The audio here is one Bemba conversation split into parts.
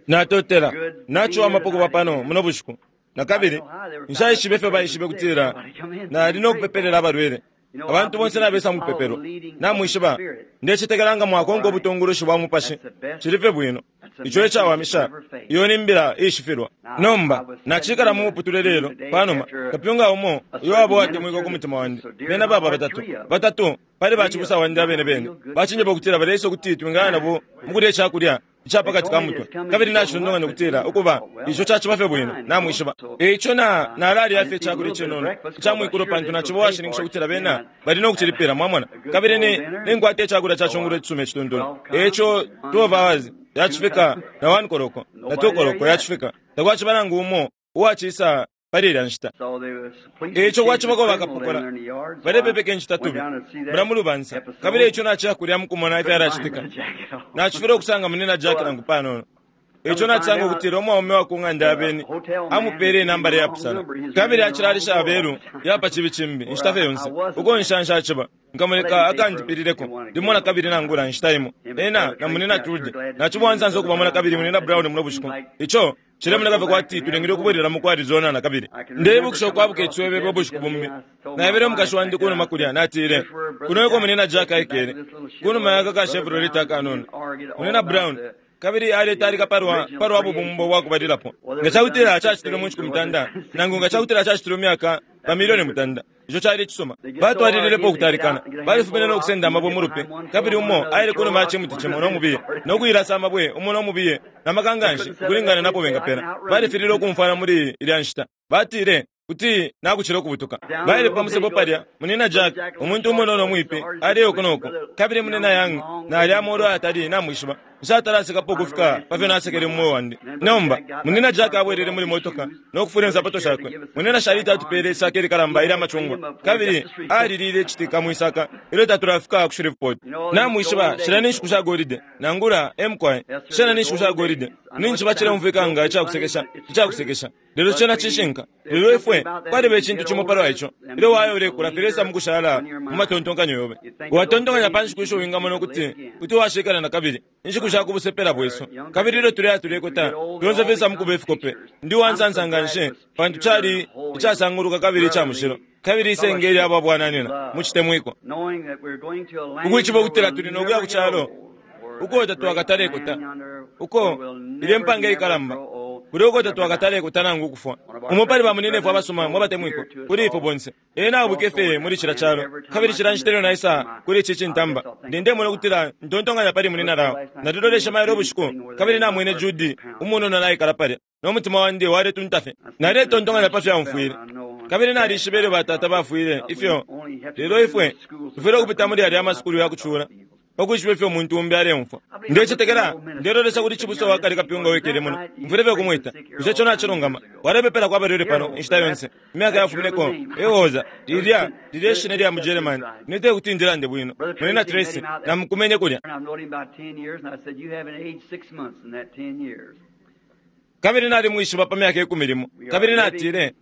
Natotela. Naciwamapo kuba pano muno bushiku. Na kabili, nshaishibe ifyo baishibe kutila nali no kupepelela abalwele. Abantu bonse nabesa mu kupepelwa. Namwishiba, ndecetekela nga mwakonka ubutungulushi bwa Mupashi, cili fye bwino. Ico e cawamisha. Iyo ni mbila iishifilwa. Nomba, nacikala mu muputule lelo, panuma, kapyunga umo uyo waba uwatemwikwa ku mutima wandi. Bena baba batatu. Batatu pali bacibusa wandi abene bene bacinjeba ukutila baleisa ukuti twingaya nabo mu kulya icakulya ica pa kati ka mutwe. Kabili nacitontonkanya ukutila, Ukuba, ico caciba fye bwino, namwishiba. E ico na, nalalya fye icakulya icinono ica mwikulo pantu naciba uwashininkisha ukutila bena bali no kucilipila, mwamona. Kabili ni, ninkwata icakulya ca cungulo icisuma icituntulu. E ico 12 hours yacifika na 1 koloko na 2 koloko yacifika, takwaciba nangu umo uwacisa pali ilya nshita. E ico kwacibako bakapokola balepepeka incitatubi mulya mu lubansa, kabili e ico naciya kulya mu kumona ifyalacitika. Nacifilwa ukusanga Munyina Jack nangu panono. E ico nacisanga ukutila umwaume wa ku ng'anda ya beni amupeele inambala iyapusana, kabili acilalisha abelu ya pa cibi cimbi inshita fye yonse. Uko nsha nshaciba, nkamuleka akandipilileko limo na kabili nangula inshita imo. Ena na Munyina Trudy, naciba uwansansa ukubamona kabili Munyina Brown muno bushiku. Ico Cilemoneka fye kwati tulingile ukubwelelamo ku Arizona na kabili. Ndeibukisha ukwabuka iciswebebe ubushiku bumbi. Naebele umukashi wandi ku numa kulya, natile, Kuno eko Munyina Jack aikele, ku numa ya aka ka Chevrolet akanono. Munyina Brown, kabili aletalika palwa, palwa bubumbo bwa kubalilapo. Nga cakutila cacitilwe mu nshiku mutanda, nangu nga cakutila cacitilwe mu myaka ba milioni mutanda. Ico cali icisuma. Batwalililepo ukutalikana. Balifumine no kusenda amabwe mu lupi, kabili umo aile ku numa ya cimuti cimo no mubiye, no kuilasa amabwe umo no mubiye na maka nga nshi ukulingana na po bengapela. Balifililwe ukumfwana muli ilya nshita. Batile, Kuti nakucila ukubutuka. Baile pa musebo palya, Munyina Jack, umuntu umunono umwipi, aleya uku no ku. Kabili Munyina Young, nalya amolu ayatali, namwishiba. Nshatala-sekapo ukufika pa fyo nasekele mu mweo wandi. Nomba, Munyina Jack abwelele muli motoka no kufula insapato shakwe. Munyina Sharita atupeele isaka ilikalamba ilya macungwa, kabili aliliile citika mwi saka ilyo tatulafika ku Shreveport. Namwishiba, shilya ni nshiku sha golide, nangula, e mukwai, shena ni nshiku sha golide. Ninjishiba cileumfwika nga ica kusekesha, ica kusekesha, lelo cena cishinka. Lelo ifwe, kwaliba icintu cimo palwa ico, ilyo waya ulekula filesa mukushala mu matontonkanyo yobe. Watontonkanya pa nshiku isho wingamona ukuti kuti washikala na kabili, inshiku sha ku busepela bwesu. Kabili ilyo tuleya tulekota, fyonse filesa mukuba ifikope. Ndi uwansansa nganshi pantu cali icasanguluka kabili ica mushilo, kabili isenge ilya ba bwananyina mu citemwiko. Ukwishiba ukutila tuli no kuya ku calo uko tatwakatalekota, uko ilye mpanga ikalamba, kulya uko tatwakatalekota nangu ukufwa. Umo pali bamunyinefwe abasuma mwe batemwikwa kuli ifwe bonse, ena aubwike fye muli cilya calo. Kabili cila nshita ilyo naisa kuli ici cintamba, ndi ndemona ukutila ntontonkanya pali Munyina Lyle. Naliloleshe mailo ubushiku, kabili namwene Judy umunono naikala palya, no mutima wandi waletunta fye. Naletontonkanya pa fyo aumfwile. Kabili nalishibe ilyo batata bafwile, ifyo, lelo ifwe tufwile ukupita muli yalya amasukulu ya kucula. pa kwishiba ifyo umuntu umbi aleumfwa. Ndecetekela ndelolesha kuli cibusa wa kale kapyunga uwikele muno. Mfwile fye ukumwita. Bushe ico nacilungama? Walepepelako abalwele pano inshita yonse imyaka yafumineko. Ehoza, lilya, lilya ishina lya mu Germany. Ine tekuti ndilande bwino. Munyina Tracy, namukumenye kulya. Kabili nalimwishiba pa myaka ikumi limo. Kabili natile,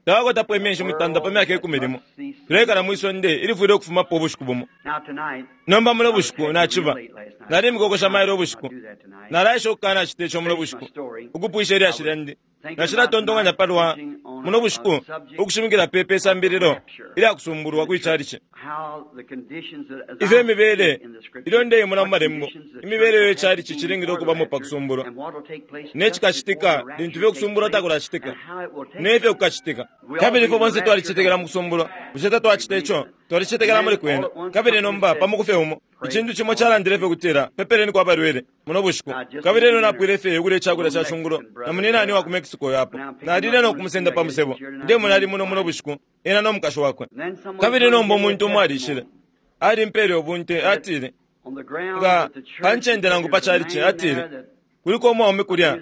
Tawakwatapo imyeshi mutanda pa myaka ikumi limo. Tulekala mwi sonde ilifwile ukufumapo ubushiku bumo. Nomba muno bushiku naciba nalimikokosha mailo ubushiku. Nalaesha ukukanacita ico muno bushiku, ukupwisha ilyashi lyandi. Nacilatontonkanya palwa muno bushiku ukushimikila pe pe sambililo ilya kusumbulwa kwi chalichi. Ifyo imibele ilyo ndeimona mu malembo, imibele iyo ichalichi cilingile ukubamo pa kusumbulwa, ne cikacitika lintu fye ukusumbulwa takulacitika, ne fyo kukacitika. Kabili ifwe bonse twalicetekela mu kusumbulwa, bushe tatwacita ico? Twalicetekela muli kwena. Kabili nomba pa muku fye umo, icintu cimo calandile fye ukutila, Pepeleniko abalwele, muno bushiku. Kabili elyo napwile fye ukulya icakulya ca cungulo na munyinane wa ku Mexico uyo apo. Nalile no kumusenda pa musebo. Ndemona ali muno muno bushiku, ena no mukashi wakwe. Kabili nomba umuntu umo alishile, alimpele ubunte, atile, Nga pa ncende nangu pa chalichi, atile, kuliko umwaume kulya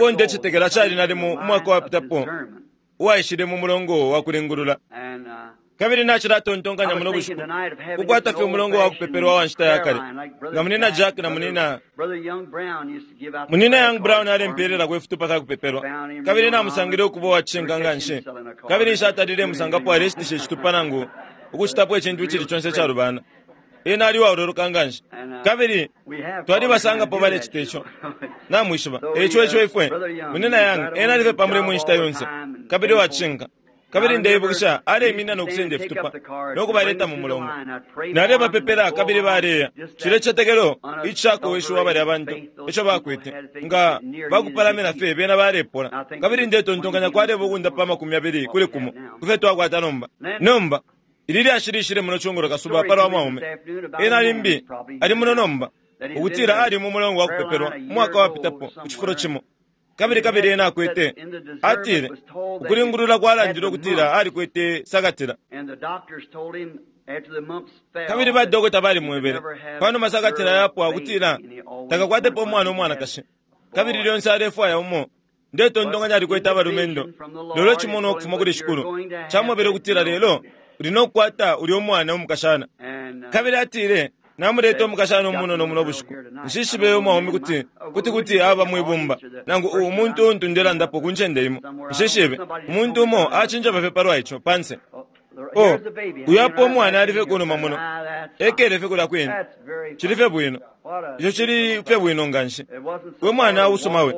uo ndecetekela cali nalimo umwaka wapitapo uwaishile mu mulongo wa kulingulula. Kabili nacilatontonkanya muno bushiku ukukwata fye umulongo wa kupepelwa wa nshita ya kale, nga Munyina Jack na Munyina, Munyina Young Brown alempeelelako ifitupa fya kupepelwa, kabili namusangile ukuba uwa cishinka nganshi, kabili nshatalile musangapo aleshitisha icitupa nangu ukucitapo icintu icili conse icalubana. Ena ali uwaololoka nganshi. Kabili twalibasangapo balecita ico. Namwishiba. Eico ico ifwe, Munyina Young, ena ali fye pa mulimo inshita yonse, kabili uwacishinka. Kabili ndeibukisha aleiminina no kusenda ifitupa no kubaleta mu mulongo. Nalebapepela kabili baleya. Cilya cicetekelo icishakoweshiwa balya bantu ico bakwete, nga bakupalamina fye bena balepola. Kabili ndetontonkanya kwaleba ukundapa 20 kuli kumo ku fyo twakwata nomba. Nomba, ili lyashi lishile muno cungulo kasuba palwa mwaume. Ena limbi ali muno nomba, ukutila ali mu mulongo wa kupepelwa umwaka wapitapo ku cifulo cimo. Kabili kabili ena akwete, atile, ukulingulula kwalandile ukutila alikwete sakatila. Kabili ba dokota balimwebele, panuma sakatila yapwa ukutila takakwatepo umwana umwanakashi. Kabili lyonse alefwaya umo. Ndetontonkanya alikwete abalumendo. Lelo icimonwa ukufuma kuli Shikulu camwebele ukutila lelo uli no kukwata ulya umwana umukashana. Kabili atile, Namuleta umukashana umunono muno bushiku. Nshishibe umwaume kuti, kuti kuti aba mwibumba, nangu u, umuntu untu ndelandapo ku ncende imo. Nshishibe. Umuntu umo acinjeba fye palwa ico, panse. Oh, uyu apo umwana ali fye kunuma muno. Ekele fye kulya kwine. Cili fye bwino. Ico cili fye bwino nganshi. We mwana usuma we.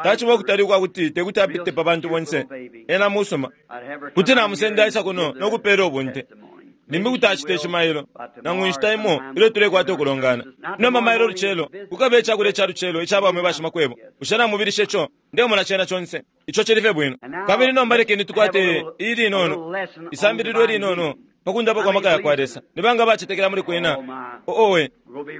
Taciba ukutali ukwa kuti tekuti apite pa bantu bonse. Ena musuma. Kuti namusenda aisa kuno no kupela ubunte. Limbi kuti acita ici mailo, nangu inshita imo ilyo tulekwata ukulongana. Nomba mailo ulucelo, kukaba icakulya ca lucelo ica baume bashimakwebo. Bushe namubilisha ico? Ndemona cena conse. Ico cili fye bwino. Kabili nomba lekeni tukwate ilinono, isambililo ilinono pa kundapa kwa maka yakwa Lesa. Ni banga abacetekela muli kwena? Oh, owe,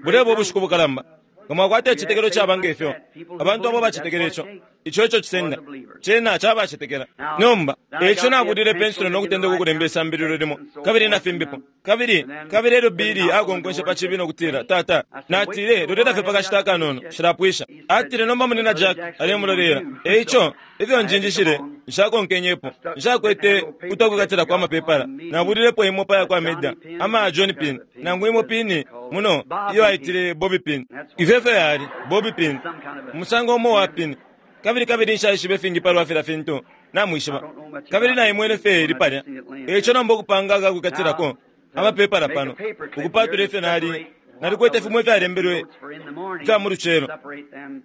buleba ubushiku bukalamba. Nga mwakwata icicetekelo caba nge fyo, abantu abo bacetekela ico, ico eco cisenda. Cena cabacetekela. Nomba, eico nabulile pensulo no kutendeka ukulemba isambililo limo, kabili na fimbipo. Kabili, kabili elyo Billy akonkwenshe pa cibi no kutila, Tata, natile, lolela fye pa kashita akanono, nshilapwisha. Atile, Nomba Munyina Jack alemulolela. Eico, ifyo njinjishile, nshakonkenyepo. Nshakwete utwakwikatila kwa mapepala. Nabulilepo imo pa yakwa Meda, ama John Pin, nangu imo pini muno iyo aitile Bobby Pin. Ifyo efyo yali, Bobby Pin, umusango umo wa pin. Kabili kabili nshaishibe ifingi palwa filya fintu, namwishiba. Kabili naimwene fye ili palya. Eico nomba ukupanga akakwikatilako amapepala pano, ukupatula ifyo nali Nalikwete fimo ifyalembelwe ifya mu lucelo,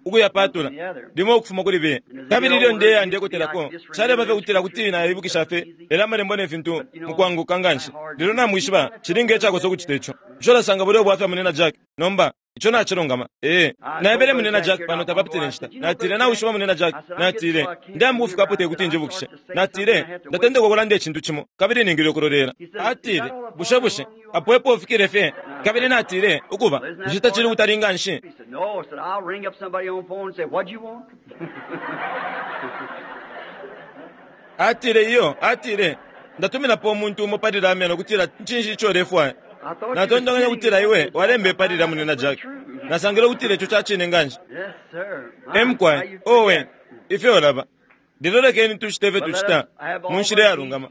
ukuyapatula, limo ukufuma kuli bena. Kabili ilyo ndeya ndekotelako, caleba fye ukutila kuti naibukisha fye yalya Amalembo ne fintu mukwanguka nganshi. Lelo namwishiba, cili nge cakosa ukucita ico. Bushe ulasanga bulya ubwafya, Munyina Jack? Nomba, ico nacilungama. Ee. Naebele Munyina Jack pano tapapitile inshita. Natile, Nawishiba, Munyina Jack, natile, Ndeamba ukufikapo tekuti njibukishe. Natile, Ndatendeka ukulanda icintu cimo, kabili ningile ukulolela. Atile, Bushe, bushe apo epo ufikile fye? Kabili natile, Ukuba, bushe tacili ukutali nganshi? Atile, Iyo. Atile, Ndatuminapo umuntu umo pali lamya no kutila, Cinshi ico ulefwaya? Natontonkanya ukutila iwe walemba epali lya Munyina Jack. Nasangile ukutila ico ca cine nganshi. E mukwai, owe, ifyo ulaba. Lelo lekeni tucite ifyo tucita mu nshila iyalungama,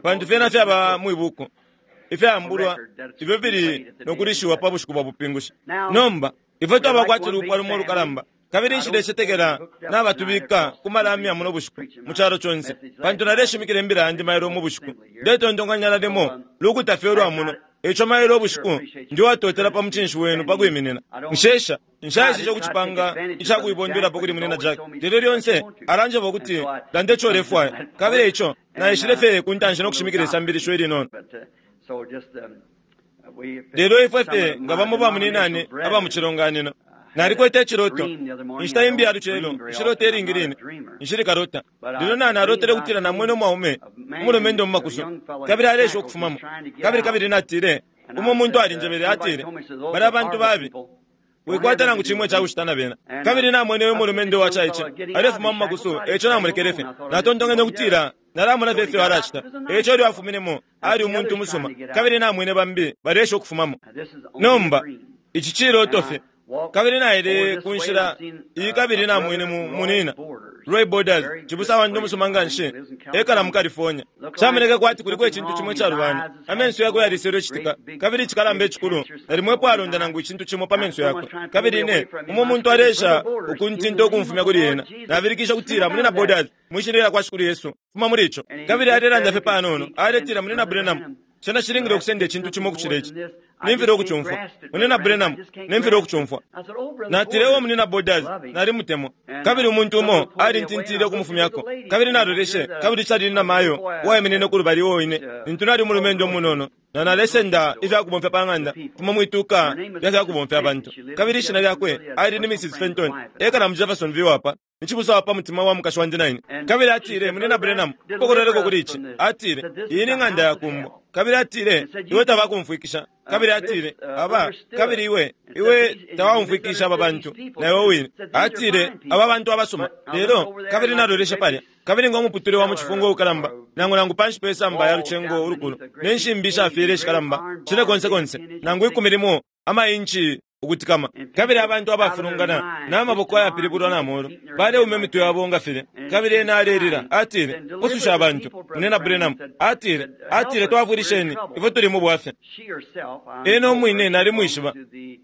pantu fyena fyaba mwi buku, ifyaambulwa ifyo fili no kulishiwa pa bushiku bwa bupingushi. Nomba, ifwe twaba kwati lupwa lumo ulukalamba. Kabili nshilecetekela nabatubika ku malamya muno bushiku, mu calo conse, pantu naleshimikila imbila yandi mailo mu bushiku. Ndetontonkanya nalimo lukuta fye ulwa muno. Eico mailo ubushiku, ndi uwatotela pa mucinshi wenu pa kwiminina. Nshesha, nshaeseshe ukucipanga ica kuibondwelapo kuli Munyina Jack, lelo lyonse alanjeba ukuti landa ico ulefwaya. Kabili eico naishile fye ku ntanshi no kushimikila isambilisho ilinono. Lelo ifwe fye nga bamo bamunyinane aba mu cilonganino. Nalikwete iciloto, inshita imbi ya lucelo, nshilota ilingi line, nshili kalota. Lelo na, nalotele ukutila namwene umwaume, umulumendo mu makusu, kabili aleesha ukufumamo. Kabili, kabili natile, umo muntu alinjebele, atile, Balya bantu babi. Wikwata nangu cimo ica kucita na bena. Kabili namwene uyu mulumendo uwacaice alefuma mu makusu, e ico namulekele fye. Natontonkenye ukutila, Nalamona fye ifyo alacita. E ico ilyo afuminemo, ali umuntu umusuma. Kabili namwene bambi baleesha ukufumamo. Nomba, ici ciloto fye. Kabili naile ku nshila iyi kabili namwene mu, munina, Roy Borders, cibusa wandi umusuma nganshi, ekala mu California. Camoneke kwati kuliko icintu cimo icalubana. Amenso yakwe yaliselwe citika, kabili icikalamba icikulu, nalimo epo alonda nangu icintu cimo pa menso yakwe. Kabili ine, umo muntu aleesha ukuntinta ukumfumya kuli ena. Nabilikishe ukutila, Munyina Borders, mwi Shina lyakwa Shikulu Yesu, fuma muli ico. Kabili alelanda fye panono, aletila, Munyina Branham, cena cilingile ukusenda icintu cimo ukucila ici. Nimfilwa ukucumfwa. Munyina Branham, nimfilwa ukucumfwa. Natile, O Munyina Borders, nalimutemwa. Kabili umuntu umo alintintile ukumufumyako. Kabili naloleshe, kabili cali ni namayo uwaiminine kulubali uo ine, lintu nali umulumendo umunono, na nalesenda ifya kubomfya pa ng'anda fimo mwituka lya fya kubomfya abantu. Kabili ishina lyakwe ali ni Mrs. Fenton, ekala mu Jeffersonville apa. Ni cibusa wa pa mutima wa mukashi wandi na ine. Kabili atile, Munyina Branham, pokololeko kuli ici. Atile, Iyi ni ng'anda ya kumbo. Kabili atile, Iwe tabakumfwikisha. Kabili atile, Aba, kabili iwe, iwe tawaumfwikisha aba bantu, na iwe wine. Atile, Aba bantu abasuma. Lelo, kabili naloleshe palya. Kabili ngo muputule wa mu cifungo ukalamba, nangu nangu panshi pe samba ya lucengo ulukulu, ne nshimbi ishafyele ishikalamba, cine konse konse, nangu ikumi limo ama inchi ukutikama. Kabili abantu abafulungana, na maboko ayapilibulwa na molu, baleuma imitwe yabo nga filya. Kabili ena alelila, atile, Pususha abantu, Munyina Branham. Atile, atile, Twafwilisheni, ifwe tuli mu bwafya. Ena umwine nalimwishiba.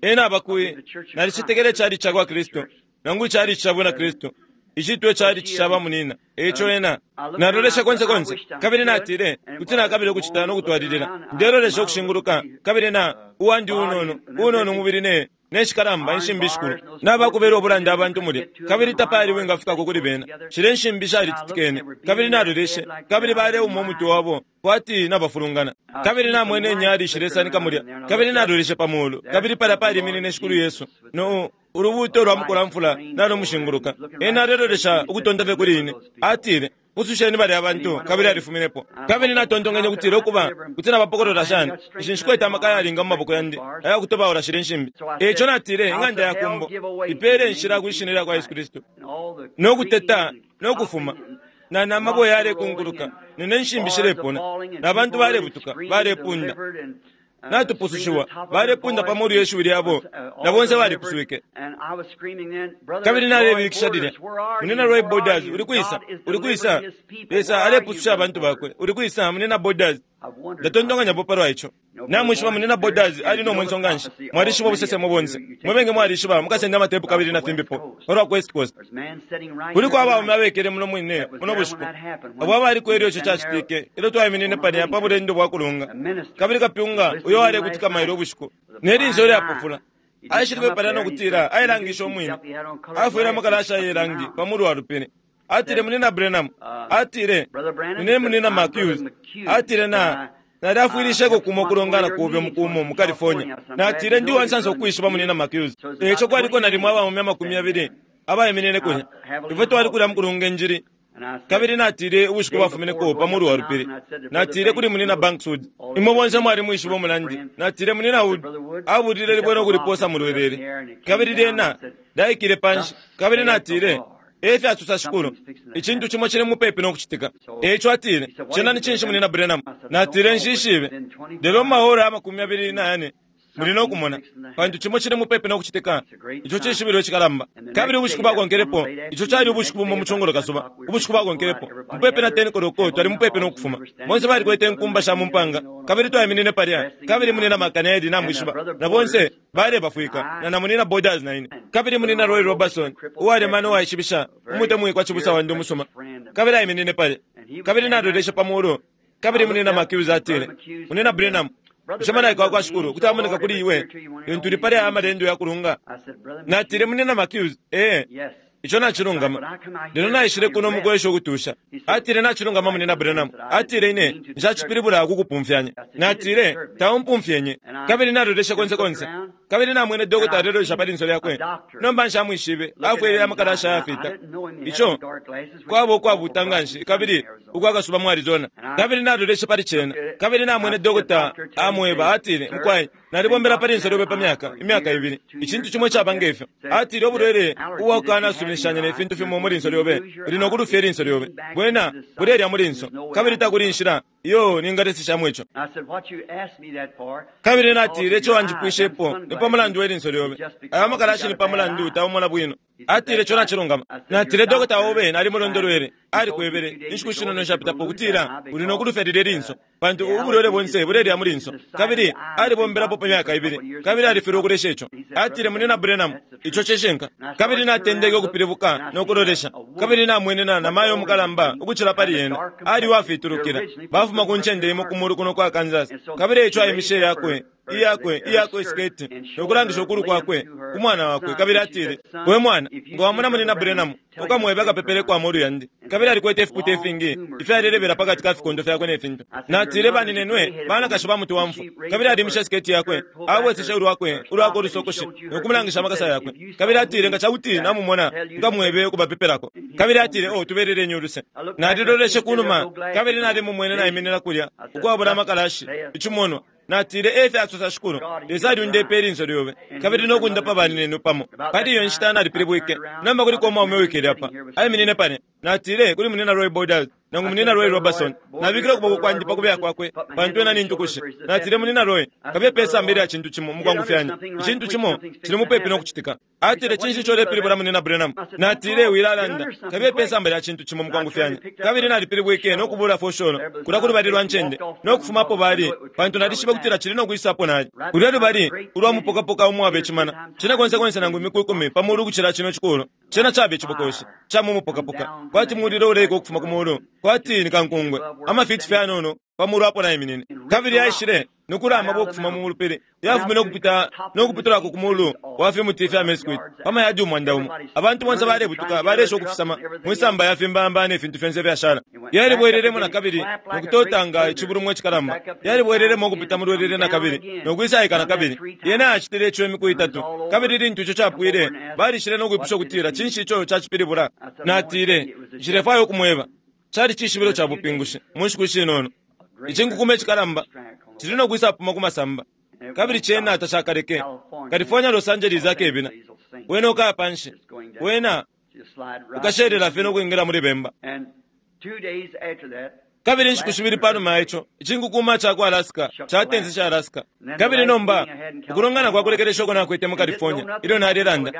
Ena aba kui, nalicetekela icalici cakwa Kristu, nangu icalici ca bwina Kristu. Icitwa icalici ca bamunyina. Eico ena, nalolesha konse konse, kabili natile, Kuti nakabila ukucita no kutwalilila. Ndelolesha ukushinguluka, kabili na, uwandi unono, unono umubili ne, ne shikalamba inshimbi ishikulu, nabakubela ubulanda abantu mulya, kabili tapali wingafikako kuli bena. Shilya inshimbi shalititikene, kabili naloleshe, kabili baleuma umutwe wabo kwati nabafulungana. Kabili namwene inyali shilesanika mulya, kabili naloleshe pa mulu, kabili palya paliminine Shikulu Yesu, no ulubuuto lwa mukulamfula nalumushinguluka. Ena alelolesha ukutonta fye kuli ine. Atile, Pususheni balya bantu, kabili alifuminepo. Kabili natontonkenye ukutila, Ukuba, kuti nabapokolola shani? Ishi nshikwete amaka ayalinga mu maboko yandi aya kutobaula shilya nshimbi. E ico natile, Ing'anda ya kumbo, ipeele inshila kwi Shina lyakwa Yesu Kristu. No kuteta, no kufuma, na, na mabwe yalekunkuluka, ne, ne nshimbi shilepona, na bantu balebutuka, balepunda. Natupusushiwa, balepunda pa molu ye shiwi lyabo, na bonse balipuswike. Kabili nalebilikisha lilya, Munyina Roy Borders, uli kwisa? Uli kwisa? Lesa alepususha abantu bakwe. Uli kwisa, Munyina Borders? Ndatontonkanyapo palwa ico. Namwishiba Munyina Borders ali no mwenso nganshi. Mwalishiba ubusesemo bonse. Mwe bengi mwalishiba, mukasenda amatepu kabili na fimbipo, palwa ku West Coast. Kuliko abaume abekele muno mwine, muno bushiku, abo abaliko ilyo ico cacitike, ilyo twaiminine palya pa bulendo bwa kulunga. Kabili kapyunga uyo walekutika mailo ubushiku, ne linso ilyapofula, aishile palya no kutila ailangishe umwine, afwele amakalasha aye langi pa mulu wa lupili. Atile, Munyina Branham, atile, Nine Munyina McHughes. Atile, Na, nalyafwilisheko kumo kulongana kobe mukumo mu California. Natile, Ndi uwansansa ukwishiba Munyina McHughes. Eico kwaliko nalimo abaume amakumi yabili abaiminine kulya. Ifwe twali kulya mukulunga injili. Kabili natile ubushiku bwafumineko pa mulu wa lupili, natile kuli Munyina Banks Wood, imwe bonse mwalimwishiba umulandi. Natile, Munyina Wood abulile libwe no kuliposa mu lwelele. Kabili lyena lyaikile panshi. Kabili natile, E fyasosa Shikulu, icintu cimo cili mupepi no kucitika. E ico atile, Cena ni cinshi, Munyina Branham? Natile, Nshishibe. Lelo mu maora 24 muli no kumona, pantu cimo cili mupepi no kucitika. Ico cishibilo icikalamba. Kabili ubushiku bwakonkelepo, ico cali ubushiku bumo mu cungulo kasuba, ubushiku bwakonkelepo, mupepi na 10 koloko, twali mupepi no kufuma. Bonse balikwete inkumba sha mu mpanga, kabili twaiminine palya, kabili Munyina McKennedy, namwishiba, na bonse balebafwika, na na Munyina Borders na ine. Kabili Munyina Roy Robertson, uwalemana uwaishibisha, umutemwikwa cibusa wandi umusuma, kabili aiminine palya. Kabili naloleshe pa mulu, kabili Munyina McHughes atile, Munyina Branham, bushe malaika wakwa Shikulu kuti amoneka kuli iwe lintu uli pali aya amalendo ya kulunga? Natile, Munyina McHughes, ee, ico nacilungama. Lelo naishile kuno mukwesha ukutusha. Atile, Nacilungama, Munyina Branham. Atile, Ine nshacipilibula kukupumfyanya. Natile, Taumpumfyenye. Kabili naloleshe konse konse. Kabili namwene dokota alelolesha pa linso lyakwe. Nomba nshamwishibe, afwele amakalasha ayafita. Ico kwaba ukwabuuta nganshi kabili ukwa kasuba mu Arizona. Kabili naloleshe pali cena. Kabili namwene dokota amweba, atile, Mukwai, nalibombela pa linso lyobe pa myaka, imyaka ibili. Icintu cimo icaba nge fyo. Atile, Ubulwele ubwa kukanasuminishanya ne fintu fimo mu linso lyobe, uli no kulufya ilinso lyobe. Bwena bulelya mu linso, kabili takuli inshila iyo ningateseshamo ico. Kabili natile, Ico wanjipwishepo ni pa mulandu we linso lyobe. Aya makalashi ni pa mulandu taumona bwino. Atile, Ico nacilungama. Natile, Dokota obe nalimulondolwele, alikwebele inshiku shinono ishapitapo ukutila uli no kulufya lilye linso, pantu ubulwele bonse bulelya mu linso. Kabili alibombelapo pa myaka ibili, kabili alifilwa ukulesha ico. Atile, Munyina Branham, ico cishinka. Kabili natendeke ukupilibuka no kulolesha, kabili namwene na namayo umukalamba ukucila pali ena, ali uwafitulukila, bafuma ku ncende imo ku mulu kuno kwa Kansas. Kabili eico aimishe yakwe iyakwe, iyakwe siketi, no kulangisha ukulu kwakwe ku mwana wakwe. Kabili atile, We mwana, nga wamona Munyina Branham, ukamwebe akapepeleko amolu yandi. Kabili alikwete ifipute ifingi ifyalelebela pakati ka fikondo fyakwe ne fintu. Natile, Baninenwe banakashi ba muti wa mfwa. Kabili alimishe siketi yakwe, abweseshe ulwakwe, ulwakwe ulusokoshi, no kumulangisha amakasa yakwe. Kabili atile, Nga cakuti namumona, nkamwebe ukubapepelako. Kabili atile, Oh, tubeleleni uluse. Naliloleshe kunuma, kabili nalimumwene naiminina kulya, ukwabula amakalashi, icimonwa. Natile, Efya sosa Shikulu, Lesa alyundepe ilinso lyobe, kabili no kundapa baninenwe pamo. Pali iyo nshita nalipilibwike. Nomba kuliko umwaume uwikele apa, aiminine pane. Natile kuli Munyina Roy Borders, nangu Munyina Roy Robertson, nabikile ukuboko kwandi pa kubeya kwakwe, pantu ena ni ntukushi. Natile, Munyina Roy, kabiye pe samba ilya cintu cimo mukwangufyanya. Icintu cimo cili mupepi no kucitika. Atile, Cinshi ico ulepilibula, Munyina Branham? Natile, Wilalanda. Kabiye pe samba lya cintu cimo mukwangufyanya. Kabili nalipilibwike no kubula fosholo kulya kulubali lwa ncende, no kufumapo bali, pantu nalishibe kutila cili no kwisapo nali. Kulya lubali ulwa mupokapoka umwaba icimana, cena konse konse nangu imiku 10 pa mulu ukucila cino cikulo. Cena caba icibokoshi ca mu mupokapoka, kwati mulilo uleika ukufuma ku mulu, kwati ni kankungwe, amafiti fye yanono pa mulu apo naiminine. Kabili yaishile no kulama ukufuma mu lupili, yafumine ukupita no kupitulako ku mulu wa fimuti fya mesquite pa mayadi 1000. Abantu bonse balebutuka, baleesha ukufisama mwisamba ya fimbamba ne fintu fyonse ifyashala. Yalibwelelemo na kabili no kutotanga icibulumwa icikalamba. Yalibwelelemo ukupita mu lwelele na kabili no kwisaika na kabili. Yena acitile ico imiku itatu. Kabili lintu ico capwile, balishile no kwipusha ukutila, Cinshi ico cacipilibula? Natile, Nshilefwaya ukumweba. Cali cishibilo ca bupingushi mu nshiku ishinono. Icinkukuma icikalamba cili no kwisapuma ku masamba, kabili cena tacakaleke. California, Los Angeles akebina. Wena ukaya panshi, wena ukashelela fye no kwingila muli bemba. Kabili inshiku shibili panuma ya ico, icinkukuma ca ku Alaska catenseshe Alaska. Kabili nomba ukulongana kwa kulekelesha uko nakwete mu California ilyo nalelanda,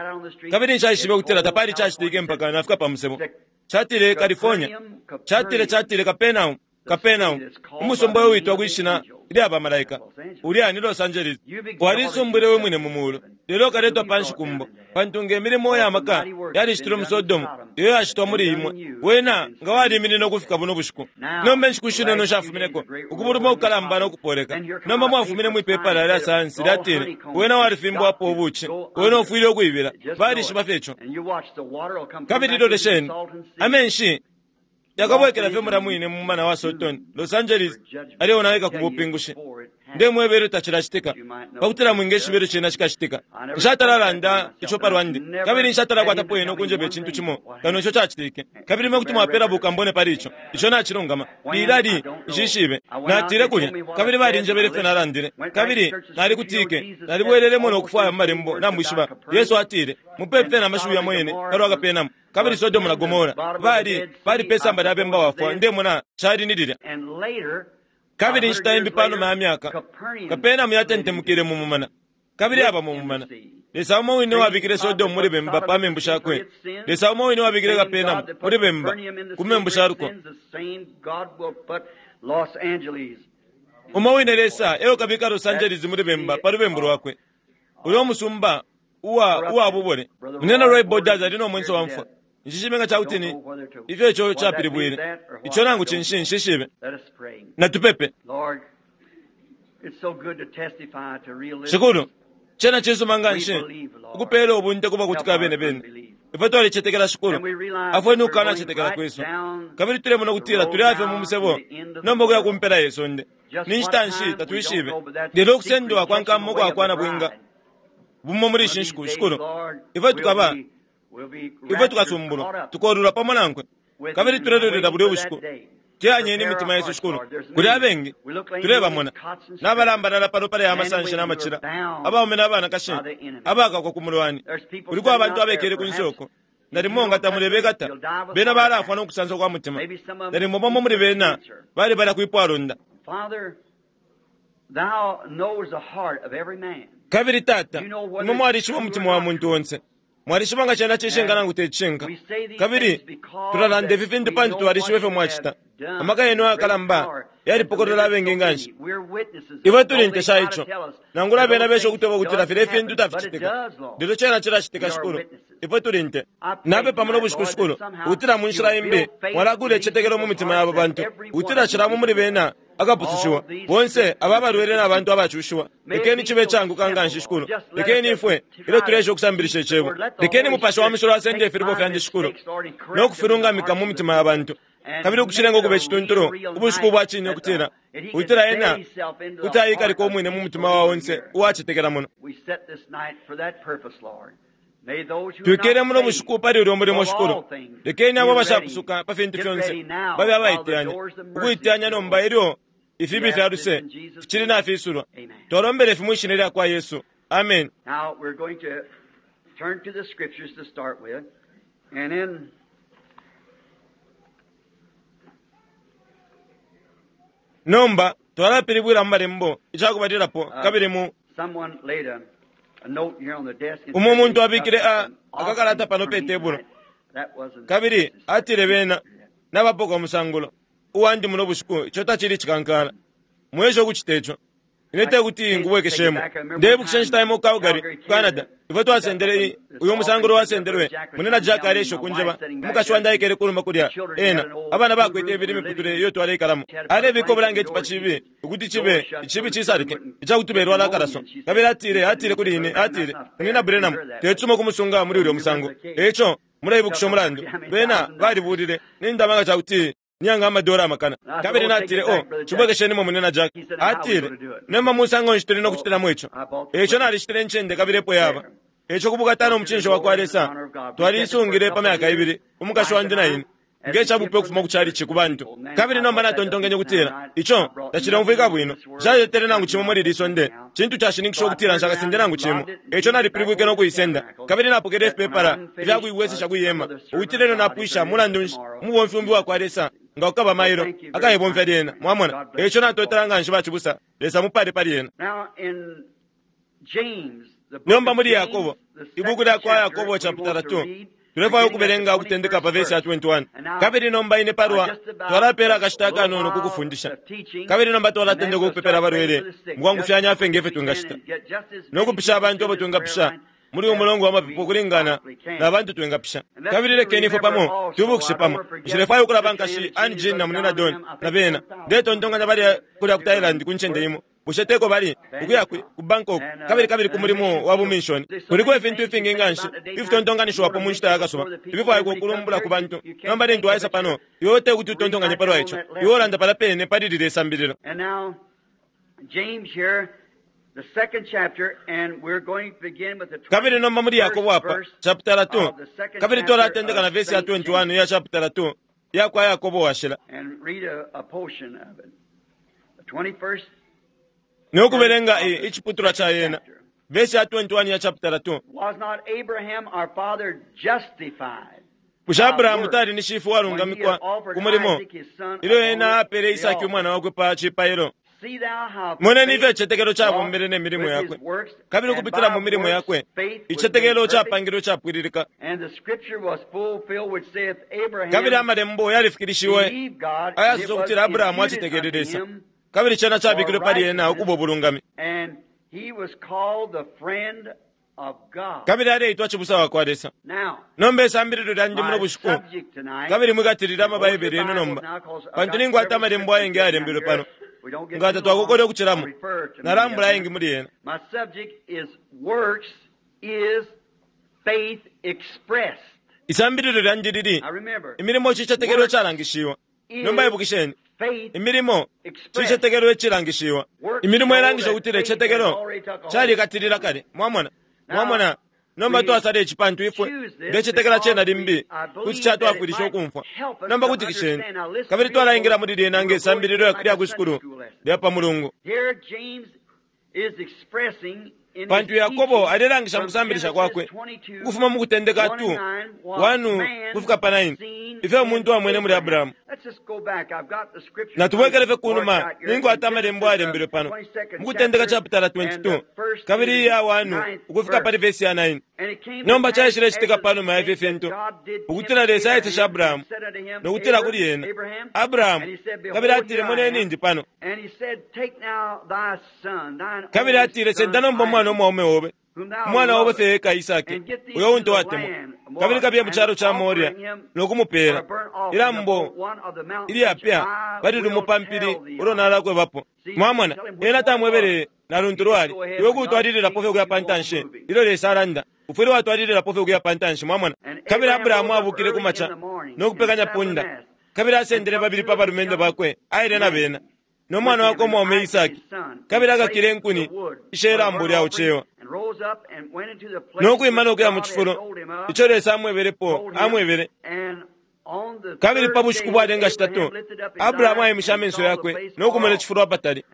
kabili nshaishibe ukutila tapali cacitike mpaka nafika pa musebo. Catile California, catile, catile Capernaum, Capernaum, umusumba uyo witwa kwi shina ilya bamalaika, ulya ni Los Angeles. Walisumbwile we mwine mu mulu, lelo ukaletwa panshi kumbo, pantu nge milimo ya maka yalicitilwe mu Sodomu, iyo yacitwa muli imwe, wena nga waliminine ukufika buno bushiku. Nomba inshiku shinono shafumineko, ukubuluma ukukalamba no kupoleka. Nomba mwafumine mwi pepala lya sayansi lyatile, wena walifimbwapo ubuci, wena ufwile ukuibila. Balishiba fye ico. Kabili lolesheni, amenshi yakabwekela fye mulya mwine mu mumana wa Sotoni, Los Angeles aleonaika ku bupingushi. Ndemweba ilyo tacilacitika, pakutila mwingeshiba ilyo cena cikacitika. Nshatala ico palwandi, kabili nshatala kwatapo ena ukunjeba icintu cimo kano ico cacitike. Kabili imwe kuti mwapela bukambone pali ico. Ico nacilungama. Lilali, nshishibe. Natile kulya, kabili balinjebele ifyo nalandile. Kabili nalikutike, nalibwelelemo no kufwaya mu malembo, namwishiba. Yesu atile, mupepi fye na mashiwi yamo yene palwa Kapenamu. Kabili Sodomu na Gomora bali bali pe samba lya bemba wafwa, ndemona cali ni lilya. Kabili inshita imbi panuma ya myaka, Kapenamu yatentemukile mu mumana, kabili aba mu mumana. Lesa umo wine wabikile Sodomu muli bemba pa membu shakwe, Lesa umo wine wabikile Kapenamu muli bemba ku membu sha luko. Umo wine Lesa eo kabika Los Angeles muli bemba pa lubembu lwakwe. Uyo musumba uwa uwa bubole. Munyina Roy Borders ali no mwenso wa mfwa. Nshishibe nga cakuti ni ifyo ico capilibwile. Ico nangu cinshi nshishibe. Natupepe. Shikulu, cena cisuma nganshi ukupela ubunte kuba kutika bene bene. Ifwe twalicetekela Shikulu, afweni ukukanacetekela kwesu. Kabili tulemona ukutila tuli afye mu musebo nomba ukuya ku mpela ye sonde. Ni nshita nshi tatwishibe, lelo ukusendwa kwa nkama ukwa kwa nabwinga bumo muli ishi nshiku, Shikulu, ifwe tukaba, ifwe tukasumbulwa, tukolulwa pamo nankwe. Kabili tulelolela bulyo bushiku. Teyanyeni imitima yesu, Shikulu. Kuli abengi tulebamona nabalambalala pano pali amasanshi n'amacila, abaume n'abanakashi abakakwa ku mulwani. Kuliko abantu abekele ku nsoko, nalimo nga tamulebekata, bena balafwa no kusansa kwa mutima. Nalimo bamo muli bena bali balya kwipwalonda. Kabili Tata, imwe mwalishiba umutima wa muntu onse. Mwalishiba nga cena cishinka nangu te cishinka. Kabili tulalanda ifi fintu pantu twalishiba ifyo mwacita. Amaka yenu ayakalamba yalipokolola abengi nganshi. Ifwe tuli nte sha ico. Nangula bena besha ukutweba ukutila filya ifintu taficitika, lelo cena cilacitika, Shikulu. Ifwe tuli nte. Napepa muno bushiku, Shikulu, ukutila mu nshila imbi Mwalakula icicetekelo mu mitima ya aba bantu, ukutila cila umo muli bena akapusushiwa, bonse aba abalwele na bantu abacushiwa. Lekeni cibe icaanguka nganshi, Shikulu. Lekeni ifwe, ilyo tuleesha ukusambilisha Icebo, lekeni Mupashi wa Mushilo asende ifilubo fyandi, Shikulu, no kufilungamika mu mitima ya bantu, kabili ukucilenga ukuba icituntulu ubushiku ubwa cine, ukutila, ukutila Ena kuti aikalika umwine mu mutima wa onse uwacetekela muno. Twikele muno bushiku pali ulyo mulimo, Shikulu. Lekeni abo abashapusuka pa fintu fyonse babe abaiteyanya, ukuiteyanya nomba ilyo ifibi fya luse ficili nafisulwa. Twalombele ifi mwi Shina lyakwa Yesu. Ameni. Nomba twalapilibwila mu Malembo icakubalilapo kabili mu Umo muntu abikile a, akakalata pano pe tebulo, kabili atile bena nabapoka umusangulo uwandi muno bushiku. Ico tacili icikankala. Mweshe ukucita ico. Ine te kuti ngubwekeshemo. Ndeibukisha inshita imo ku Calgary, ku Canada, ifwe twasendele i, uyu musangulo wasendelwe. Munyina Jack aleesha ukunjeba. Umukashi wandi aikele kunuma kulya, ena, abana bakwete ibili imiputule iyo twaleikalamo. Alebika ubulangeti pa cibi, ukuti cibe, icibi cisalike, icakuti belwala akalaso. Kabili atile, atile kuli ine, atile, Munyina Branham, tecisuma ukumusunga muli ulyo musango. Eico, muleibukisha umulandu, bena balibulile, nindama nga cakuti niyanga amadola amakana. Kabili natile, Oh, cibwekeshenimo, Munyina Jack. Atile, Nomba musango nshi tuli no kucitilamo ico? Eico nalishitile incende kabili epo yaba. Eico ku bukata no mucinshi wakwa Lesa, twaliisungile pa myaka ibili, umukashi wandi na ine, nge cabupe ukufuma ku chalichi ku bantu. Kabili nomba natontonkenye ukutila, Ico tacileumfwika bwino. Nshaletele nangu cimo muli ili sonde. Cintu cashininkisha ukutila nshakasende nangu cimo. Eico nalipilibwike no kuisenda. Kabili napokele ifipepala ifya kuibwesesha kwi hema, ukutila ilyo napwisha, mulandu nshi, umubomfi umbi wakwa Lesa, nga kukaba mailo, akaibomfya lyena. Mwamona? Eico natotela nganshi, bacibusa. Lesa amupale pali yena. Nomba muli Yakobo, Ibuku lyakwa Yakobo chaputala 2, tulefwaya ukubelenga ukutendeka pa vesi ya 21. Kabili nomba ine palwa, twalapela akashita akanono ku kufundisha. Kabili nomba twalatendeka ukupepela abalwele mukwangufyanya fye nge fyo twingacita, no kupisha abantu abo twingapisha muli uyu mulongo wa mapepo ukulingana na bantu twingapisha. Kabili lekeni ifwe pamo twibukishe pamo. Nshilefwaya ukulaba nkashi Ann Jean na Munyina Don na bena. Ndetontonkanya bali kulya ku Thailand ku ncende imo. Bushe teko bali? Ukuya kwi? Ku Bangkok, kabili, kabili ku mulimo wa buminshoni. Kuliko ifintu ifingi nganshi ifitontonkanishiwapo mu nshita ya kasuba, ififwaikwa ukulumbula ku bantu. Nomba lintu waisa pano, iwe tekuti utontonkanye palwa ico. Iwe ulanda palya pene pali lilye sambililo. Kabili nomba muli Yakobo apa, chaputala 2, kabili twalatendeka na vesi ya 21 iya chaputala 2 iyakwa Yakobo Washila. No kubelenga i, iciputulwa ca yena, vesi ya 21 ya chaputala 2. Bushe Abrahamu tali ni shifwe uwalungamikwa ku mulimo ilyo ena apele Isaki umwana wakwe pa cipailo? Moneni ifyo icitetekelo cabombele ne milimo yakwe, kabili ukupitila mu milimo yakwe icitetekelo capangilwe icapwililika. Kabili Amalembo yalifikilishiwe ayasosa ukutila Abrahamu acetekele Lesa, kabili cena cabikilwe pali ena ukuba ubulungami. Kabili aleitwa cibusa wakwa Lesa. Nomba isambililo lyandi muno bushiku, kabili mwikatilile ama Baibele yenu nomba, pantu ninkwata Amalembo ayengi ayalembelwe pano. Nga tatwakokole ukucilamo, nalambula ayengi muli yena. Isambililo lyandi lili, Imilimo Cicetekelo Icalangishiwa. Nomba ibukisheni, imilimo cicetekelo icilangishiwa. Imilimo ilangisha ukutila icicetekelo calikatilila kale. Mwamona? Mwamona? Nomba twasala ici pantu ifwe, ndecetekela cena limbi kuti catwafwilisha ukumfwa. Nomba kutikisheni, kabili twalaingila muli lyena nge sambililo lya kwi sukulu lya pa Mulungu. Pantu Yakobo alelangisha mu kusambilisha kwakwe, ukufuma mu Kutendeka 2, 1 kufika pa 9, Ifyo umuntu amwene muli Abrahamu. Natubwekele fye kunuma, ninkwata amalembo ayalembelwe pano. Mukutendeka chapitala 22, kabili iya 1 ukufika pali vesi ya 9. Nomba caishile citika panuma ya ifyo fintu, ukutila Lesa aiteshe Abrahamu, nokutila kuli ena, Abrahamu, kabili atile, Moneni ndi pano. Kabili atile, Senda nomba umwana umwaume obe, umwana obe fye eka Isaki, uyo untu watemwa, kabili kabiye mu calo ca Moria, nokumupela ilambo ilyapya pali lumo pa mpili ulo nalakwebapo. Mwamona, ena tamwebele na luntu lwali iwe kutwalililapo fye ukuya pa ntanshi ilyo Lesa alanda. Ufwile watwalililapo fye ukuya pa ntanshi, mwamona. Kabili Abrahamu abukile ku maca no kupekanya punda, kabili asendele babili pa balumendo bakwe, aile na bena no mwana wakwe umwaume Isaki, kabili akakile inkuni ishe lambo lya ucewa, no kwima no kuya mu cifulo ico Lesa amwebelepo amwebele. Kabili pa bushiku bwalenga shitatu Abrahamu aimishe amenso yakwe no kumona icifulo apatali.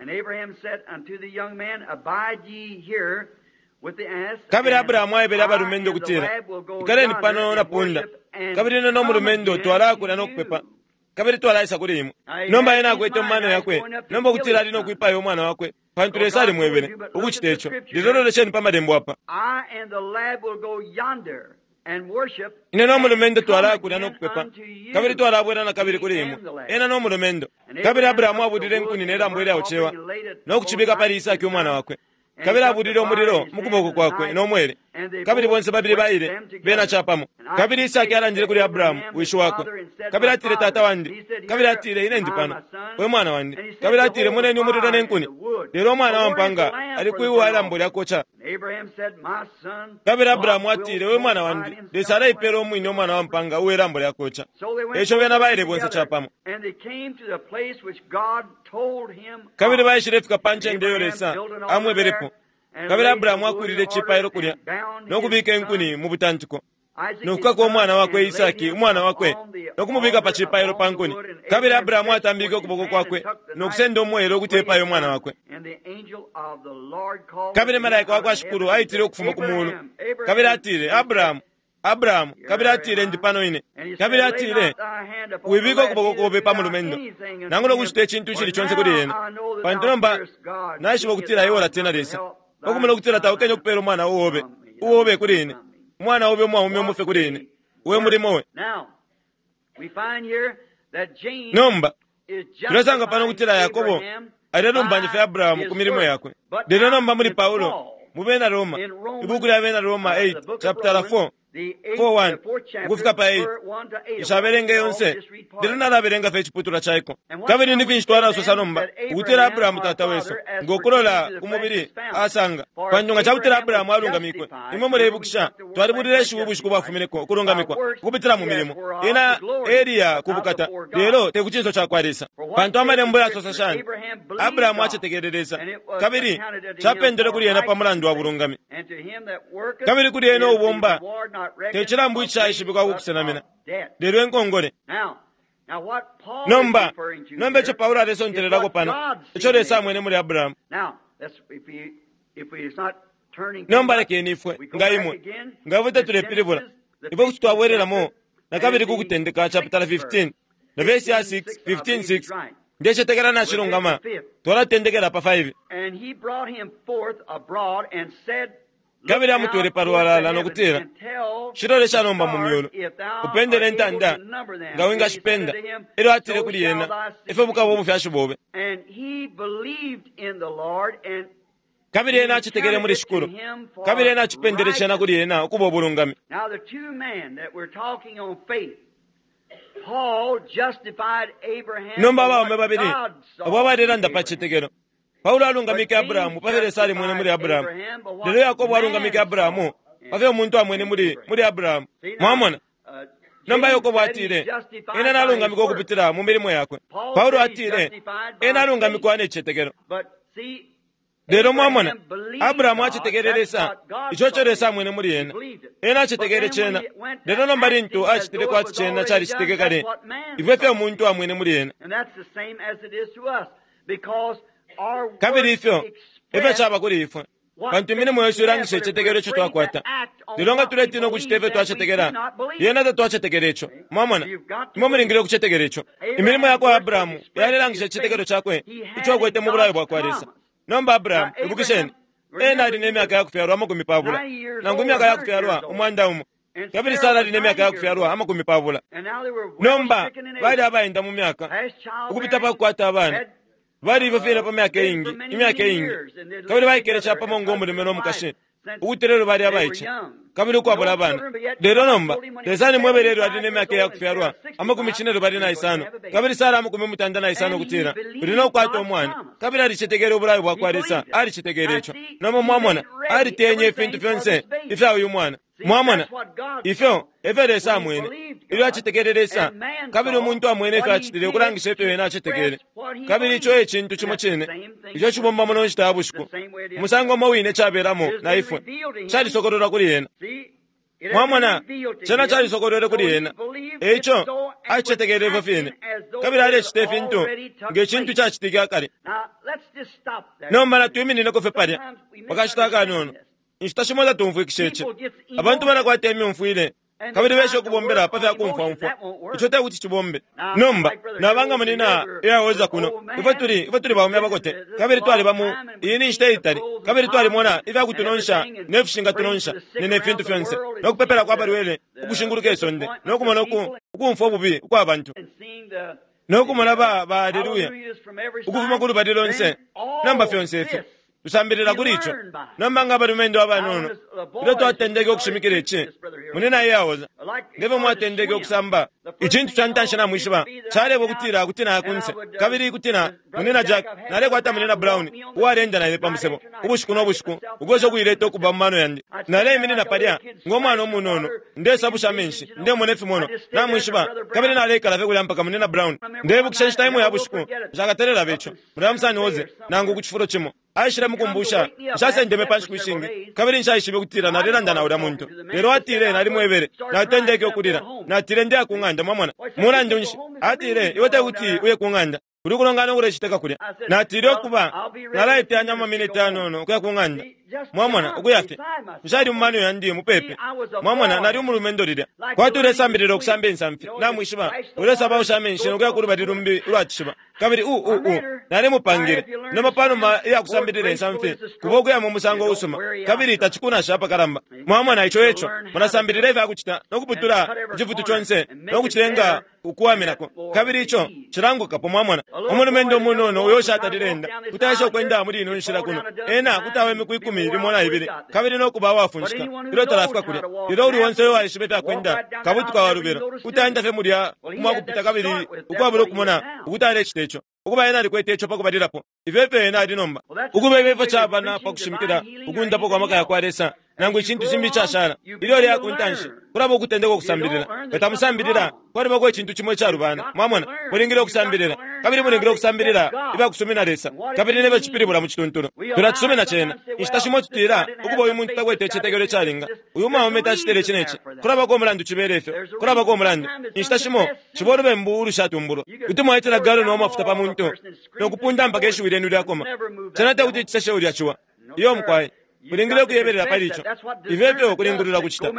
Kabili Abrahamu aebele abalumendo ukutila, Ikaleni pano na punda, kabili ine no mulumendo twalakulya no kupepa, kabili twalaisa kuli imwe. Nomba ena akwete mu mano yakwe nomba ukutila ali no kwipaya umwana wakwe, pantu Lesa alimwebele ukucita ico. Lelo lolesheni pa malembo apa. Ine no mulumendo twalakulya no kupepa, kabili twalabwela na kabili kuli imwe, ena no mulumendo. Kabili Abrahamu abulile inkuni ne lambo ilyaucewa no kucibika pali Isaki umwana wakwe. Kabili abulile umulilo mu kuboko kwakwe no mwele, kabili bonse babili baile bena capamo. Kabili Isaki alandile kuli Abrahamu wishi wakwe, kabili atile, Tata wandi. Kabili atile, Ine ndi pano, we mwana wandi. Kabili atile, Moneni umulilo ne nkuni, lelo umwana wa mpanga ali kwi ilambo lya koca. Kabili Abrahamu atile, We mwana wandi, Lesa alaipela umwine umwana wa mpanga uwe lambo lya koca. Eico bena baile bonse capamo. Kabili baishile fika pa ncende iyo Lesa amwebelepo. Kabili Abrahamu akulile icipailo kulya no kubika inkuni mu butantiko, no kukaka umwana wakwe Isaki umwana wakwe, no kumubika pa cipailo pa nkuni. Kabili Abrahamu atambike ukuboko kwakwe no kusenda umwele ukuti epaye umwana wakwe. Kabili malaika wa kwa Shikulu aitile ukufuma ku mulu, kabili atile, Abrahamu, Abrahamu. Kabili atile, Ndi pano ine. Kabili atile, Wibika ukuboko kobe pa mulumendo, nangula ukucita icintu icili conse kuli ena, pantu nomba naishiba ukutila iwe ulatina Lesa, pakumona ukutila taukenye ukupela umwana uobe uobe kuli ine, umwana obe umwaume umufe kuli ine, we mulimo we. Nomba tulesanga pano ukutila Yakobo alelumbanya fye Abrahamu ku milimo yakwe. Lelo nomba muli Paulo mu Bena Roma, ibuku lya Bena Roma 8 chapter 4 4:1 ukufika pa 8, nshabelenga yonse, lelo nalabelenga fye iciputulwa caiko. Kabili ni finshi twalasosa nomba ukutila Abrahamu tata wesu ngokulola ku mubili asanga? Pantu nga cakutila Abrahamu alungamikwe, imwe muleibukisha twalibulile ishiwi ubushiku bwafumineko, ukulungamikwa ukupitila mu milimo, ena eliya ku bukata, lelo te ku cinso ca kwa Lesa. Pantu amalembo yasosa shani? Abrahamu acetekele Lesa, kabili capendelwe kuli ena pa mulandu wa bulungami. Kabili kuli ena ubomba te cilambu icaishibikwa ku kusenamina, lelo inkongole. Nomba, nomba ico Paulo alesontelelako pano, ico Lesa amwene muli Abrahamu. Nomba lekeni ifwe, nga imwe, nga ifwe tetulepilibula, ifwe kuti twabwelelamo nakabili ku Kutendeka chapitala 15 na vesi ya 6, 15:6. Ndecetekela nacilungama, twalatendekela pa 5. Kabili amutwele pa lwalala no kutila, Shilolesha nomba mu myulu, upendele intanda nga wingashipenda. Elyo atile kuli ena, Ifyo bukaba ubufyashi bobe. Kabili ena acetekele muli Shikulu, kabili ena acipendele cena kuli ena ukuba ubulungami. Nomba abaume babili abo abalelanda pa cicetekelo, Paulo alungamike Abrahamu pa fyo Lesa alimwene muli Abrahamu, lelo Yakobo alungamike Abrahamu pa fyo umuntu amwene muli muli Abrahamu. Mwamona? Nomba Yakobo atile, ena nalungamikwa ukupitila mu milimo yakwe. Paulo atile, ena alungamikwa ne cicetekelo. Lelo mwamona, Abrahamu acetekele Lesa, ico co Lesa amwene muli ena. Ena acetekele cena, lelo nomba lintu acitile kwati cena calicitike kale, ifyo efyo umuntu amwene muli ena. Kabili ifyo efyo caba kuli ifwe. Pantu imilimo yesu ilangisha icitetekelo ico twakwata. Lelo nga tuletina ukucita ifyo twacetekela, lyena tatwacetekela ico. Mwamona? Imwe mulingile ukucetekela ico. Imilimo ya kwa Abrahamu yalelangisha icitetekelo cakwe ico akwete mu bulayo bwa kwa Lesa. Nomba Abrahamu, ibukisheni, ena ali ne myaka ya kufyalwa 20, nangu imyaka ya kufyalwa 100. Kabili Sara ali ne myaka ya kufyalwa 20. Nomba bali abaenda mu myaka, ukupita pa kukwata abana. Bali ifyo fine pa myaka iingi, imyaka iingi. Kabili baikele capamo ngo mulume no mukashi, ukuti lelo bali abaice, kabili ukwabula abana. Lelo nomba, Lesa alimwebele ilyo ali ne myaka ya kufyalwa 75, kabili Sara 95 ukutila, uli no kukwata umwana. Kabili alicetekele ubulayo bwa kwa Lesa, alicetekele ico. Nomba mwamona, aliteyenye ifintu fyonse ifya uyu mwana. Mwamona, ifyo efyo Lesa amwene ilyo acetekele Lesa, kabili umuntu amwene ifyo acitile ukulangisha ifyo ena acetekele. Kabili ico e cintu cimo cine ico cibomba muno nshita ya bushiku, umusango umo wine cabelamo na ifwe, calisokololwa kuli ena. Mwamona, cena calisokolwele kuli ena, eico acetekele ifyo fine, kabili alecita ifintu nge cintu cacitike akale. Nomba natwiminineko fye palya pakashita akanono. Inshita shimo tatumfwikisha ici. Abantu balakwata imyumfwile kabili besha ukubombela pa fya kumfwaumfwa. Ico te kuti cibombe. Nomba nabanga munina iyaoza kuno, ifwe tuli ifwe tuli baume abakote, kabili twaliba mu iyi ni nshita itali, kabili twalimona ifya kutunonsha ne fishingatunonsha ne ne fintu fyonse, no kupepela kwa balwele ukushinguluka isonde, no kumona uku ukumfwa ububi ukwa bantu, no kumona ba ba haleluya ukufuma ku lubali lonse. Nomba fyonse ifyo tusambilila kuli ico. Nomba nga abalumendo abanono, ilyo twatendeke ukushimikila ici, munina iyaoza, ngefyo mwatendeke ukusamba, icintu ca ntanshi namwishiba caleba ukutila kuti naya kunse, kabili kuti na munina Jack, nalekwata munina Brown uwalenda naine pa musebo ubushiku no bushiku, ukwesha ukuileta ukuba mu mano yandi. Naleiminina palya ngo mwana umunono, ndesabusha amenshi, ndemona ifimono, namwishiba, kabili naleikala fye kulya mpaka munina Brown. Ndebukisha inshita imo ya bushiku, nshakatelela ico, mulya musani oze nangu ku cifulo cimo. Aishile mukumbusha, nshasendeme pa nshiku ishingi, kabili nshaishibe ukutila nalelanda na ulya muntu. Lelo atile nalimwebele, natendeke ukulila. Natile ndeya ku ng'anda, mwamona. Mulandu nshi? Atile, iwe te kuti uye ku ng'anda. Kuli kulongana ukulecitika kulya. Natile ukuba, nalaiteyanya mu maminiti anono ukuya ku ng'anda. Mwamona, ukuya fye. Nshali mu mano yandi mupepi. Mwamona, nali umulumendo lilya. Kwati ulesambilila ukusamba insamfi, namwishiba, ulesabausha amenshi no kuya ku lubali lumbi ulwa cishiba. Kabili u u u nalimupangile. Nomba panuma iya kusambilila insamfi, kuba ukuya mu musango usuma, kabili tacikunasha apakalamba. Mwamona, ico eco mulasambilila ifya kucita no kuputula icifutu conse no kucilenga ukuwaminako, kabili ico cilangukapo. Mwamona, umulumendo umunono uyo ushatalile enda kuti aesha ukwenda muli ino nshila kuno, ena kuti awa imiku 12 kabili no kuba uwafunshika ilyo talafika kulya. Lelo uli onse uyo waishiba ifya kwenda kabutuka wa lubilo kuti aenda fye mulya umwakupita kabili ukwabula ukumona ukuti alecita ico. Ukuba ena alikwete ico pakubalilapo, ifyo efyo ena ali nomba. Ukuba ifyo efyo caba na pa kushimikila ukundapo kwa maka ya kwa Lesa, nangu icintu cimbi icashala, ilyo liya ku ntanshi, kulaba ukutendeka ukusambilila. Nga tamusambilila, kwalibako icintu cimo icalubana. Mwamona, mulingile ukusambilila, kabili mulingile ukusambilila ifya kusumina Lesa, kabili nefyo cipilibula mu cituntulu. Tulacisumina cena. Inshita shimo tutila, ukuba uyu muntu takwete icitetekelo icalinga, uyu mwaume tacitile ici ne ci. Kulabako umulandu cibele ifyo, kulabako umulandu. Inshita shimo ciba ulubembu ulushatumbulwa. Kuti mwaitila galoni wa mafuta pa muntu no kupunda mpaka ishiwi lyenu lyakoma. Cena te kuti ciseshe ulya ciwa. Iyo mukwai, mulingile ukuyebelela pali ico. Ifyo efyo kulingulula kucita.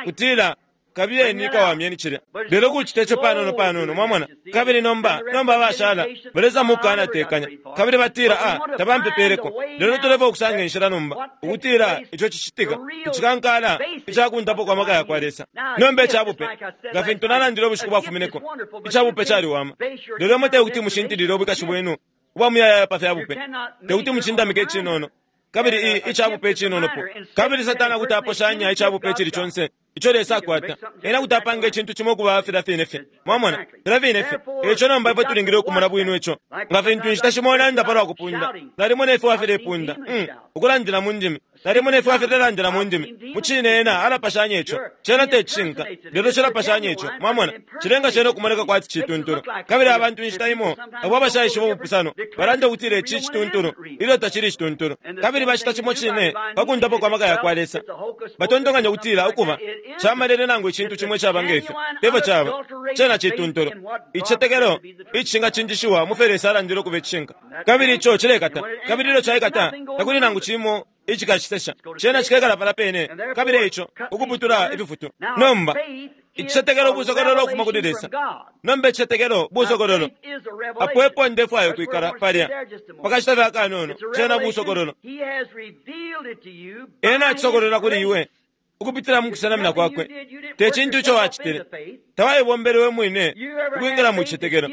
Kutila, kabiyeni kawamyeni cilya. Lelo kucita ico panono panono, mwamona. Kabili nomba, nomba abashala, balesa mukana tekanya. Kabili batila, ah, tabampepeleko. Lelo tulefwa ukusanga inshila nomba, ukutila ico cicitika, icikankala, icakundapo kwa maka ya kwa Lesa. Nomba icabupe, nga fintu nalandile ubushiku bwafumineko, icabupe caliwama. Lelo imwe te kuti mushintilile ubwikashi bwenu ubwa muyayaya pa fyabupe. Te kuti mucindamike icinono, kabili icabupe icinonopo. Kabili Satana kuti aposhanya icabupe icili conse ico Lesa akwata. Ena kuti apanga icintu cimo ukuba filya fine fye. Mwamona, filya fine fye. Eico nomba ifwe tulingile ukumona bwino ico. Nga fintu inshita shimo nanda palwa kupunda, nalimona ifwe wafilepunda, ukulandila mu ndimi. Nalimona ifwe wafilelandila mu ndimi. Mu cine ena alapashanya ico. Cena te cishinka, lelo cilapashanya ico. Mwamona, cilenga cena ukumoneka kwati cituntulu. Kabili abantu inshita imo, abo abashaishiba ubupusano, balanda ukutila ici cituntulu, ilyo tacili cituntulu. Kabili bacita cimo cine pa kundapo kwa maka ya kwa Lesa. Batontonkanya ukutila ukuba camalele nangu icintu cimo icaba ngefyo, tefyo caba. Cena cituntulu, icitetekelo icishingacinjishiwa mu fyo Lesa alandile ukuba icishinka. Kabili ico cilekata, kabili ilyo caikata, takuli nangu cimo icikacisesha. Cena cikekala palya pene, kabili eico ukuputula ififutu. Nomba, icicetekelo busokololo ukufuma kuli Lesa. Nomba icicetekelo busokololo. Apo epo ndefwaya ukwikala palya pakashita fye akanono. Cena busokololo. Ena acisokolola kuli iwe ukupitila mu kusenamina kwakwe. Te cintu ico wacitile. Tawaibombele we mwine ukwingila mu cicetekelo.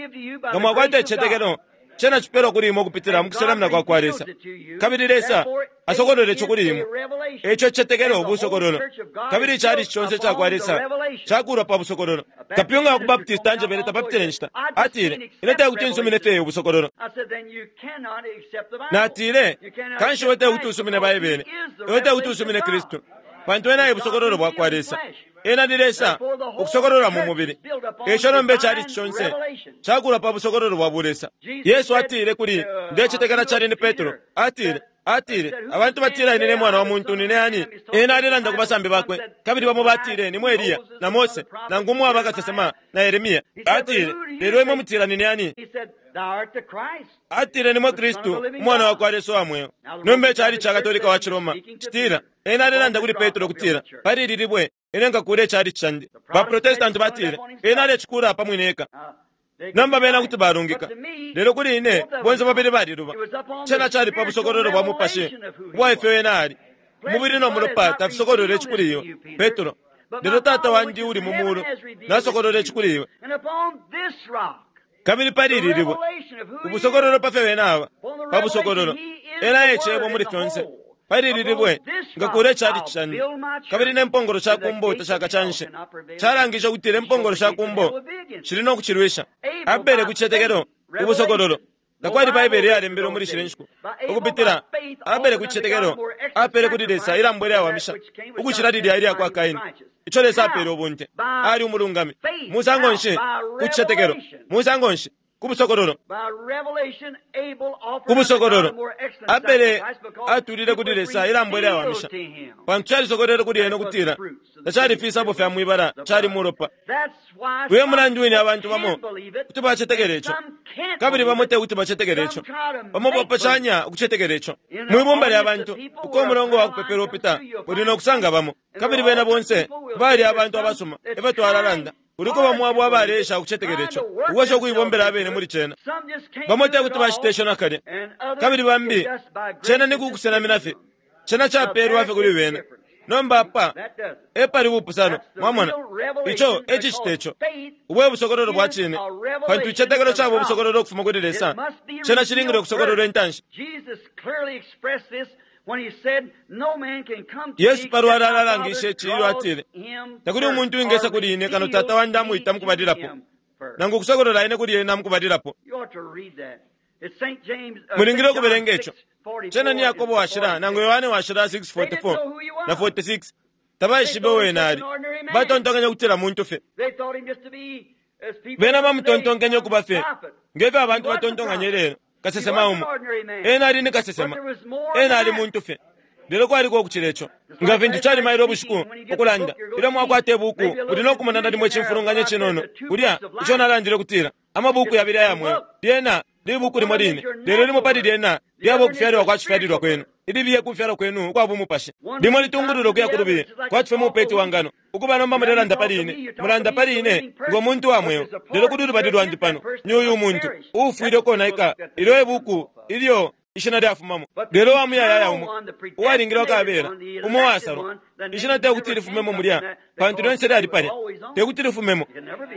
Nga mwakwata icicetekelo, cena cipelwa kuli imwe ukupitila mu kusenamina kwa kwa Lesa. Kabili Lesa asokolole ico kuli imwe. Eico icicetekelo busokololo. Kabili icalici conse ica kwa Lesa cakulwa pa busokololo. Kapyunga wa ku Baptist anjebele tapapitile inshita. Atile, Ine tekuti nsumine fye ubusokololo. Natile, Kanshi iwe tekuti usumine Baibele. Iwe tekuti usumine Kristu. Pantu ena e busokololo bwa kwa Lesa. Ena ni Lesa ukusokolola mu mubili. Eico nomba icalici conse cakulwa pa busokololo bwa bulesa. Yesu atile kuli, ndecetekela cali ni Petro, atile, atile, abantu batila ine ne mwana wa muntu nine ani? Ena alelanda ku basambi bakwe, kabili bamo batile ni mwe Eliya, na Mose, nangu umwe waba kasesema, na Yeremia. Atile, lelo imwe mutila nine ani? Atile ni mwe Kristu, umwana wa kwa Lesa wa mweo. Nomba icalici ca Katolika wa Ciroma citila, ena alelanda kuli Petro ukutila, pali ili libwe ine nkakula icalici candi. Ba Protestanti batile, ena alecikula pa mwine eka. Nomba bena kuti balungika, lelo kuli ine bonse babili baliluba. Cena cali pa busokololo bwa mupashi ubwa ifyo ena ali. Umubili no mulopa tafisokolwele ici kuli iwe, Petro, lelo Tata wandi uli mu mulu nasokolwele ici kuli iwe. Kabili pali ili libwe, ubusokololo pa fyo ena aba, pa busokololo, ena e Cebo muli fyonse. Pali ili libwe nkakula icalici candi, kabili ne mpongolo sha ku mbo tashakacanshe. Calangishe ukutila impongolo sha ku mbo shili no kucilwisha. Abele ku cicetekelo, ubusokololo. Takwali Baibele iyalembelwe muli shile nshiku. Ukupitila Abele ku cicetekelo, apele kuli Lesa ilambo ilyawamisha ukucila lilya ilya kwa Kaini, ico Lesa apele ubunte. Ali umulungami. Musango nshi? Ku cicetekelo. Musango nshi? Ku busokololo. Ku busokololo. Abele atulile kuli Lesa ilambo ilyawamisha, pantu calisokolele kuli ena ukutila tacali fisabo fya mwibala, cali mulopa. Uyo mulandu wine abantu bamo kuti bacetekela ico, kabili bamo te kuti bacetekela ico. Bamo bapashanya ukucetekela ico. Mwibumba lya bantu, uko umulongo wa kupepela upita, uli no kusanga bamo, kabili bena bonse bali abantu abasuma, efyo twalalanda. Kuliko bamo abo abaleesha ukucetekela ico, ukwesha ukuibombela abene muli cena. Bamo te kuti bacite ico nakalya, kabili bambi cena ni kukusenamina fye. Cena capelwa fye kuli bena. Nomba apa epali bupusano, mwamona. Ico e cicita ico. Ubu e busokololo bwa cine, pantu icicetekelo caba ubusokololo ukufuma kuli Lesa. Cena cilingile ukusokololwa intanshi. Yesu palwalala alalangishe ici ilyo atile, takuli umuntu uwingesa kuli ine kano Tata wandi amwita mukubalilapo, nangu ukusokolola ine kuli ena mukubalilapo. Mulingile ukubelenga ico. Cena ni Yakobo washila nangu Yohane washila 6:44 na 46. Tabaishibe uo ena ali. Batontonkenye ukutila muntu fye. Bena bamutontonkenye ukuba fye ngefyo abantu batontonkanye lelo, kasesema umo. Ena ali ni kasesema. Ena ali muntu fye. Lelo kwaliko ukucila ico. Nga fintu cali mailo ubushiku ukulanda, ilyo mwakwata ibuku, muli no kumona nalimo icimfulunganya cinono kulya ico nalandile ukutila amabuku yabili aya mweo. Lyena libuku limo line, lelo limo pali lyena lyaba ukufyalilwa kwa cifyalilwa kwenu, ilibiye kufyalwa kwenu ukwa bumupashi. Limo litungulula ukuya ku lubiye, kwati fye mupeti wa ngano. Ukuba nomba mulelanda pali ine, mulanda pali ine ngo muntu wa mweo, lelo kuli ulubali lwandi pano ni uyu umuntu uufwile ukonaika. Ilyo ibuku ilyo ishina lyafumamo, lelo wa muyayaya umo uwalingilwa kabela, umo wasalwa. Ishina te kuti lifumemo mulya, pantu lyonse lyali palya, te kuti lifumemo.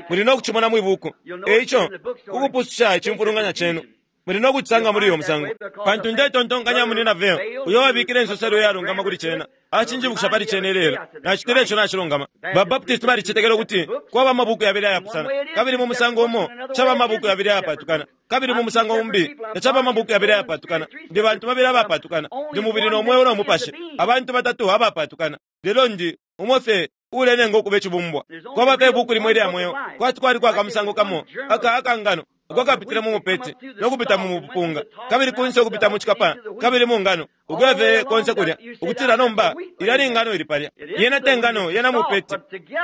Muli no kucimona mwi buku. Eico ukupususha icimfulunganya cenu muli no kucisanga muli uyo musango, pantu ndetontonkanya muli na veo uyo wabikile insoselo iyalungama kuli cena. Acinjibukisha pali cena ilelo. Nacitile ico nacilungama. Ba Baptist balicetekela ukuti kwaba amabuku yabili ayapusana, kabili mu musango umo caba amabuku yabili ayapatukana, kabili mu musango umbi tacaba amabuku yabili ayapatukana. Ndi bantu babili abapatukana, ndi mubili no mweo no mupashi, abantu batatu abapatukana, lelo ndi umo fye ulenenga ukuba icibumbwa. Kwaba fye ibuku limo ilya mweo, kwati kwali kwa kamusango kamo aka akangano uko kapitile mu mupeti no kupita mu mupunga, kabili kunse ukupita mu cikapa, kabili mu ngano, ukuya fye konse kulya, ukutila nomba ilya ni ngano ili palya. Yena te ngano, yena mupeti,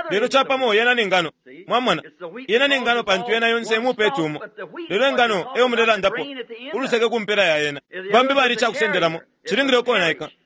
lelo capamo yena ni ngano. Mwamona, yena ni ngano pantu yena yonse mupeti umo, lelo ingano eyo mulelandapo uluseke ku mpela ya yena. Bambi bali icakusendelamo, cilingile ukonaika.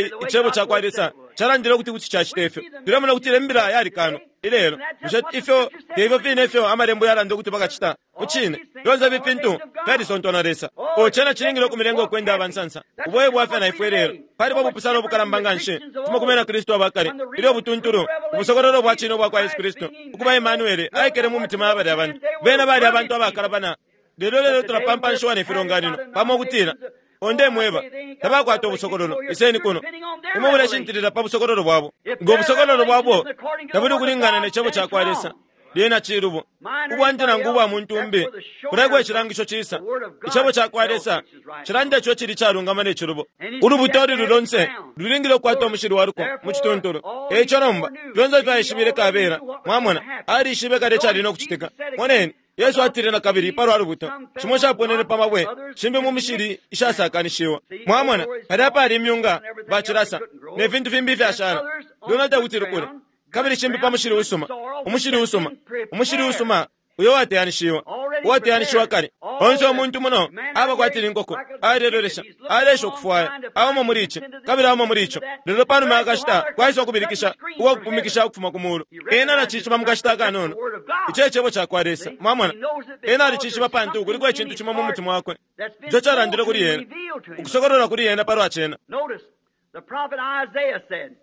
Icebo cakwa Lesa calandile ukuti kuti cacita ifyo. Tulemona ukutila imbila yalikano. Ilelo, bushe ifyo te ifyo fine ifyo Amalembo yalanda ukuti bakacita? Mucine, fyonse ifi fintu fyalisontwa na Lesa. O cena cilingile ukumilenga ukwenda aba nsansa. Ubo e bwafya na ifwe ilelo. Paliba ubupusano ubukalamba nganshi ukufuma ku bena Kristu aba kale, ilyo ubutuntulu, ubusokololo bwa cine ubwa kwa Yesu Kristu, ukuba Emmanuele, aikele mu mitima ya balya bantu. Bena bali abantu abakalabana. Lelo lelo tulapampanshiwa ne filonganino, pamo ukutila, O ndemweba, tabakwata ubusokololo. Iseni kuno. Imwe muleshintilila pa busokololo bwabo. Ngo busokololo bwabo tabuli ukulingana ne Cebo cakwa Lesa, lyena cilubo. Ubwandi nangu ubwa muntu umbi, kulekwe icilangisho cisa. Icebo cakwa Lesa cilanda ico cili calungama ne cilubo. Ulubuto ululi lonse lulingile ukukwata umushili wa luko mu cituntulu. E ico nomba, fyonse ifyo aishibile kabela, mwamona, alishibe kale icali no kucitika. Moneni. Yesu atile na kabili palwa lubuto, shimo shaponene pa mabwe, shimbi mu mishili ishasakanishiwa. Mwamona, palya pali imyunga, bacilasa, ne fintu fimbi ifyashala. Lwena tekuti lukule. Kabili shimbi pa mushili usuma, umushili usuma, umushili usuma uyo wateyanishiwa, uwateyanishiwa kale. Onse umuntu muno aba kwati ni nkoko, alelolesha, aleesha ukufwaya, auma muli ici, kabili auma muli ico. Lelo panuma ya kashita kwaisa ukubilikisha ukwa kupumikisha ukufuma ku mulu. Ena nacishiba mu kashita akanono. Ico e Cebo cakwa Lesa. Mwamona? Ena alicishiba pantu kuliko icintu cimo mu mutima wakwe ico calandile kuli ena, ukusokolola kuli ena palwa cena. Notice, the prophet Isaiah said,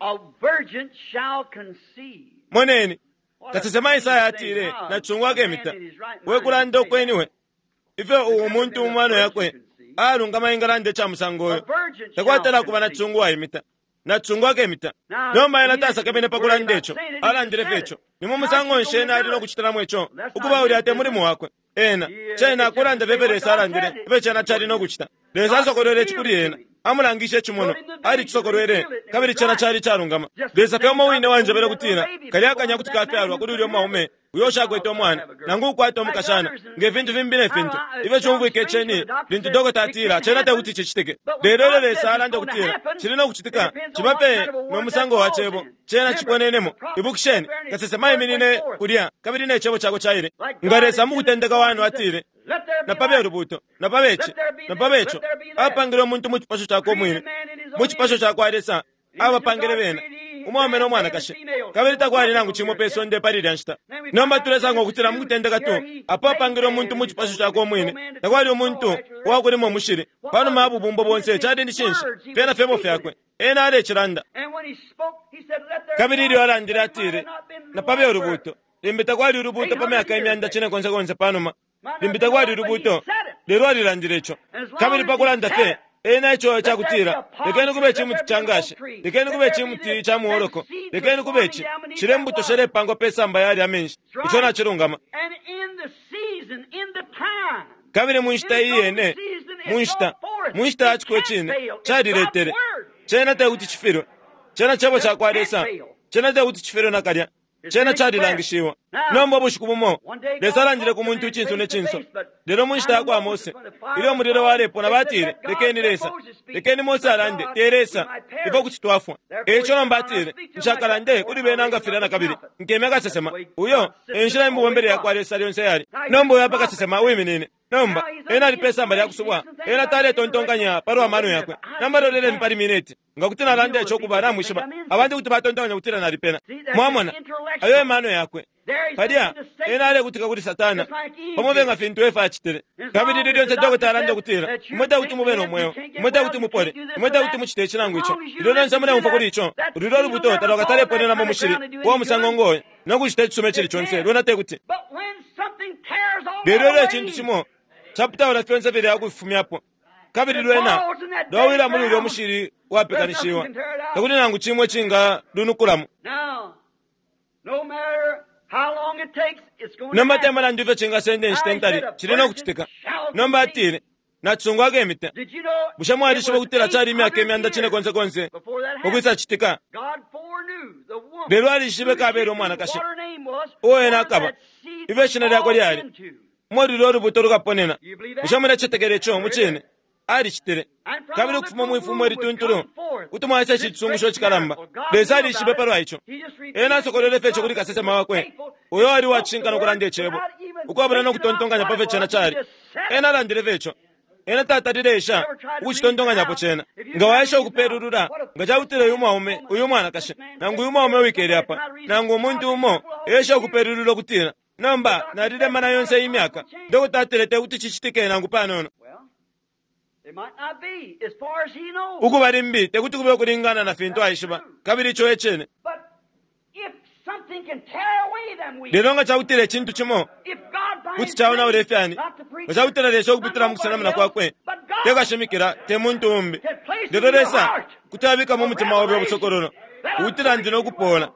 A virgin shall conceive. Moneni, kasesema Isaya atile, Nacisungu akemita. We kulanda ukweni we. Ifyo umuntu mu mano yakwe alungama engalanda ica musango uyo. Takwatala kuba nacisungu waimita. Nacisungu akemita. Nomba ena tasakemene pa kulanda ico. Alandile fye ico. Ni mu musango nshi ena ali no kucitilamo ico? Ukuba ulya te mulimo wakwe. Ena, cena kulanda fye ifyo Lesa alandile, ifyo cena cali no kucita. Lesa asokolwele ici kuli ena. Amulangishe icimonwa. Alicisokolwele, kabili cena cali icalungama. Lesa fye umo wine wanjebele ukutila, kalya akanya kuti kafyalwa kuli ulya mwaume uyo ushakwete umwana, nangu ukukwata umukashana, nge fintu fimbi ne fintu. Ifyo cumfwika iceni, lintu dokota atila, cena tekuti cicitike. Lelo ilyo Lesa alanda ukutila, cili no kucitika, ciba pe no musango wa Cebo, cena ciponenemo. Ibukisheni, kasesema aiminine kulya, kabili ne Cebo cakwe caile. Nga Lesa mu kutendeka wanu atile, Napabe ulubuuto, napabe ici, napabe ico. Apangile umuntu mu cipasho cakwe umwine. Mu cipasho cakwa Lesa, abapangile bena, umwaume no mwanakashi. Kabili takwali nangu cimo pe sonde pali ilya nshita. Nomba tulesanga ukutila mu kutendeka tu, apo apangile umuntu mu cipasho cakwe umwine, takwali umuntu uwakulima umushili. Panuma ya bubumbo bonse, cali ni cinshi? Fyena fyebo fyakwe. Ena alecilanda. Kabili ilyo alandile atile, Napabe ulubuuto. Limbi takwali ulubuuto pa myaka imyanda cine konse konse panuma. Limbi takwali ulubuuto, lelo alilandile ico. Kabili pa kulanda fye ena ico icakutila, lekeni kube icimuti ca ngashi, lekeni kube icimuti ca muoloko, lekeni kube ici, shilya imbuto shalepangwa pe samba yalya amenshi. Ico nacilungama. Kabili mu nshita iyene, mu nshita, mu nshita ya ciko icine, caliletele. Cena tekuti cifilwe. Cena Cebo cakwa Lesa. Cena tekuti cifilwe nakalya. Cena calilangishiwa. Nomba ubushiku bumo, Lesa alandile ku muntu icinso ne cinso. Lelo mu nshita ya kwa Mose, ilyo umulilo walepona, batile, Lekeni Lesa, lekeni Mose alande, te Lesa, ifwe kuti twafwa. E ico nomba atile, Nshakalande kuli bena nga filya na kabili. Nkemya kasesema. Uyo e nshila imibombele ya kwa Lesa lyonse yali. Nomba uyu apa kasesema uwiminine. Nomba, ena ali pe samba lya kusubwa. Ena taletontonkanya palwa mano yakwe. Nomba loleleni pali mineti. Nga kuti nalanda ico kuba, namwishiba, abantu kuti batontonkanya ukutila nalipena. Mwamona, ayo e mano yakwe. Palya, ena alekutika kuli Satana, pamo fye nga fintu Efa acitile. Kabili ilyo lyonse dokota alanda ukutila, Imwe tekuti mube no mweo, imwe tekuti mupole, imwe tekuti mucite ici nangu ico. Ilyo lyonse muleumfwa kuli ico, lulyo lubuto talwakataleponena mu mushili uwa musango ngo yo, no kucita icisuma icili conse, lwena tekuti. Lelo ilyo icintu cimo caputaula fyonse filya ukufifumyapo, kabili lwena lwawila muli ulyo mushili wapekanishiwa, takuli nangu cimo icinga lunukulamo. Nomba te mulandu ifyo cingasenda inshita intali, cili no kucitika. Nomba atile, Nacisungu akemita. Bushe mwalishiba ukutila cali imyaka imyanda cine konse konse ukwisa citika? Lelo alishibe kabela umwanakashi uo ena akaba, ifyo ishina lyakwe lyali, umo lulyo ulubuto lukaponena. Bushe mulecetekela ico? Mucine, alicitile. Kabili ukufuma mwi fumo ilituntulu kuti mwaisa ici cisungusho icikalamba. Lesa alishibe palwa ico. Ena asokolwele fye ico kuli kasesema wakwe, uyo ali uwacishinka no kulanda Icebo, ukwabula no kutontonkanya pa fyo cena cali. Ena alandile fye ico. Ena tatalile esha ukucitontonkanyapo cena. Nga waesha ukupelulula, nga cakutila uyu mwaume, uyu mwanakashi, nangu uyu mwaume uwikele apa, nangu umuntu umo, esha ukupelulula ukutila, Nomba, nalilemana yonse iyi myaka. Dokota atile te kuti cicitike nangu panono. Ukuba limbi te kuti kube ukulingana na fintu aishiba, kabili ico e cine. Lelo nga cakutila icintu cimo kuti caonaula ifyani, nga cakutila Lesa ukupitila mu kusenamina kwakwe, te kashimikila, te muntu umbi, lelo Lesa kuti abika mu mutima obe ubusokololo, ukutila ndi no kupola.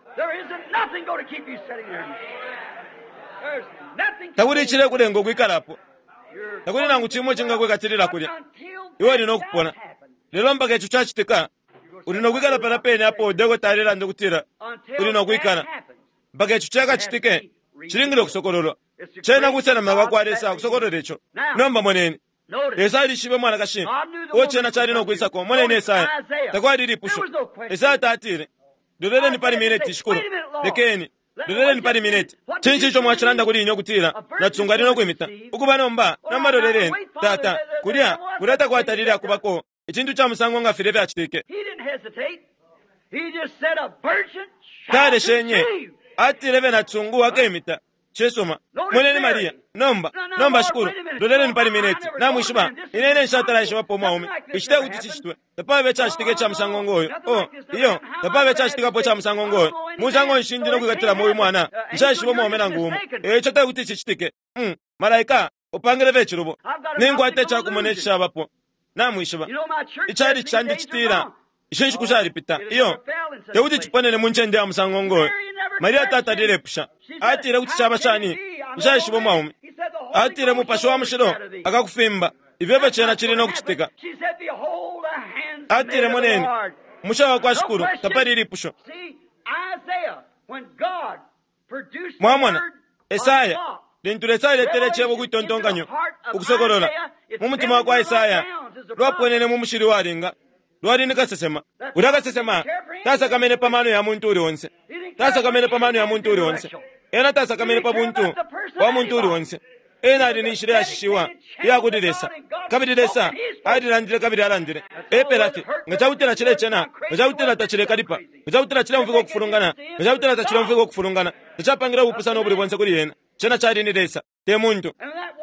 Takuli icilekulenga ukwikalapo. Takuli nangu cimo icingakwikatilila kulya. Iwe uli no kupona. Lelo mpaka ico cacitika, uli no kwikala palya pene apo dokota alelanda ukutila uli no kwikala. Mpaka ico cakacitike, cilingile ukusokololwa. Cena kusenamina kwa kwa Lesa ukusokolola ico. Nomba moneni. Lesa alishibe umwanakashi uo cena cali no kwisako. Moneni Esaya. Takwali ilipusho. Esaya tatile, Loleleni pali mineti, Shikulu. Lekeni. Loleleni pali mineti. Cinshi ico mwacilanda kuli ine ukutila nacisungu ali no kwimita? Ukuba nomba, nomba loleleni. Tata, kulya, kulya takwatalile akubako icintu ca musango nga filya fyacitike. Taleshenye. Atile fye nacisungu akemita. Cisuma. Moneni Maria. Nomba, nomba Shikulu, loleleni pali mineti. Namwishiba, ine ine nshatala ishibapo umwaume. Ici te kuti cicitwe. Tapaba icacitika ica musango ngoyo. Oh, iyo, tapaba icacitikapo ica musango ngoyo. Musango nshi ndi no kwikatilamo uyu mwana? Nshaishiba umwaume nangu umo. E ico te kuti cicitike. Mm, malaika, upangile fye icilubo. Ninkwata icakumona icishabapo. Namwishiba. Icalici candi citila, Ishi nshiku shalipita. Iyo, te kuti ciponene mu ncende ya musango ngoyo. Maria tatalile epusha. Atile kuti caba shani? Nshaishiba umwaume. Atile Mupashi wa Mushilo akakufimba. Ifyo efyo cena cili no kucitika. Atile moneni, umusha wa kwa Shikulu, tapali ilipusho. Mwamona, Esaya, lintu Lesa aletele Icebo kwitontonkanyo, ukusokolola, mu mutima wa kwa Esaya, lwaponene mu mushili walinga. Lwali ni kasesema. Ulya kasesema tasakamene pa mano ya muntu uli onse. Tasakamene pa mano ya muntu uli onse. Ena tasakamene pa buntu bwa muntu uli onse. Ena ali ni nshila yashishiwa iya kuli Lesa. Kabili Lesa alilandile kabili alandile. Epela fye. Nga cakutila cilecena, nga cakutila tacilekalipa, nga cakutila cileumfwika ukufulungana, nga cakutila tacileumfwika ukufulungana, tacapangile ubupusano ubuli bonse kuli ena. Cena cali ni Lesa, te muntu.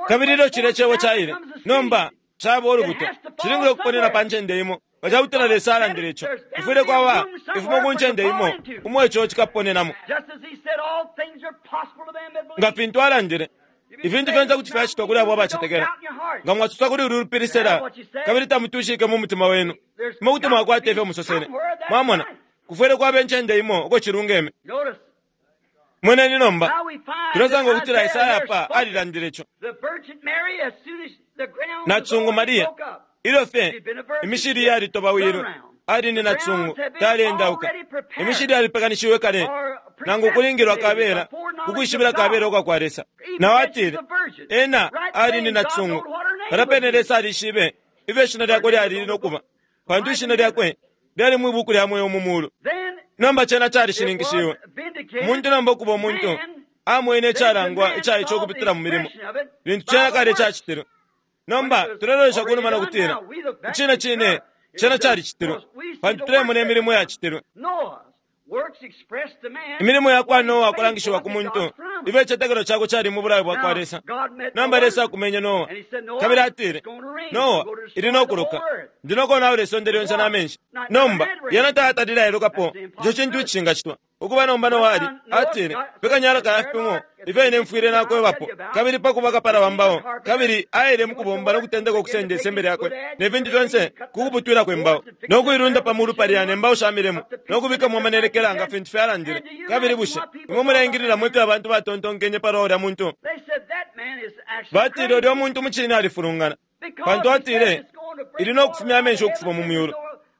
Kabili ilyo cilya Cebo caile, nomba caba ulubuto, cilingile ukuponena pa ncende imo. Nga cakutila Lesa alandile ico, kufwile kwaba ifumo ku ncende imo umo ico cikaponenamo. Nga fintu alandile, ifintu fyonse kuti fyacitwa kuli abo abacetekela. Nga mwasosa kuli ulu lupili sela, kabili tamutwishike mu mutima wenu, imwe kuti mwakwata ifyo musosele. Mwamona, kufwile kwaba incende imo uko cilungeme. Moneni nomba, tulesanga ukutila Esaya apa alilandile ico. Nacisungu Maria, ilyo fye imishili yalitobawilwe, ali ni nacisungu, taleendauka. Imishili yalipekanishiwe kale, nangu ukulingilwa kabela, ukwishibila kabela ukwa kwa Lesa. Nao atile, ena ali ni nacisungu. Palya pene Lesa alishibe ifyo ishina lyakwe lyali no kuba, pantu ishina lyakwe lyali mwi buku lya mweo mu mulu. Nomba cena calishininkishiwe. Umuntu nomba ukuba umuntu, amwene icalangwa ica ico ukupitila mu milimo, lintu cena kale cacitilwe. Nomba tulelolesha kunuma no kutila, Icine cine, cena calicitilwe, pantu tulemona imilimo iyacitilwe. Imilimo ya kwa Noa kulangishiwa ku muntu, ifyo icitetekelo cakwe cali mu bulayo bwa kwa Lesa. Nomba Lesa akumenye Noa, kabili atile, Noa, ili no kuloka. Ndi no konaula isonde lyonse na menshi. Nomba, yena tayatalile ailukapo ico cintu icishingacitwa. Ukuba nomba Noa ali, atile, Pekanya alaka ya fipimo, ifyo ine mfwile nakwebapo, kabili pa kuba kapala wa mbao, kabili aile mu kubomba no kutendeka ukusenda isembe lyakwe ne fintu fyonse ku kuputwilako imbao, no kuilunda pa mulu palya ne mbao sha milimo, no kubikamo amanelekela nga fintu fyalandile. Kabili bushe imwe muleingililamo ifyo abantu batontonkenye palwa ulya muntu? Batile ulya muntu mucine alifulungana, pantu atile, Ili no kufumya amenshi ukufuma mu myulu,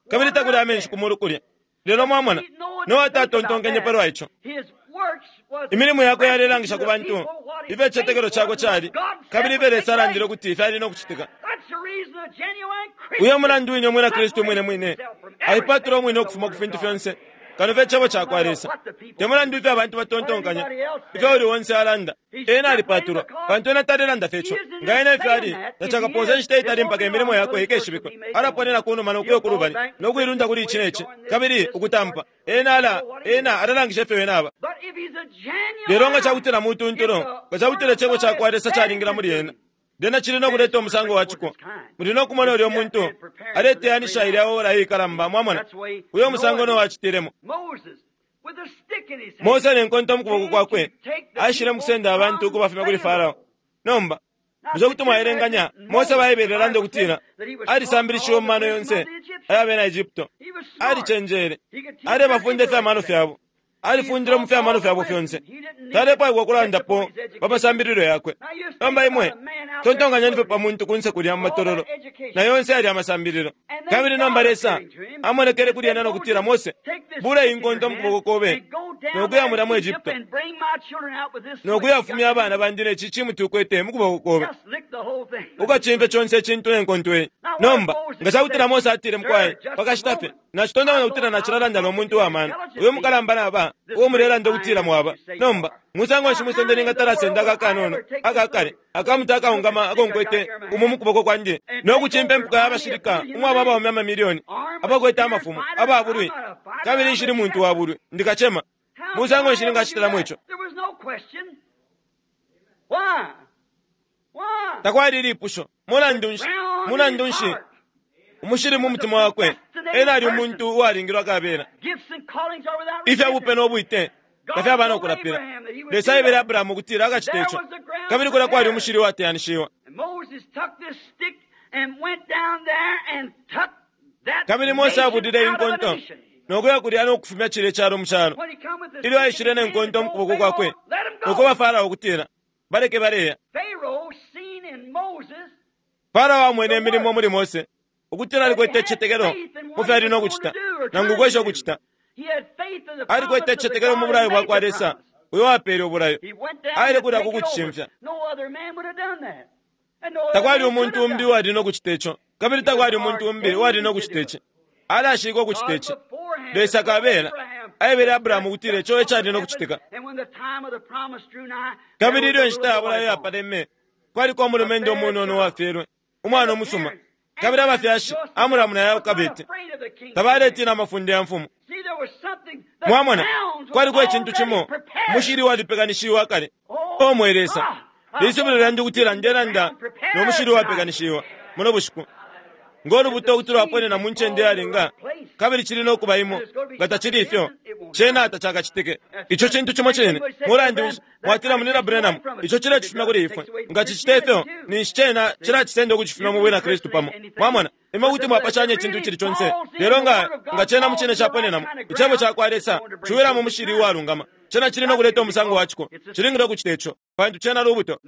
kabili takuli amenshi ku mulu kulya. Lelo mwamona, Noa tatontonkenye palwa ico. Imilimo yakwe yalelangisha ku bantu ifyo icitetekelo cakwe cali, kabili ifyo Lesa alandile ukuti fyali no kucitika. Uyo mulandu wine Umwina Kristu umwine mwine aipatula umwine ukufuma ku fintu fyonse Kano fye Cebo cakwa Lesa. Te mulandu ifyo abantu batontonkanya, ifyo uli onse alanda, ena alipatulwa, pantu ena talelanda fye ico. Nga ena ifyo ali, tacakapose inshita itali mpaka imilimo yakwe ikeshibikwe. Alaponena kunuma no kuya kulubali, no kuilunda kuli ici ne ci, kabili ukutampa. Ena ala, ena alalangisha ifyo ena aba. Lelo nga cakutila mutuntulu, nga cakutila Icebo cakwa Lesa calingila muli ena, lyena cili no kuleta umusango wa ciko. Muli no kumona ulyo muntu aleteyanisha ilya ora iikalamba, mwamona, uyo musango no wacitilemo. Mose ne nkonto mu kuboko kwakwe aishile mu kusenda abantu ukubafumya kuli Farao. Nomba, bushe kuti mwaelenganya Mose Baibele alanda ukutila alisambilishiwe mu mano yonse aya bena Egypto, alicenjele, alebafunda ifya mano fyabo, alifundile mu fya mano fyabo fyonse, talepwaikwa kulandapo pa masambililo yakwe. Nomba imwe tontonkanyeni fye pa muntu kunse kulya mu matololo na yonse yali amasambililo. Kabili nomba Lesa amonekele kuli ena no kutila, Mose, bula iyi nkonto mu kuboko kobe no kuya mulya mu Egypto no kuyafumya abana bandi ne ci cimuti ukwete mu kuboko kobe, ukacimfye conse icintu ne nkonto iyi. Nomba nga cakutila Mose atile, mukwai, pakashita fye nacitontonkanya ukutila nacilalanda no muntu wa mano uyo mukalamba naba uwo mulelanda ukutila mwaba. Nomba musango nshi mwisonde ningatala aka kanono akakale akamuti akaungama ako nkwete umo mu kuboko kwandi no kucimpa impuka y'abashilika umwaba abaume amamilioni abakwete amafumo ababulwi, kabili nshili muntu wa bulwi, ndi kacema. Musango nshi ningacitilamo ico? Takwali ilipusho. Mulandu nshi? Mulandu nshi? Umushili mu mutima wakwe ena ali umuntu uwalingilwa kabela. Ifya bupe no bwite tafyaba no kulapila. Lesa aebele Abrahamu ukutila akacita ico, kabili kulya kwali umushili uwateyanishiwa. Kabili Mose abulile inkonto no kuya kulya no kufumya cilya icalo mu calo. Ilyo aishile ne nkonto mu kuboko kwakwe no kweba Farao ukutila baleke baleya. Farao amwene imilimo muli Mose ukutila alikwete icitetekelo mu fyo ali no kucita nangu ukwesha ukucita. Alikwete icitetekelo mu bulayo bwa kwa Lesa uyo wapeele ubulayo. Aile kulya ku kucicimfya. Takwali umuntu umbi uwali no kucita ico, kabili takwali umuntu umbi uwali no kucita ici. Alashika ukucita ici. Lesa kabela aebele Abrahamu ukutila ico ecali no kucitika. Kabili ilyo inshita ya bulayo yapaleme, kwaliko umulumendo umunono uwafyelwe, umwana umusuma. Kabili abafyashi Amuramu na Yokabeti tabaletina amafunde ya mfumu. Mwamona, kwaliko icintu cimo, umushili walipekanishiwa akale. O mwe Lesa, lisubilo lyandi ukutila ndelanda no mushili uwapekanishiwa muno bushiku, ngo lubuto ukuti lwaponena mu ncende yalinga, kabili cili no kuba imo. Nga tacili ifyo, cena tacakacitike. Ico cintu cimo cine. Mulandu nshi mwatila, Munina Branham, ico cilecifumya kuli ifwe? Nga cicita ifyo, ninshi cena cilacisenda ukucifumya mu bwina Kristu pamo. Mwamona, imwe kuti mwapashanya icintu icili conse, lelo nga nga cena mu cine caponenamo Icebo cakwa Lesa ciwila mu mushili uwalungama, cena cili no kuleta umusango wa ciko. Cilingile ukucita ico, pantu cena lubuto.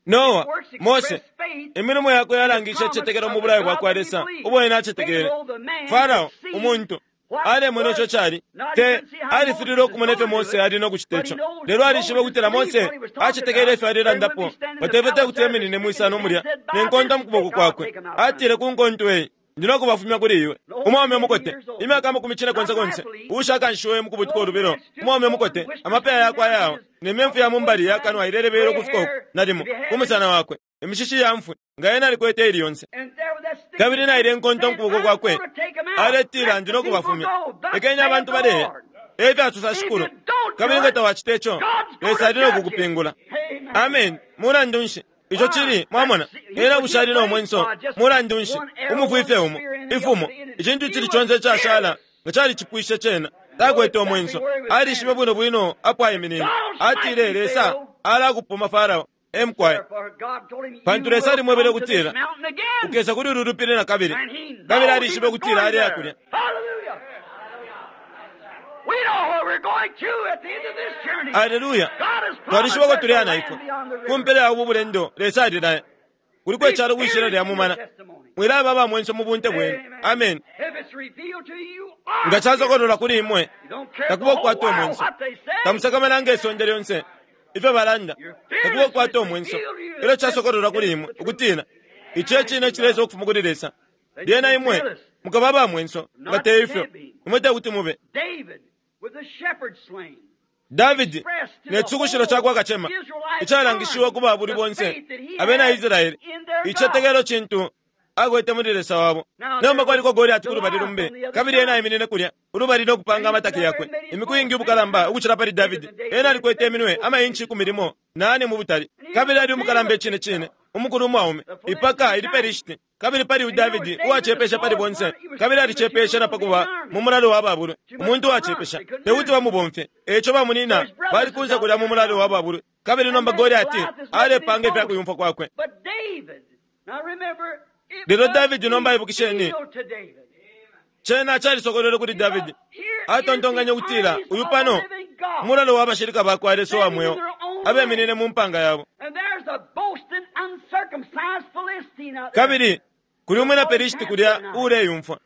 Noa, Mose, imilimo yakwe yalangishe icitetekelo mu bulayo bwa kwa Lesa ubo ena acetekele. Farao, umuntu, alemona ico cali te alifililwe ukumona ifyo Mose ali no kucita ico, lelo alishibe ukutila Mose acetekele ifyo alelandapo. Batefye te kuti eminine mwisano mulya ne nkonto mu kuboko kwakwe. Atile, ku nkonto eyi ndi no kubafumya kuli iwe. Umwaume umukote, imyaka 40 uushakanshiwe mu kubutuka ulubilo, umwaume umukote, amapeya yakwe ayawa, ne myemfu ya mumbali yakanwa ilelebela ukufika uku, nalimo ku musana wakwe, imishishi ya mfwi, nga ena alikwete ili yonse. Kabili naile nkonto mu kuboko kwakwe, aletila, ndi no kubafumya, lekeni abantu baleya, efyo asosa Shikulu. Kabili nga tawacita ico, Lesa ali no kukupingula. Amen. Mulandu nshi ico cili? Mwamona, ena bushali no mwenso. Mulandu nshi, umufwi fye umo, ifumo, icintu icili conse icashala nga calicipwishe cena. Takwete umwenso, alishibe bwino bwino apo aiminine. Atile, Lesa alakupuma Farao. Emkwai, pantu Lesa alimwebele ukutila, ukesa kuli ulu lupili na kabili. Kabili alishibe ukutila aleya kulya. Aleluya! Twalishiba uko tuleya na ifwe ku mpela ya ubu bulendo. Lesa alilaya kuliko icalo kwishila lya mumana. Mwilaba aba mwenso mu bunte bwenu. Amen. Nga casokololwa kuli imwe, takuba ukukwata umwenso. Tamusakamana nge sonde lyonse ifyo balanda, takuba ukukwata umwenso. Ilyo casokololwa kuli imwe ukutila ici e cine icilesa ukufuma kuli Lesa, lyena imwe Mukaba aba mwenso, nga te ifyo, imwe te kuti mube. Davidi ne cisukushilo ca kwa kacema icalangishiwe ku babulwi bonse abena Israele, icitetekelo cintu akwete muli Lesa wabo. Nomba kwaliko Goliati ku lubali lumbi, kabili ena aiminine kulya ulubali no kupanga amataki yakwe imiku iingi ubukalamba ukucila pali Davidi. Ena alikwete iminwe amainchi 14 mu butali, kabili ali umukalamba icine cine, umukulu umwaume, ipaka iliPelishiti. Kabili pali uyu Davidi uwacepesha pali bonse, kabili alicepesha na pa kuba mu mulalo wa babulwi, umuntu uwacepesha, te kuti bamubomfye. E ico bamunyina bali kunse kulya mu mulalo wa babulwi, kabili nomba Goliati alepanga ifya kuyumfwa kwakwe. Lelo Davidi nomba ibukisheni, cena calisokolwele kuli Davidi. Atontonkanya ukutila uyu pano mulalo wa bashilika ba kwa Lesa wa mweo abeminine mu mpanga yabo. Kabili kuli umwina Pelishiti kulya uuleyumfwa.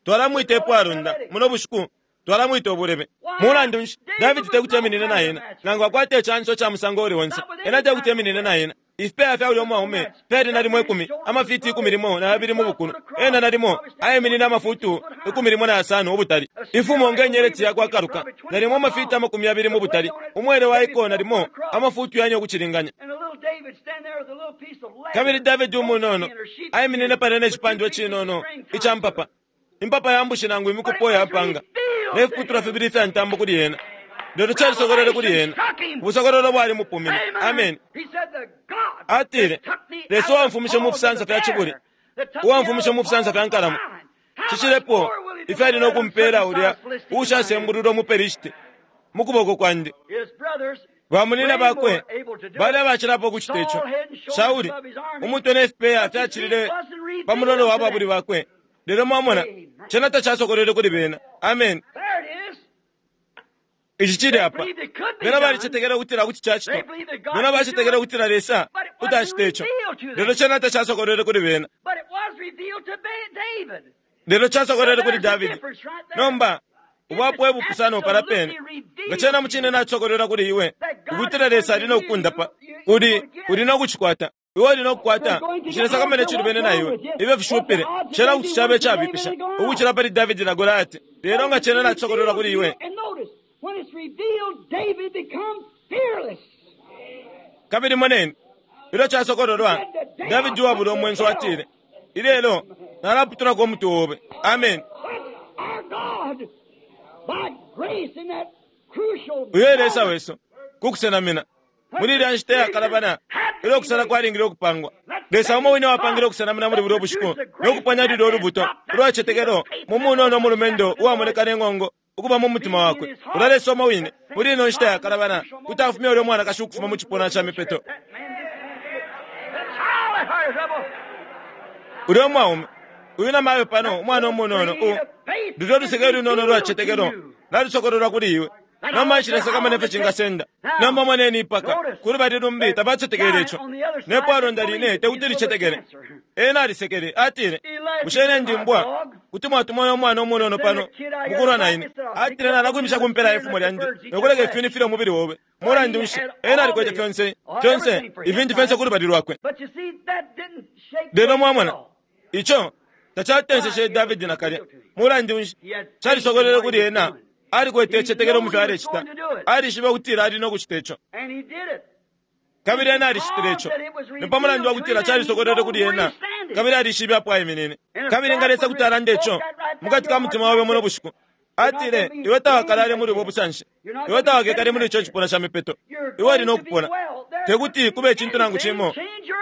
Twalamwita epwalonda muno bushiku, twalamwita ubulebe. Mulandu nshi Davidi te kuti eminine na ena, nangu akwate icanso ca musango uli onse, ena te kuti eminine na ena. Ifipeya fya ulya umwaume fyali nalimo 10, amafiti 12 mu bukulu. Ena nalimo aiminine amafutu 15 ubutali. Ifumo nge nyeleti yakwa kaluka, nalimo amafiti 20 mu butali. Umwele wa iko nalimo amafutu 4 ukucilinganya. Kabili Davidi umunono aiminine palya ne cipandwa cinono ica mpapa, impapa ya mbushi nangu imikupo ya mpanga, ne fiputulwa fibili ifya ntambo kuli ena. Lelo calisokolwele kuli ena. Ubusokololo bwali mupumine. Amen. Atile, Lesa uwamfumishe mu fisansa fya cibuli, uwamfumishe mu fisansa fya nkalamo, cishilepo ifyo ali no kumpela ulya uushasembululwa umuPelishiti mu kuboko kwandi. Bamunyina bakwe bali abacilapo ukucita ico. Shauli, umutwe ne fipeya fyacilile pa mulolo wa babulwi bakwe. Lelo mwamona, cena tacasokolwele kuli bena. Amen. Ici cili apa. Bena balicetekela ukutila kuti cacitwa. Bena bacetekela ukutila Lesa kuti acita ico. Lelo cena tacasokolwele kuli bena. Lelo casokolwele kuli Davidi. Nomba, ubwapo ebupusano pala pene. Nga cena mucine nacisokolwela kuli iwe, ukutila Lesa ali no kukundapa, uli, uli no kucikwata. Iwe uli no kukwata, nshilesakamana icilubene na iwe. Ibe fishupile, cena kuti cabe icabipisha, ukucila pali Davidi na Goliati. Lelo nga cena nacisokolwela kuli iwe, When it's revealed, David becomes fearless. Kabili moneni, ilyo casokololwa, Davidi uwabula umwenso atile, Ilelo nalaputulako umutwe obe. Amen. Our God, by grace in that crucial Uyo e Lesa wesu, ku kusenamina. Muli ilya nshita iyakalabana, ilyo ukusala kwalingile ukupangwa, Lesa umo wine wapangile ukusenamina muli bulya bushiku no kupanya lulya ulubuto ulwa cicetekelo mu munono umulumendo uwamoneka ne ng'ongo ukuba mu mutima wakwe. Ulya Lesa umo wine, muli ino nshita yakalabana, kuti afumya ulya mwanakashi ukufuma mu cipuna ca mipeto. Ulya umwaume, uyu namayo pano, umwana umunono, u, lulyo luseke lunono lwa cicetekelo nalusokololwa kuli iwe. Nomba nshilesakamana ifyo cingasenda. Nomba moneni ipaka, ku lubali lumbi tabacetekele ico. Ne pwalonda line te kuti licetekele. Ena alisekele, atile, Bushe ine ndi mbwa? Kuti mwatumona umwana umunono pano mukulwa na ine. Atile, Nalakwimisha ku mpela ye fumo lyandi no kuleka ifyuni filye umubili obe. Mulandu nshi, ena alikwete fyonse, fyonse, ifintu fyonse ku lubali lwakwe. Lelo mwamona, ico tacatenseshe Davidi nakalya. Mulandu nshi, calisokolwele kuli ena. Alikwete icitetekelo mu fyo alecita. Alishibe ukutila ali no kucita ico. Kabili ena alicitile ico. Ni pa mulandu wa kutila calisokolwele kuli ena, kabili alishibe apo aiminine. Kabili nga Lesa kuti alanda ico mukati ka mutima obe muno bushiku, atile, Iwe tawakalale muli ubo busanshi. Iwe tawakekale muli ico cipuna ca mipeto. Iwe uli no kupona. Te kuti kube icintu nangu cimo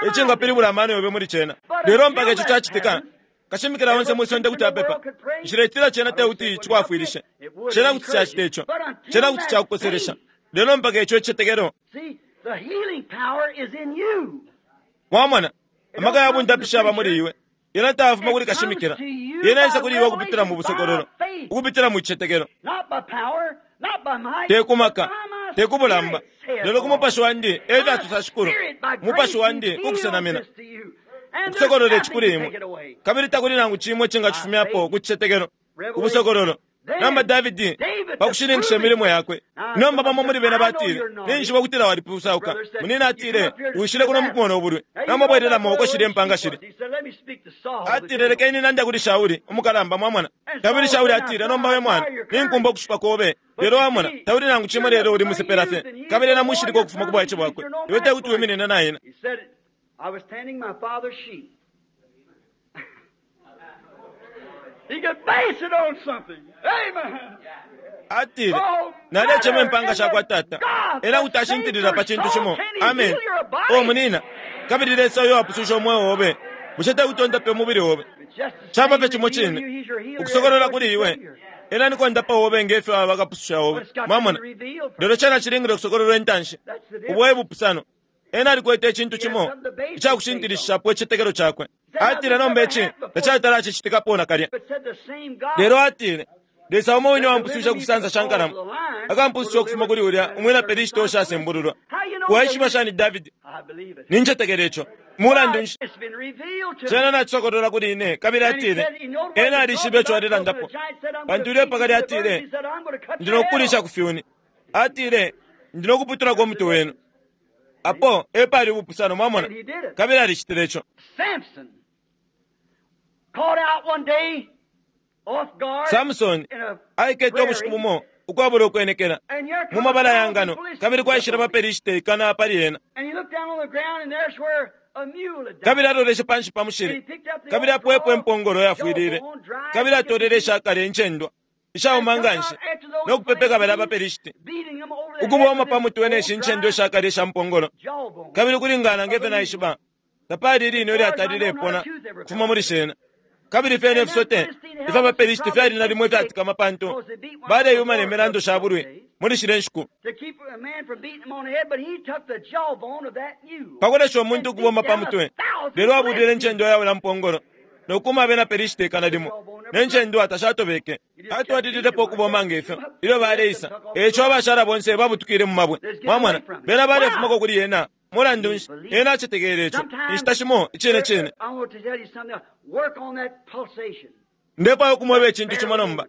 icingapilibula amano yobe muli cena. Lelo mpaka ico cacitika, kashimikila onse mwi sonde kuti apepa. Nshiletila cena te kuti cikwafwilishe. Cena kuti cacita ico. Cena kuti cakukoselesha. Lelo mpaka ico icicetekelo. Mwamona, amaka ya bundapishi yaba muli iwe. Yena tayafuma kuli kashimikila. Yena yesa kuli iwe ukupitila mu busokololo, ukupitila mu cicetekelo. Te ku maka, te ku bulamba, lelo ku mupashi wandi, e fyo asosa Shikulu, umupashi wandi ukusenamina, ukusokolole ici kuli imwe. Kabili takuli nangu cimo icingacifumyapo ku cicetekelo, ubusokololo. Nomba Davidi, pa kushininkisha imilimo yakwe. Nomba bamo muli bena batile, Ninjishiba ukutila walipusauka. Munina atile, Wishile kuno mukumona ubulwi. Nomba bwelelamo uko shilya impanga shili. Atile, Lekeni nande kuli Shauli, umukalamba, mwamona. Kabili Shauli atile, Nomba we mwana, ninkumba ukushupa kobe. Lelo wamona, tauli nangu cimo lelo uli musepela fye. Kabili ena mushilika ukufuma ku bwaice bwakwe. Iwe tekuti wiminine na ena. He said, I was tending my father's sheep. He could base it on something. Amen. Atile, nalecema impanga shakwa tata. Ena kuti ashintilila pa cintu cimo. Amen. O munina, kabili Lesa uyo apususha umweo obe. Bushe tekuti ondape umubili obe? It's just the Caba same fye cimo revealed cine. to you, he's your healer, Ukusokolola as kuli your iwe. Savior. Ena niko obe ngefyo aba bakapususha obe. But it's got to Mwamona? be revealed first. Lelo cena cilingile ukusokololwa intanshi. That's the difference. Ubo e bupusano. Ena alikwete icintu cimo icakushintilishapo icitetekelo cakwe. Atile nomba ici tacatala nakalya. But said the same God Lelo atile, Lesa umo wine wampususha kusansa sha nkalamo. Akampususha ukufuma kuli ulya umwina Pelishiti ushasembululwa. Waishiba shani Davidi? I believe it. Nincetekela ico. Mulandu nshi? It's been revealed to Cena me. nacisokolola kuli ine kabili atile, ena alishibe ico alelandapo. Pantu ilyo pakali atile, ndi nokukulisha ku fyuni. Atile, ndi nokuputulako umutwe wenu. Apo epali ubupusano mwamona. Kabili alicitile ico. Samson caught out one day off guard Samson in a aikete ubushiku bumo ukwabula ukwenekela and here mu comes mabala ya thousand ngano Philistines kabili kwaishila up on him. baperishite ikana pali ena. And he looked down on the ground and there's where a mule had died. Kabili aloleshe panshi pa And he mushili picked up the kabili old apwepo draw, impongolo yafwilile jawbone, dried, kabili atolele ishakale incendwa ishauma and took nganshi out after those no kupepeka bala Philistines, baperishite beating them over the head ukuboma with pa this mutwe ne old shi dry ncendwa ishakale isha mpongolo jawbone. kabili kulingana ngefe naishiba tapali ilino ilyatalile ipona kufuma muli shena kabili fyene ifisote ifya baperishite fyali nalimo ifyatikama pantu baleyuma ne milando sha bulwi muli shile nshiku To keep a man from beating him on the head, but he took the jawbone of that mule. pakulesha umuntu ukubomba pa mutwe lelo abulile incendwa yawe mpongolo nokuma abena Pelishiti ikana limo ne ncendwa tashatobeke atwalililepo ukubomba ngefyo ilyo baleisa eco abashala bonse babutukile mu mabwe mwamona bena balefumako kuli yena mulandu nshi ena acetekele ico inshita shimo icine cine I want to tell you something. Work on that pulsation. ndefwaya ukumweba icintu cimo nomba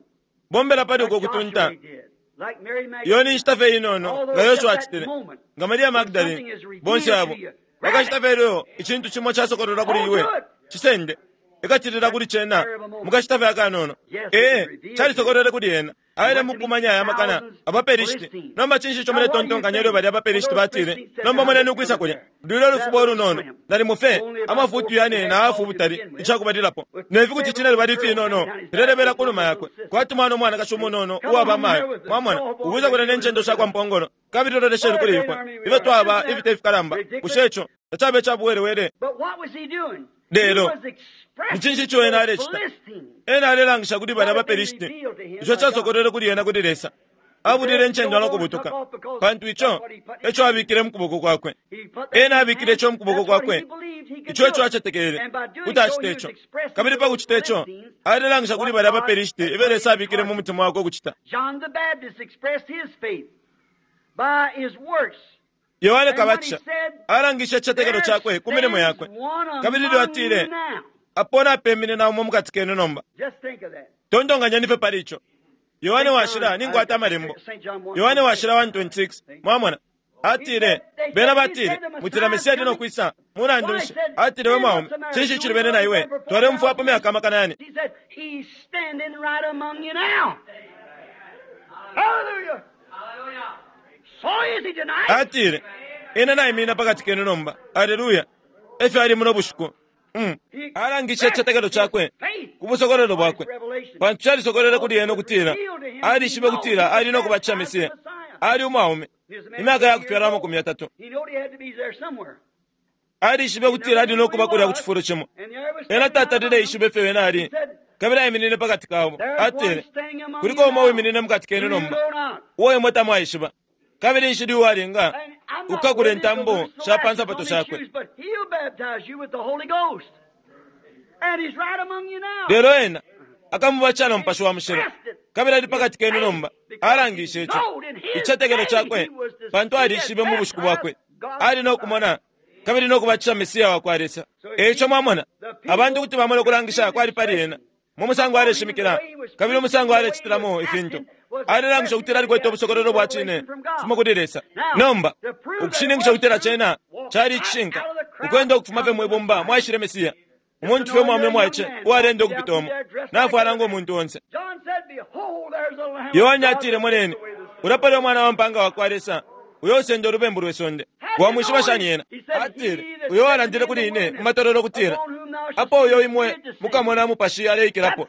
bombela pali uko Like kutunta Joshua did. Like Mary iyo ni Magdalene. nshita fye inono Although nga just Yoshua that acitile moment, nga Maria when something Magdalene is revealed bonse abo to you, bakashita fye ilyo icintu cimo casokololwa kuli iwe cisende ikatilila kuli cena mukashita fye akanono ee calisokolole kuli ena aile mukumanya aya makana abaperishiti nomba cinshi ico muletontonkanya ilyo balya abaperishiti batile nomba moneni ukwisa kulya lwilo ulufuba olunono nalimo fye amafutu yane na hafu ubutali icakubalilapo nefi kuti cine lubali finono filelebela ku numa yakwe kwati mwana umwanakashi umunono uwaba amayo mwamona ukwisa kulya ne ncendo shakwa mpongolo kabili lolesheni kuli ifwe ifyo twaba ifite ifikalamba bushe ico tacabe icabuwelewele But what was he doing? Lelo, He was expressing ni cinshi ico ena alecita? Philistines. ena alelangisha kuli balya abaperishiti ico casokolele kuli ena kuli Lesa abulile incendwa no kubutuka pantu ico eco abikile mu kuboko kwakwe He put that ena in his abikile ico mu hand. kuboko That's what kwakwe he believed he could ico eco do. acetekele And by doing kuti so, acite he was ico expressing kabili to pa those kucita ico Philistines alelangisha kuli what balya God abaperishiti had ifyo put in Lesa his abikile mu heart. mutima wakwe ukucita John the Baptist expressed his faith by his works. Yohane And when he Kabatisha said, alangishe icitetekelo There cakwe ku milimo stands yakwe one kabili ilyo among atile you now. apo napemine na umo mukati kenu nomba Just think of that. tontonkanyeni fye pali ico Yohane St. washila John, ninkwata amalembo St. John Yohane 1:26. washila 1:26 mwamona atile They bena said, he said batile the mutila Messiah's Mesiya ali coming. nokwisa mulandu Why, nshi he said, atile we then mwaume what's the matter? cinshi Do we cilibene know na he's iwe been for twalemfwapo 4,000 myaka years? amakana yane He said, he's standing right among you now. Hallelujah. So is he tonight. atile ena naiminina pakati kenu nomba aleluya efyo ali muno bushiku He alangishe expressed icitetekelo his cakwe faith ku busokolelo by his bwakwe revelation. pantu calisokolele Because kuli it ena was ukutila revealed to him, he alishibe knows kutila he was ali nokubatisha baptized the Mesiya Messiah. ali umwaume He was a man imyaka 30 years yakufyala old. amakumi yatatu He knew he had to be there somewhere. alishibe He kutila never ali knew who he nokuba kulya ku was. cifulo cimo And there was ena standing right tatalile among them. ishibe fyo ena He ali said, kabili aiminine pakati kabo There's one atile standing among kuliko you umo now wiminine mukati kenu whom you nomba know not. uwo imwe tamwaishiba kabili nshili uwalinga And I'm not ukakula worthy to intambo loose the sha pa latches nsapato on his shakwe shoes, but he'll baptize you with the Holy Ghost. And he's right among you now. lelo ena akamubatisha no mupashi wa mushilo Expressed it. kabili ali His pakati kenu faith, nomba because he alangishe ico knowed in his icitetekelo day cakwe he was the pantu he had alishibe mu bushiku baptized bwakwe God's ali Messiah. nokumona kabili nokubatisha Mesiya wakwa Lesa So you eico see, mwamona the abantu people kuti bamona could see ukulangisha the kwali pali ena expression. Mu musango aleshimikila, kabili umusango alecitilamo ifintu, alelangisha ukutila alikwete ubusokololo bwa cine fuma kuli Lesa. Nomba, ukushininkisha ukutila cena cali icishinka, ukwenda ukufuma fye mwibumba mwaishile Mesiya, umuntu fye umwaume mwaice uwalenda ukupita umo, nafwala ngo muntu onse. Yohane atile, Moneni, ulya pali umwana wa mpanga wa kwa Lesa, uyo usenda ulubembu lwe sonde. Wamwishiba shani yena? Atile, uyo walandile kuli ine mu matololo kutila, apo uyo imwe mukamona Mupashi aleikilapo,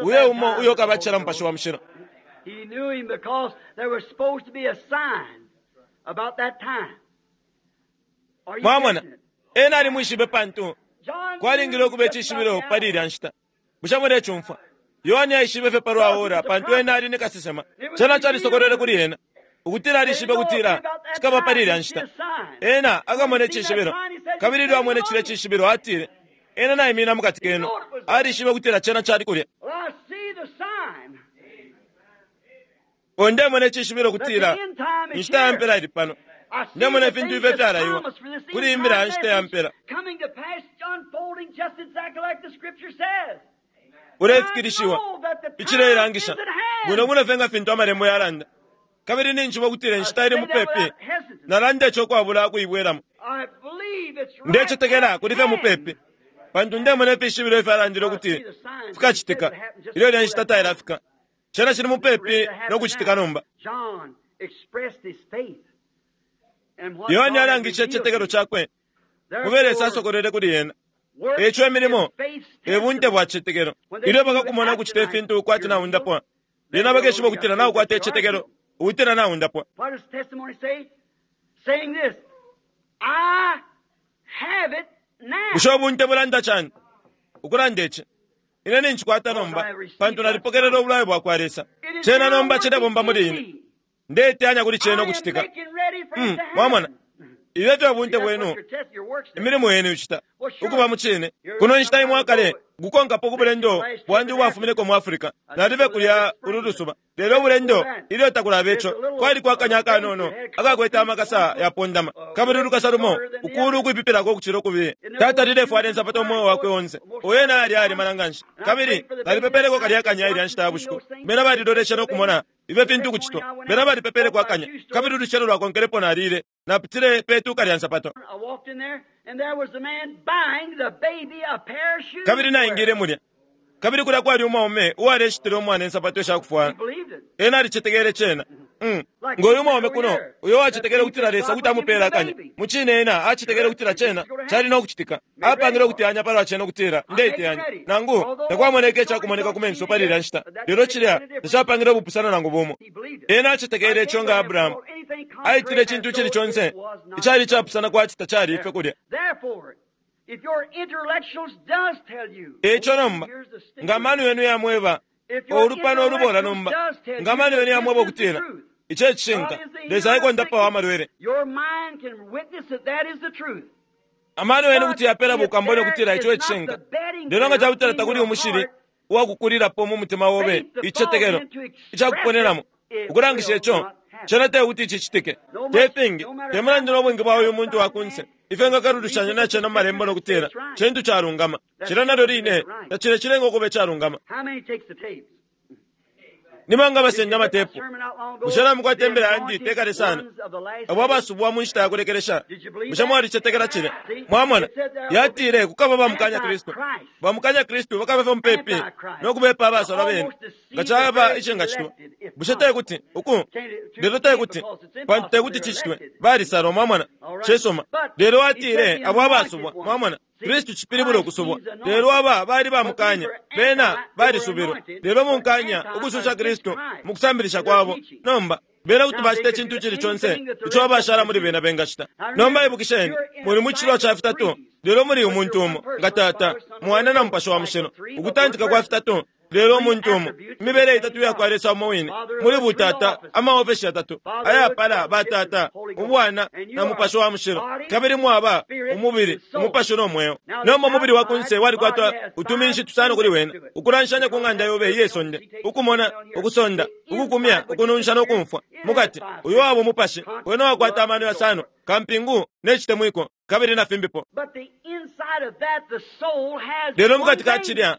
uyo umo uyo kabatisha Mupashi wa Mushilo. He knew him because there was supposed to be a sign about that time. Are you Mwamona, catching it? ena alimwishibe pantu John kwalingile ukuba icishibilo pali ilya nshita. Bushe mulecumfwa? Yohane aishibe fye palwa ora pantu ena ali ni kasesema. Cena calisokolwele kuli ena ukutila alishibe kutila cikaba pali ilya nshita. Ena akamona icishibilo, kabili ilyo amwene cilya cishibilo atile, ena naimina mukati kenu. Alishibe kutila cena cali kulya. Well, I see the sign. O ndemona icishibilo That the kutila end time is inshita ya here. mpela ili pano. I see Ndemona the ifintu things ifyo that's fyalaiwa promised for this kuli end imbila ya time nshita ya message mpela. coming to pass, unfolding just exactly like the scripture says. Ulefikilishiwa I know that the time icileilangisha is at hand. bwino bwino fye nga fintu amalembo yalanda. Kabili ninjiba ukutila I inshita ili say that mupepi, without hesitance. nalanda ico ukwabula kuibwelamo. I believe it's right Ndecetekela at kuli fye hand. mupepi, pantu ndemona ifishibilo ifyalandile I ukuti see the signs fikacitika that happened just ilyo ilya before nshita that time. tailafika. Cena cili It's ready mupepi to no happen kucitika now. nomba. John expressed his faith and what Yohane God had alangishe revealed to icitetekelo him. cakwe mube Lesa Therefore, asokolele kuli ena. works Eco is imilimo faith's e bunte testimony. bwa citetekelo. When they Ilyo see you bakakumona act ukucita tonight, ifintu kwati you're healed, naundapwa, then lyena they'll know bakeshiba you got ukutila faith naukwata that you are icitetekelo, healed. ukutila naundapwa. What does testimony say? Saying this, I have it now. Bushe ubunte bulanda cani? Ukulanda ici, ine nincikwata Because I nomba, have received pantu God's nalipokelela promise. ubulayo bwa kwa Lesa. It is Cena now nomba working cilebomba in muli ine. me. Ndeteyanya kuli cena I am ukucitika. making ready for it to Mwamona, happen. ifyo fye See, bunte that's what bwenu, your test, your works does. imilimo yenu icita Well, sure. ukuba mu cine. You're Kuno nshita some imwe time akale, ago, gukonkapo ku mentioned bulendo last trip bwandi in ubwafumineko Africa. mu Africa. I just Nalibe go there kulya this ulu spring. lusuba. Lelo Before ubulendo that, ilyo takulaba there's ico, a little kwali kwakanya baby akanono that had a akakwete feet, one amakasa foot yapondama, kabili great ulukasa lumo shorter than the ukulu other. ukwipipilako ukucila ukubiye. It never Tata wore shoes lilefwala in insapato time, umweo wakwe so onse. most Uyo ena times ali ali one. malanganshi. And I Kabili prayed for the baby nalipepeleko that kalya night kanya that ilya watched nshita ya and seen bushiku. those things. Bena They baliloleshe prayed for no the baby. kumona ifyo The fintu next morning ukucitwa. I went Bena out, balipepele bought kwa my kanya. shoe store. Kabili ulucelo lwakonkelepo nalile. Napitile pe tuka lya nsapato. I walked in there, and there was the man buying the baby a pair of shoes Kabili to wear. naingile mulya. Kabili kulya kwali umwaume uwaleshitila umwana insapato He ishakufwala. believed it. Ena alicetekele cena. Like Ngo this uyu man mwaume over kuno, here uyo that wacetekele believed kutila that Lesa God kuti would give him amupela the akanya. baby. Mu cine ena acetekele Sure, kutila it just cena go to cali happen. no kucitika. Made ready Apangile for it. ukuteyanya palwa cena kutila I'm making ndeteyanya. ready. Nangu Although takwamoneka there's no icakumoneka ku results menso seen pali ilya yet, nshita. but that Lelo doesn't make cilya any difference. tacapangile ubupusano nangu bumo. He believed it. Ena acetekele Like ico nga Abraham Abrahamu. called anything Aitile contrary icintu as icili though conse it was not icali so. icapusana kwati tacali ife kulya. Therefore, if your intellectuals does tell you, Eco oh, nomba here's the nga stickler. amano yenu yamweba If your olupano olubola intellectuals nomba does tell nga you amano that yenu this yamweba is the okutila truth, ico God ecishinka is the Lesa healer of aikondapawo sickness. amalwele. Your mind can witness that that is the truth. Amano yenu But kuti yapela if bukambone there okutila ico is not ecishinka. the bedding Lelo nga ground cakutila in takuli your umushili heart, uwakukulilapo mu mutima obe faith to fall icitetekelo in to express it, icakuponenamo it ukulangisha will ico not happen. cena tekuti cicitike. No Te much, fingi no matter te how mulandu much n'obwingi bwa uyu muntu outside wa kunse man ifyo nga reads kalulushanya it with na the cena mu malembo scriptures and nokutila says it's right. cintu calungama That cila nalyo still doesn't make line it right. tacile cilenga ukuba icalungama. How many takes the tapes? Nimanga Did you basenda get my amatepu. sermon out long ago? Bushe namukwata The imbila yandi anointed tekale sana ones of the last abo days. abasubwa mu nshita yakulekelesha. Did you believe Bushe that? mwalicetekela cile? See, Mwamona it said there will be yatile kukaba bamukanya Kristu, antichrist, bamukanya Kristu bakabe fye mupepi antichrist, nokubepa to abasalwa bene almost nga deceive the caba very icingacitwa. elected if Bushe possible. tekuti uku Can't it, to lelo can't tekuti because it's pantu impossible. tekuti They're cicitwe elected. balisalwa mwamona All right. cisuma. But Lelo he said atile the abo anointed abasubwa ones. mwamona See, Kristu cipilibula Christ ukusubwa. means Lelo anointed. aba bali But these bamukanya were bena anti, they were balisubirwa. anointed, Lelo but munkanya anti ukususha against Kristu Christ mu kusambilisha in their kwabo. teaching. Nomba bena kuti Now they bacita could icintu do icili conse anything that the ico rest of them abashala could muli do. bena bengacita. Now Nomba remember, ibukisheni you're in muli a mu cilwa cycle ca of fitatu threes, lelo muli but umuntu you're one umo person, nga tata Father, Son, and mwana Holy na Ghost. Mupashi wa Cycle Mushilo three, but one ukutantika kwa person. fitatu lelo Three umuntu umo attributes of the imibele same itatu yakwa God. Lesa umo wine Father of muli the three butata offices. amaofeshi yatatu Fatherhood, ayapala sonship, and batata Holy Ghost. ubwana And you na are Mupashi wa Mushilo body, kabili mwaba spirit, umubili and soul. umupashi no mweo. Now the Nomba umubili wa kunse outside body walikwata has five utuminshi tusano kuli inputs wena to it. ukulanshanya ku Because ng'anda that yobe spirit iye don't sonde see takes ukumona down here. ukusonda The ukukumya inside, which is the ukununsha spirit, nokumfwa it has mukati five uyo waba senses. umupashi wena Conscience, wakwata love, amano and so yasano forth. kampingu n'ecitemwiko kabili na fimbipo. But the inside of that, the soul has Lelo one mukati ka thing. cilya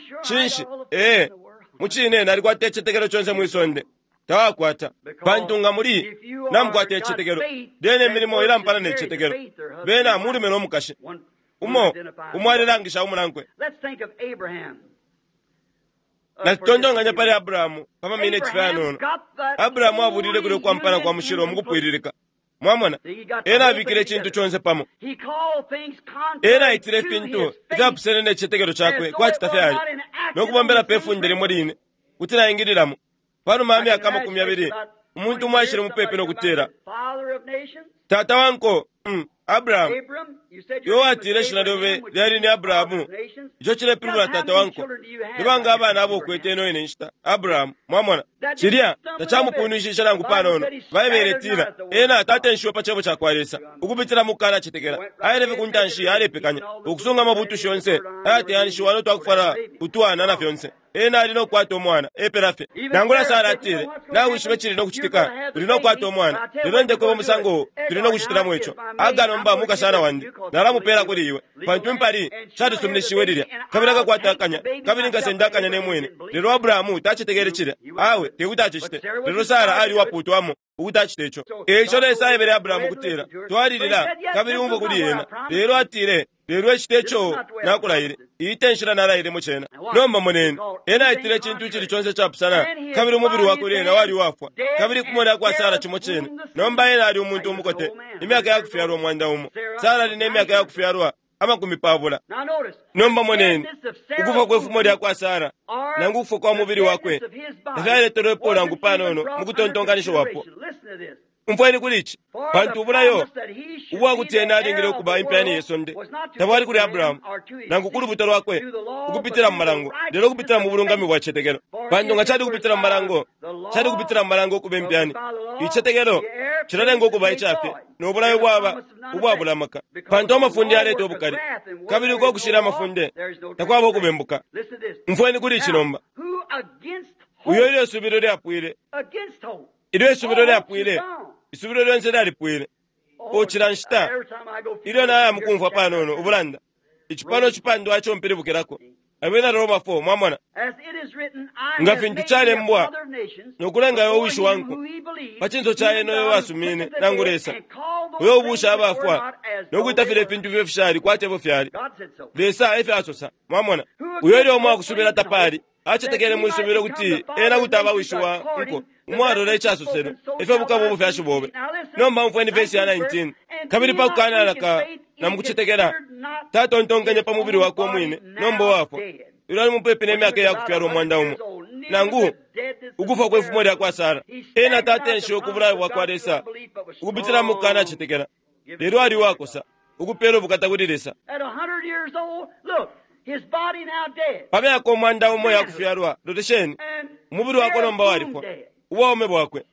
Cinshi? Ee. Mucine nalikwata icitetekelo conse mwi sonde. Tawakwata. Pantu nga muli namukwata icitetekelo, lyena imilimo ilampana ne citetekelo. Bena mulume no mukashi. Umo umo alelangisha umunankwe. Natutontonkanya pali Abrahamu pa maminiti fye ayanono. Abrahamu abulile kulya ukwampana kwa mushilo mukupwililika. Mwamona, ena abikile icintu conse pamo. Ena aitile ifintu ifyapusene ne citetekelo cakwe kwati tafyali, no kubombela pe funde limo line kuti naingililamo. Panuma ya myaka 20, umuntu umo aishile mupepi no kutila, Tata wa nko, Abrahamu, iwe watile ishina lyobe lyali ni Abrahamu, ico cilepilibula tata wa nko. Ni banga abana abo ukwete ino ine nshita, Abrahamu? Mwamona, cilya tacamupunwishishe nangu panono. Baibele itila, ena tatenshiwe pa cebo cakwa Lesa, ukupitila mu kukanacetekela. Aile fye ku ntanshi alepekanya, ukusunga amabutushi yonse ayateyanishiwa no twakufwala utwana na fyonse. Ena ali no kukwata umwana, epela fye. Nangula Sara atile, Nawishiba icili no kucitika, uli no kukwata umwana. Lelo ndekweba umusango tuli no kucitilamo ico. Hagar nomba mukashana wandi, nalamupela kuli iwe, pantu impali shalisuminishiwe lilya. Kabili akakwata akanya, kabili nkasenda akanya ne mwine. Lelo Abrahamu tacetekele cilya. Awe, te kuti acicite. Lelo Sara ali uwapuutwamo ukuti acite ico. E ico Lesa aebele Abrahamu ukutila, Twalilila, kabili umfwe kuli ena. Lelo atile, Lelo icite ico nakulaile. Iyi te nshila nalailemo cena. Nomba moneni, ena aitile icintu icili conse icapusana, kabili umubili wakwe lyena wali uwafwa, kabili kumona kwa Sara cimo cine. Nomba ena ali umuntu umukote, imyaka ya kufyalwa 100. Sara ali ne myaka ya kufyalwa 20. Nomba moneni, ukufa kwe fumo lya kwa Sara, nangu ukufwa kwa mubili wakwe, tafyaletelwepo nangu panono mu kutontonkanishiwapo. Umfweni kuli ici, pantu ubulayo ubwa kuti ena alingile ukuba impyani ye sonde tabwali kuli Abrahamu nangu ku lubuto lwakwe ukupitila mu malango, lelo ukupitila mu bulungami bwa citetekelo. Pantu nga cali kupitila mu malango, cali kupitila mu malango ukuba impyani. Icitetekelo cilalenga ukuba ica fye, no bulayo bwaba ubwabula amaka. Pantu amafunde yaleta ubukali, kabili uko kushila amafunde takwaba ukubembuka. Umfweni kuli ici nomba. Uyo ilyo isubilo lyapwile, ilyo isubilo lyapwile, isubilo lyonse lyalipwile. Cila nshita ilyo naya mukumfwa panono ubulanda, ici pano cipandwa ico mpilibukilako, Abena Roma 4, mwamona, nga fintu calembwa, no kulenga iwe wishi wa nko pa cinso ca ena uyo wasumine, nangu Lesa, uyo ubuusha abafwa no kwita filya ifintu ifyo fishali kwati efyo fyali. Lesa efyo asosa, mwamona. Uyo ilyo umwakusubila tapali, acetekele mwisubilo kuti ena kuti aba wishi wa nko, umwalola icasoselwe, efyo bukaba ubufyashi bobe. Nomba umfweni vesi ya 19. Kabili pa kukanalaka na mukucetekela, tatontonkenye pa mubili wakwe umwine, nomba uwafwa, ilyo ali mupepi ne myaka iya kufyalwa 100, nangu ukufwa kwe fumo lya kwa Sara. Ena tatenshiwe ku bulayo bwa kwa Lesa ukupitila mu kukanacetekela, lelo ali uwakosa, ukupela ubukata kuli Lesa. Pa myaka 100 ya kufyalwa, lolesheni, umubili wakwe nomba walifwa, ubwaume bwakwe,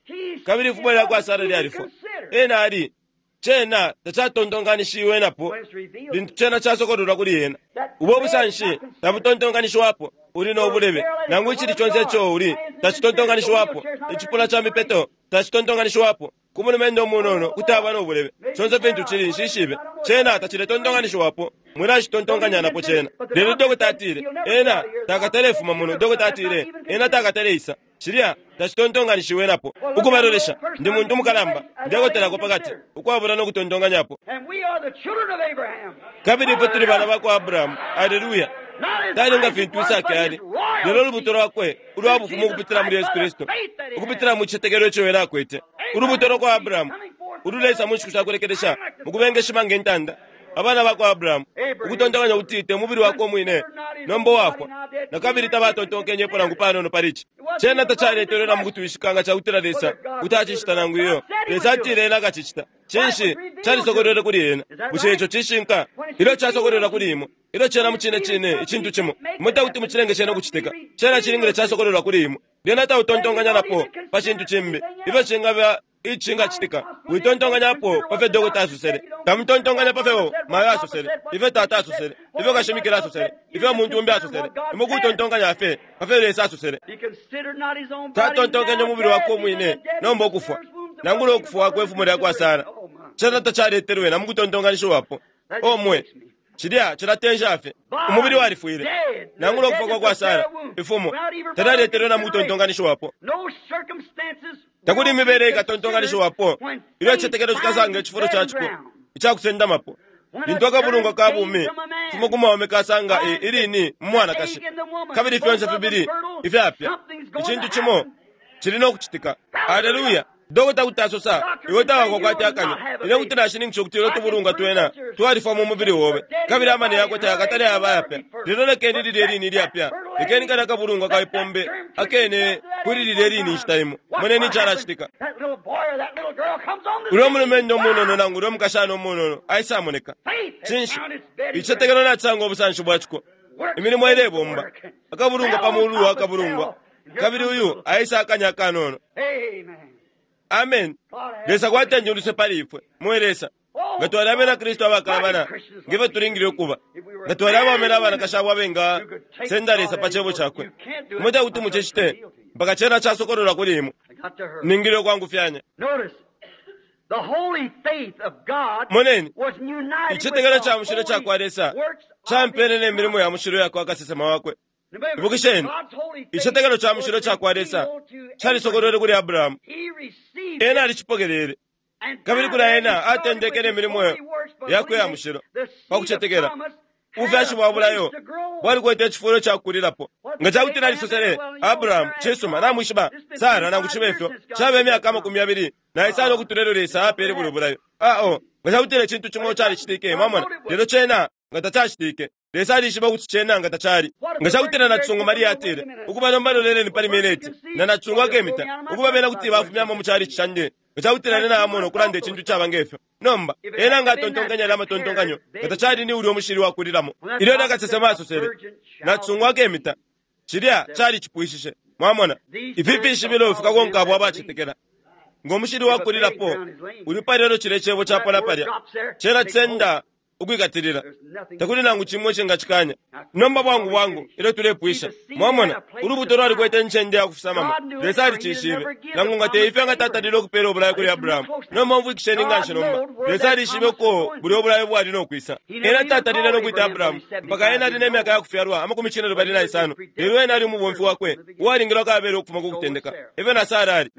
kabili ifumo lya kwa Sara lyalifwa. Ena ali, cena tacatontonkanishiwe napo lintu cena casokololwa kuli ena. Ubo busanshi tabutontonkanishiwapo, uli no bulebe, nangu icili conse ico uli tacitontonkanishiwapo, icipuna ca mipeto tacitontonkanishiwapo, ku mulumendo umunono kuti aba no bulebe, conse fintu cili nshishibe, cena taciletontonkanishiwapo, mwilacitontonkanya napo cena. Lelo dokota atile, ena takatalefuma muno. Dokota atile, ena takataleisa. Cilya tacitontonkanishiwe napo. Ukubalolesha, ndi muntu mukalamba, ndekotelako pakati, ukwabula no kutontonkanyapo. Kabili ifwe tuli bana bakwa Abrahamu. Aleluya! Tali nga fintu Isaki ali, lelo ulubuto lwakwe ulwa bufumu ukupitila muli Yesu Kristu, ukupitila mu citetekelo ico ena akwete. Ulubuto lwa kwa Abrahamu ululeisa mu nshiku sha kulekelesha mu kubengeshima nge ntanda. Abana bakwa Abrahamu, ukutontonkanya ukuti te mubili wakwe umwine, nomba uwafwa, na kabili tabatontonkenyepo nangu panono pali ici. Cena tacaletelwe na mukutwishika nga cakutila Lesa kuti acicita nangu iyo. Lesa atile ena akacicita. Cinshi calisokolwele kuli ena? Bushe ico cishinka? Ilyo casokolwelwa kuli imwe, ilyo cena mucine cine icintu cimo, imwe tekuti mucilenge cena ukucitika. Cena cilingile casokolwelwa kuli imwe. Lyena tautontonkanya napo pa cintu cimbi, ifyo cingaba icingacitika. Witontonkanyapo pa fyo dokota asosele. Tamutontonkanya pa fyo mayo asosele, ifyo tata asosele, ifyo kashimikila asosele, ifyo umuntu umbi asosele. Imwe kutontonkanya fye pa fyo Lesa asosele. Tatontonkenye umubili wakwe umwine, nomba ukufwa, nangula ukufwa kwe fumo lya kwa Sara. Cena tacaletelwe na mukutontonkanishiwapo. O mwe! Cilya cilatensha fye. Umubili walifwile. Nangula ukufwa kwa kwa Sara, ifumo, talyaletelwe na mukutontonkanishiwapo. Takuli imibele ikatontonkanishiwapo ilyo icitetekelo cikasanga icifulo ca ciko icakusendamapo. Lintu akabulungwa ka bumi fumo ku mwaume kasanga ilini mu mwanakashi, kabili fyonse fibili ifyapya, icintu cimo cili no kucitika. Aleluya! Dokota kuti asosa, iwe tawakokwate akanya. Ine kuti nashininkisha ukuti ilyo tubulungwa twena twalifwa mu mubili obe, kabili amani yakwe tayakatale aba ayapya. Lelo lekeni lilye lini ilyapya, lekeni kalya kabulungwa ka ipombe akene kuli lilye lini inshita imo. Moneni icalacitika. Ulyo mulumendo umunono nangu ulyo mukashana umunono aisamoneka. Cinshi? Icitetekelo nacisanga ubusanshi bwa ciko. Imilimo ilebomba. Akabulungwa pa mulu wa kabulungwa. Kabili uyu aisa akanya akanono. Amen. Lesa kwatenje uluse pali ifwe. Mwe Lesa. Nga twali abena Kristu abakalabana, ngefyo tulingile ukuba. Nga twali abaume na banakashi abo abenga senda Lesa pa cebo cakwe. Imwe tekuti mucicite mpaka cena casokololwa kuli imwe. Ningile ukwangufyanya. Moneni, icitetekelo ca mushilo ca kwa Lesa campene ne milimo ya mushilo ya kwa kasesema wakwe. Ibukisheni, icitetekelo ca mushilo ca kwa Lesa calisokolwele kuli Abrahamu. Ena alicipokelele, kabili kuli ena atendeke ne milimo yakwe ya mushilo pa kucetekela. Ubufyashi bwa bulayo bwalikwete icifulo ca kukulilapo. Nga ca kuti nalisosele Abrahamu, cisuma, namwishiba Sara, nangu cibe ifyo, caba imyaka 25 ukutula ilyo Lesa apeele bulyo bulayo. Ao, nga ca kutila icintu cimo calicitike, mwamona, lelo cena nga tacacitike. Lesa alishiba ukuti cena nga tacali. Nga ca kutila nacisungu Maria atile, ukuba nomba loleleni pali mineti, na nacisungu akemita, ukuba bena kuti bafumyamo mu calici candi. Nga ca kutila ine naamona ukulanda icintu caba ngefyo. Nomba, ena nga atontonkanya yalya amatontonkanyo, nga tacali ni ulya umushili wakulilamo. Ilyo nakasesema asosele, nacisungu akemita, cilya calicipwishishe. Mwamona, ifi fishibilo fikakonka abo abacetekela. Ngo mushili wakulilapo, uli palya ilyo cilya cebo capona palya, cena cisenda ukwikatilila. Takuli nangu cimo icingacikanya. Nomba bwangu bwangu ilyo tulepwisha, mwamona, ulubuto lwalikwete incende ya kufisamamo. Lesa alicishibe. Nangu nga te ifyo nga tatalile ukupela ubulayo kuli Abrahamu. Nomba umfwikisheni nganshi nomba. Lesa alishibe uko bulya ubulayo bwali no kwisa. Ena tatalile no kwita Abrahamu mpaka ena ali ne myaka ya kufyalwa 75. Lelo ena ali umubomfi wakwe uwalingilwa kabela ukufuma ku kutendeka. Efyo na Sara ali.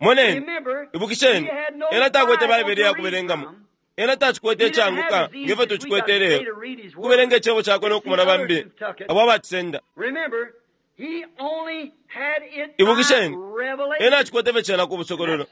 Moneni, ibukisheni, ena takwete Baibele ya kubelengamo. Ena tacikwete icanguka ngefyo tucikwete ilelo, ukubelenga icebo cakwe no kumona bambi abo abacisenda. Ibukisheni, ena acikwete fye cena ku busokololo,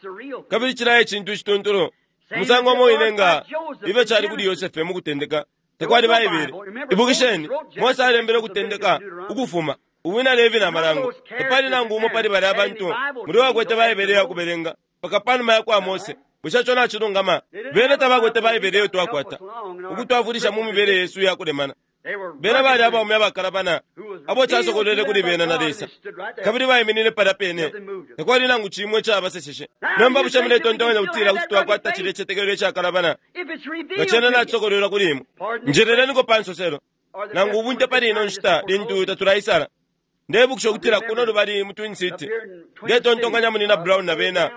kabili cilaya icintu icituntulu. Umusango umo wine nga ifyo cali kuli Yosefe mu kutendeka, takwali Baibele. Ibukisheni, Mose alembele ukutendeka, ukufuma, Ubwina Levi na Malango. Tapali nangu umo pali balya bantu muli uwakwete Baibele ya kubelenga mpaka panuma ya kwa Mose. Bushe ico nacilungama? Bena tabakwete Baibele iyo twakwata, ukutwafwilisha mu mibele yesu iya kulemana. Bena bali abaume abakalabana abo casokolwele kuli bena na Lesa, kabili baiminine palya pene. Takwali nangu cimo icabaseseshe. Nomba bushe muletontonkanya ukutila kuti twakwata cilya icitetekelo icakalabana nga cena nacisokolwelwa kuli imwe? Njeleleniko pa nsoselo nangu ubunte pali ino nshita lintu tatulaisala. Ndebukisha ukutila kuno lubali mu Twin City, ndetontonkanya Munyina Brown na bena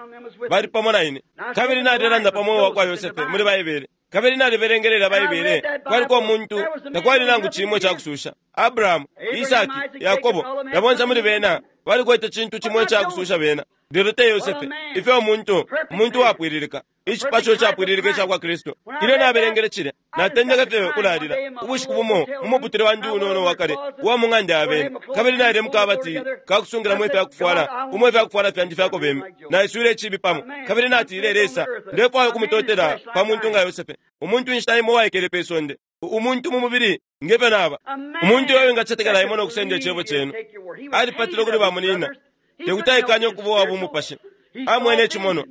bali pamo na ine, kabili nalelanda pa mweo wa kwa Yosefe muli Baibele, kabili nalibelengelela Baibele. Kwaliko umuntu, takwali nangu cimo icakususha. Abrahamu, Isaki, Yakobo, na bonse muli bena balikwete cintu cimo icakususha bena, lelo te Yosefe. Ifyo umuntu, umuntu uwapwililika, icipasho icapwililika ica kwa Kristu. Ilyo nabelengele cilya, natendeke fye ukulalila. Ubushiku bumo mu muputule wandi unono uwa kale uwa mu ng'anda ya beni, kabili naile mu kabati ka kusungilamo ifya kufwala, umo ifya kufwala fyandi fyakobeme. Naiswile icibi pamo, kabili natile, Lesa, ndefwaya ukumutotela pa muntu nga Yosefe, umuntu inshita imo uwaikele pe sonde, umuntu mu mubili nge fyo naba, umuntu uyo wingacetekela imwe no kusenda icebo cenu. Alipatile kuli bamunyina, te kuti aikanye ukuba uwa bumupashi. Amwene icimonwa,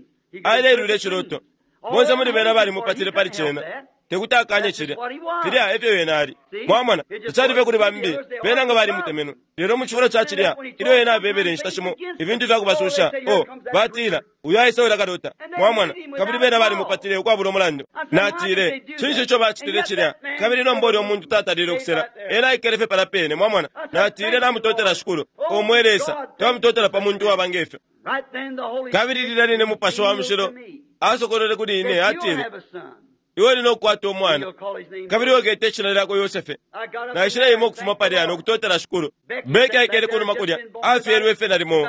alelula iciloto. Bonse muli bena balimupatile pali cena. Te kuti akanye cilya. Filya efyo ena ali. Mwamona, tacali fye kuli bambi, bena nga balimutemenwe. Lelo mu cifulo ca cilya, ilyo ena abebele inshita shimo ifintu fya kubasusha, oh, batila, uyu aisa ulya kalota. Mwamona, kabili bena balimupatile ukwabula umulandu. Natile, cinshi ico bacitile cilya? Kabili nomba ulyo muntu tatalile ukusela. Ena aikele fye palya pene, mwamona. Natile, namutotela Shikulu. O mwe Lesa, twamutotela pa muntu uwaba nge fyo. Kabili lilya line Mupashi wa Mushilo asokolwele kuli ine, atile, Iwe uli nokukwata umwana, kabili ukete ishina lyakwe Yosefe. Naishileima ukufuma palya nokutotela Shikulu. Beke aikele kunuma kulya, afyelwe fye nalimo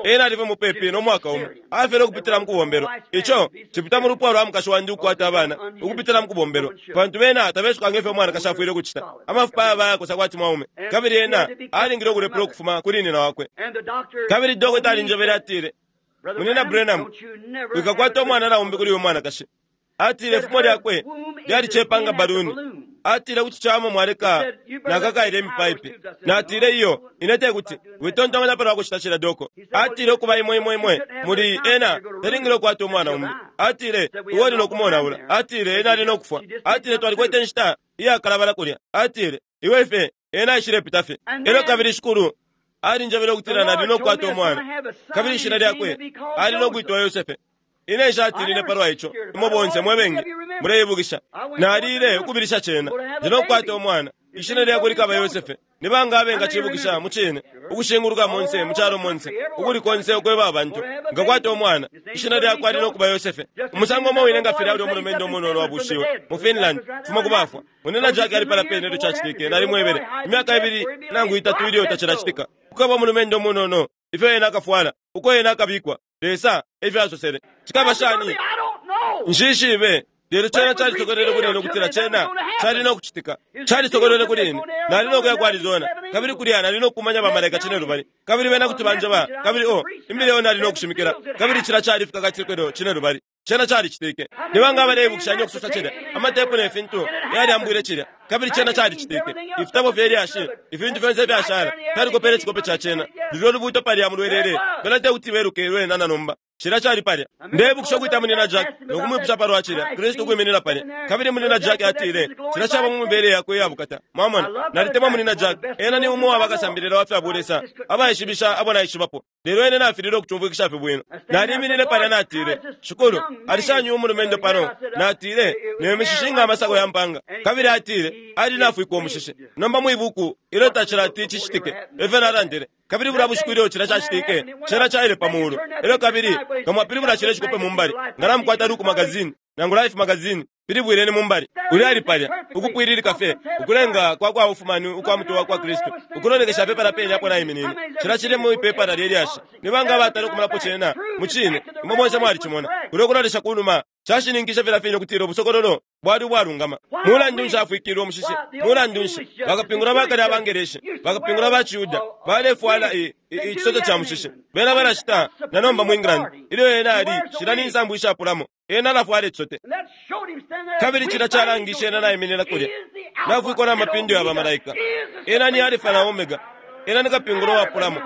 ena ali fye mupepi no mwaka umo. Afyelwe ukupitila mukubombelwa. Ico cipita mu lupwa lwa mukashi wandi ukukwata abana ukupitila mukubombelwa, pantu bena tabesuka ngefyo umwanakashi afwile ukucita. Amafupa ayaba ayakosa kwati mwaume, kabili ena alingile ukulepula ukufuma kuli nyina wakwe. Kabili dokota alinjebele atile, Munyina Branham, wikakwata umwana naumbi kuli uyu mwanakashi. Atile ifumo lyakwe lyalicepa nga baluni. Atile kuti cawama mwaleka nakakaile imipaipi. Natile iyo, ine tekuti. Witontonkanya palwa kucita cilya, doko. Atile ukuba imwe imwe imwe muli ena talingile ukukwata umwana umbi. Atile iwe uli nokumonaula. Atile ena ali nokufwa. Atile twalikwete inshita iyakalabala kulya. Atile iwe fye ena aishilepita fye. Elyo kabili Shikulu alinjebele ukutila nali nokukwata umwana, kabili ishina lyakwe ali nokwitwa Yosefe. Ine nshatinine palwa ico, imwe bonse mwe bengi muleibukisha. Nalile ukubilisha cena, ndi nokukwata umwana, ishina lyakwe likaba Yosefe. Ni banga abengacibukisha mucine, ukushinguluka monse mu calo monse, ukuli konse ukweba abantu, nkakwata umwana, ishina lyakwe ali nokuba Yosefe. Umusango umo wine nga filya ulya umulumendo umunono wabushiwe mu Finland, fuma ku bafwa. Munyina Jack ali palya pene ilyo cacitike, nalimwebele, imyaka ibili nangu itatu ilyo tacilacitika. Kukaba umulumendo umunono, ifyo ena akafwala, uko ena akabikwa. Lesa efyo asosele. Cikaba shani? Nshishibe. Lelo cena calisokolwele kuli ine ukutila cena cali no kucitika. Calisokolwele kuli ine. Nali no kuya ku Arizona, kabili kulya nali no kukumanya ba malaika cinelubali, kabili bena kuti banjeba, kabili oh, imbila iyo nali no kushimikila, kabili cilya cali Fikakatikilo Cinelubali. Cena calicitike. Ni banga abaleibukishanya ukusosa cilya? Amatepu ne fintu yalyambwile cilya, kabili cena calicitike. Ifitabo fye lyashi, ifintu fyonse ifyashala, fyalikopele icikope ca cena. Lulyo lubuuto palya mulwelele, bena tekuti beluke lwena na nomba. Cilya cali palya. Ndeibukisha ukwita Munyina Jack no kumwipusha palwa cilya, Kristu ukwiminina palya. Kabili Munyina Jack atile, Cilya caba mu mibele yakwe iya bukata. Mwamona? Nalitemwa Munyina Jack. Ena ni umo wa bakasambilila wa fya bulesa abaishibisha abo naishibapo. Lelo ine nafililwe ukucumfwikisha fye bwino. Naliminine palya natile, Shikulu, ali shani uyu mulumendo pano? Natile, Ne mishishi nga amasako ya mpanga. Kabili atile, Ali nafwikwa umushishi. Nomba mwi buku, ilyo tacilati cicitike, efyo nalandile. Kabili bulya bushiku ilyo cilya cacitike, cena caile pa mulu. Elyo kabili, nga mwapilibula cilya cikope mu mbali, nga namukwata Look magazine, nangu Life magazine, pilibwileni mu mbali. Ulya ali palya, ukupwililika fye, ukulenga kwa kwa ufumani ukwa mutwe wakwa Kristu, ukulolekesha fye palya pene apo naiminine. Cilya cili mwi pepala lye lyashi. Ni banga abatala ukumonapo cena? Mucine, imwe bonse mwalicimona. Kulyo kulolesha kunuma, cashininkishe filya fine ukutila ubusokololo bwali ubwalungama. Mulandu nshi afwikilwe umushishi? Mulandu nshi bakapingula ba kale abaNgeleshi, bakapingula ba ciYuda, balefwala i, i, icisote ca mushishi? Bena balacita na nomba mu England. Ilyo ena ali shila ni nsambu ishapulamo, ena alafwala icisote. Kabili cilya calangishe ena naiminina kulya, nafwikwa na mapindo ya bamalaika. Ena ni Alifa na Omega. Ena ni kapingula uwapulamo.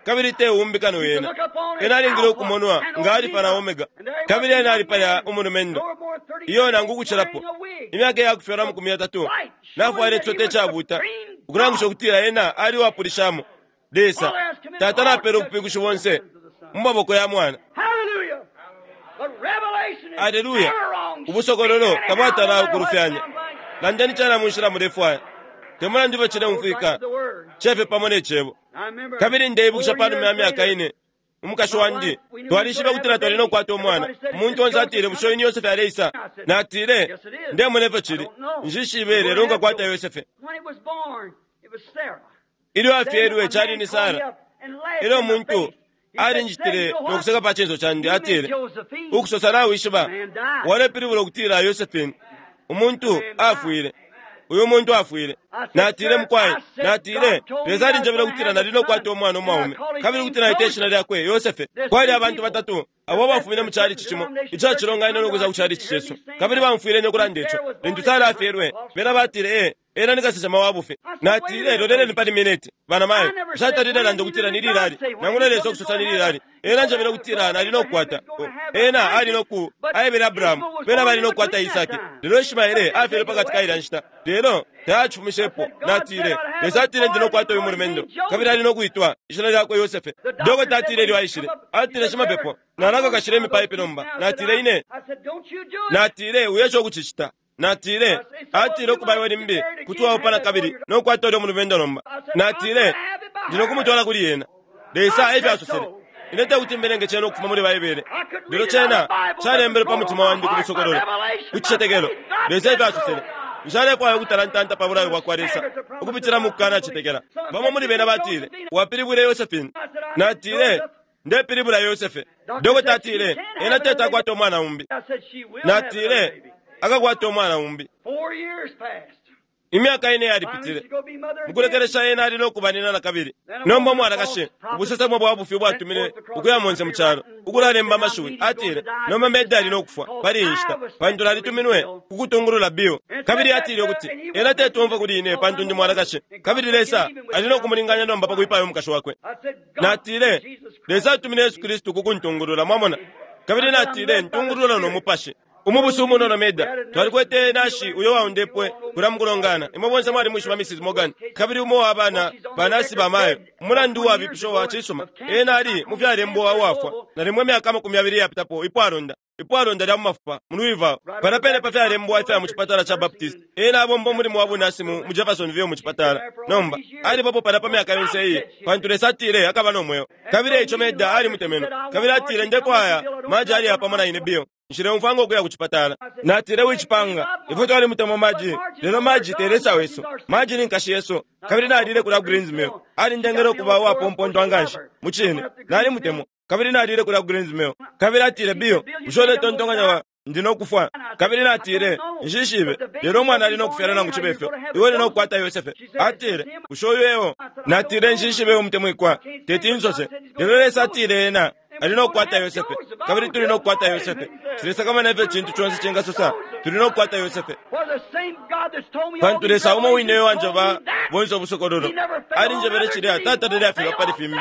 Kabili te umbi kano ena. Ena alingile ukumonwa nga Alifa na Omega. Kabili ena ali palya umulumendo, iyo nangu ukucilapo, imyaka iyakufyalwa amakumi yatatu, nafwala icisote icabuta, ukulangisha ukutila ena ali uwapulishamo. Lesa, Tata napela ubupingushi bonse mu maboko ya Mwana. Aleluya! Ubusokololo tabwatala ukulufyanya. Landeni cena mu nshila mulefwaya. Te mulandu ifyo cileumfwika, cefe pamo ne Cebo. Kabili ndeibukisha panuma ya myaka ine, umukashi wandi, twalishibe ukutila twali no kukwata umwana. Umuntu onse atile, Bushe uyu ni Yosefe aleisa? Natile, Ndemona ifyo cili. Nshishibe, lelo nkakwata Yosefe. Ilyo afyelwe, cali ni Sara. Elyo umuntu alinjitile no kuseka pa cinso candi, atile, Ukusosa nawishiba, walepilibula ukutila Yosephine. Umuntu afwile. Uyu muntu afwile. Natile, Mukwai, natile, Lesa alinjebele ukutila nali no kukwata umwana umwaume, kabili ukuti naite ishina lyakwe Yosefe. Kwali abantu batatu abo abafumine mu chalichi cimo ica cilonganino no kwisa ku chalichi cesu, kabili baumfwile ine ukulanda ico. Lintu Sara afyelwe, bena batile, Ee, ena ni kasesema wa bufi. Natile, Loleleni pali mineti, banamayo. Nshatalile landa ukutila ni lilali, nangula Lesa ukusosa ni lilali. Ena anjebele ukutila nali no kukwata. Ena ali no ku, aebele Abrahamu, bena bali no kukwata Isaki. Lelo Ishmaele afyelwe pakati ka ilya nshita. Lelo tayacifumishepo. Natile, Lesa atile ndi no kukwata uyu mulumendo, kabili ali no kwitwa ishina lyakwe Yosefe. Dokota atile ilyo aishile, atile, Shimapepo, nalakakashila imipaipi nomba. Natile, Ine. Natile, Wiesha ukucicita. Natile, atile ukuba iwe limbi kuti waupa nakabili no kukwata ulyo mulumendo nomba. Natile, Ndi no kumutwala kuli ena. Lesa efyo asosele. Ine tekuti mbelenge cena ukufuma muli Baibele, lelo cena calembelwe pa mutima wandi ku busokololo, ku cicetekelo. Lesa efyo asosele. Nshalefwaya ukutalantanta pa bulayo bwakwa Lesa ukupitila mu kukanacetekela. Bamo muli bena batile, Wapilibwile Yosephine. Natile, Ndepilibula Yosefe. Dokota atile, Ena teti akwate umwana umbi. Natile, Akakwata umwana umbi. Imyaka ine yalipitile. Mukulekelesha ena ali no kuba nina nakabili. Nomba umwanakashi, ubusesemo bwa bufi ubwatumine ukuya monse mu calo, ukulalemba amashiwi, atile, Nomba Meda ali no kufwa pali iyi nshita, pantu nalituminwe ku kutungulula Bill. Kabili atile ukuti, Ena teti omfwe kuli ine pantu ndi mwanakashi, kabili Lesa ali no kumulinganya nomba pa kwipaya umukashi wakwe. Natile, Lesa atumine Yesu Kristu ku kuntungulula, mwamona. Kabili natile, Ntungulula no Mupashi. Umubusu umunono Meda, twalikwete nashi uyo waundepwe kulya mukulongana. Imwe bonse mwalimwishiba Mrs. Morgan, kabili umo wa bana banasi ba mayo. Umulandu uwabipisha uwa cisuma, ena ali mufyalembwa uwafwa nalimo imyaka 20 iyapitapo, ipwalonda, ipwalonda lya mu mafupa mu Louisville, palya pene pa fyalembwa ifya mu cipatala ca Baptist. Ena abomba umulimo wa bunasi mu, mu Jeffersonville mu cipatala. Nomba, alibapo palya pa myaka yonse iyi, pantu Lesa atile akaba no mweo. Kabili eico Meda alimutemenwe, kabili atile, Ndefwaya Margie aliya pamo na ine, Bill. Nshileumfwa ngo kuya ku cipatala. Natile, Wicipanga. Ifwe twalimutemwa Margie, lelo Margie te Lesa wesu. Margie ni nkashi yesu. Kabili nalile kulya ku Green's Mill. Alindengele ukuba uwapompontwa nganshi. Mucine. Nalimutemwa. Kabili nalile kulya ku Green's Mill. Kabili atile, Bill, bushe uletontonkanya wa, ndi no kufwa? Kabili natile, Nshishibe. Lelo umwana ali no kufyalwa nangu cibe fyo. Iwe uli no kukwata Yosefe. Atile, Bushe uyu eo? Natile, Nshishibe, umutemwikwa. Teti nsose. Lelo Lesa atile ena ali no kukwata Yosefe, kabili tuli no kukwata Yosefe. Nshilesakamana ifyo icintu conse cingasosa, tuli no kukwata Yosefe. Pantu Lesa umo wine uyo wanjeba bonse ubusokololo, alinjebele cilya tatalile afilwa pali fimbi,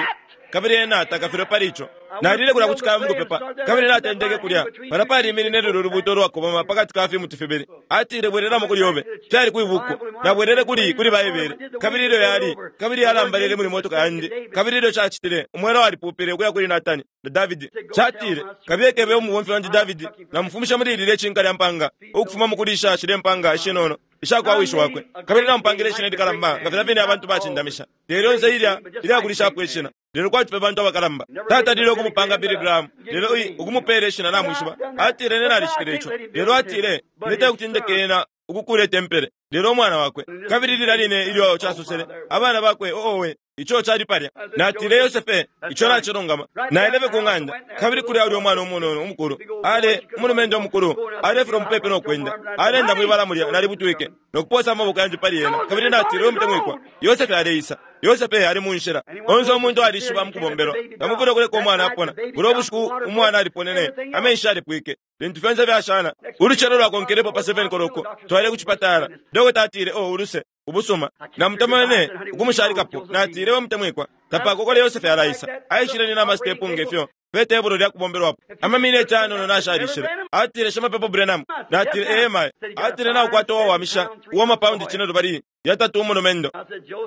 kabili ena takafilwe pali ico. Nalile kulya ku cikaya mukupepa, kabili natendeke kulya. Palya paliminine lulyo lubuuto ulwakobama pakati ka fimuti fibili. Atile, Bwelelamo kuli yobe. Fyali kwi buku. Nabwelele kuli, kuli Baibele. Kabili ilyo yali, kabili yalambalele muli motoka yandi. Kabili ilyo cacitile, umwela walipupile ukuya kuli Natani na Davidi. Catile, Kabiye kebe umubomfi wandi Davidi, namufumisha muli lilye cinka lya mpanga, ukufuma mukulisha shilye mpanga ishinono isha kwa wishi wakwe. Kabili namupangile ishina ilikalamba, nga filya fine abantu bacindamisha. Te lyonse ilya, ilyakulishapo ishina. Lelo kwati fye bantu abakalamba. Tatalile ukumupanga Billy Graham, lelo i, ukumupela ishina namwishiba. Atile, Ine nalicitile ico. Lelo atile, Ine tekuti ndeke ena ukukuula itempele, lelo umwana wakwe. Kabili lilya line ilyo casosele, abana bakwe, owe, ico cali palya. Natile, Yosefe, ico nacilungama. Naile fye ku ng'anda, kabili kulya ulya umwana umunono umukulu, ale, umulumendo umukulu, alefilwa mupepi no kwenda. Aleenda mwibala mulya, nalibutwike, no kuposa amaboko yandi pali ena, kabili natile, We mutemwikwa, Yosefe aleisa. Yosefe ali mu nshila. Onse umuntu alishiba mukubombelwa. Tamufwile ukuleka umwana apona. Bulya bushiku umwana aliponene, amenshi yalipwike. Lintu fyonse fyashala, ulucelo lwakonkelepo pa 7 koloko, twaile ku cipatala. Dokota atile, Oh, uluse, ubusuma. Namutomenene ukumushalikapo. Natile, We mutemwikwa, tapakokole Yosefe alaisa. Aishile nina amastepu nge fyo, pe tebulo lya kubombelwapo. Amamineti ayanono nashalishile. Atile, Shimapepo Branham. Natile, Ee, mayo. Atile, Naukwata uwawamisha, uwa mapaundi cinelubali yatatu umulumendo.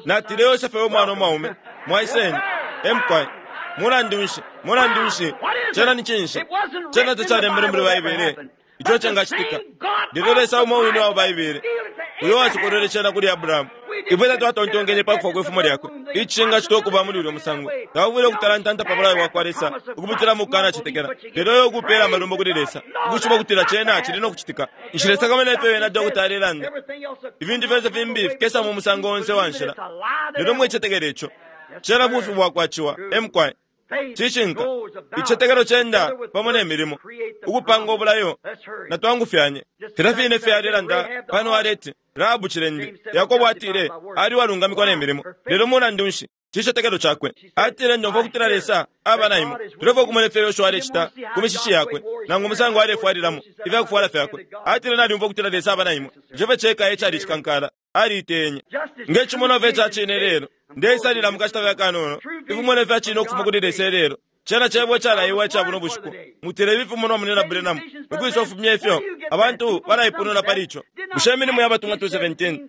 Natile, Yosefe we mwana umwaume, mwaiseni. E mukwai. Mulandu nshi? Mulandu nshi? Cena ni cinshi? Cena tacalembelwe muli Baibele. Ico cengacitika. Lelo Lesa umo wine wa Baibele, uyo wasokolwele cena kuli Abrahamu, ifwe tatwatontonkenye pa kufwa kwe fumo lyakwe, icingacitwa ukuba muli ulyo musango. Taufwile ukutalantanta pa bulayo bwakwa Lesa ukupitila mu kukanacetekela, lelo iwe ukupela amalumbo kuli Lesa, ukwishiba ukutila cena cili no kucitika. Nshilesakamana ifyo wena dokota alelanda. Ifintu fyonse fimbi fikesa mu musango onse wa nshila. Lelo mwicetekela ico. Cena bufi bwakwa ciwa. E mukwai. Cishinka. Icitetekelo cenda pamo ne milimo, ukupanga ubulayo. Natwangufyanye. Filya fine fye alelanda pano aleti, Rahabu cilende. Yakobo atile, Ali uwalungamikwa ne milimo. Lelo mulandu nshi? Cicetekelo cakwe. Atile, Ndomfwa ukutila Lesa aba na imwe. Tulefwaya ukumona ifyo Yoshua alecita ku mishishi yakwe, nangu umusango alefwalilamo ifya kufwala fyakwe. Atile, Nalyumfwa ukutila Lesa aba na imwe. Ico fye ceka e cali icikankala. Aliitenye. Nge cimonwa fye ica cine ilelo. Ndeisalila mu kashita fye akanono. Ifimonwa ifya cine ukufuma kuli Lesa ilelo. Cena Cebo icalaiwa ica buno bushiku. Mutile ifi fimonwa Munyina Branham, ukwisa ufumya ifyo? Abantu balaipununa pali ico. Bushe Imilimo ya Batumwa 2:17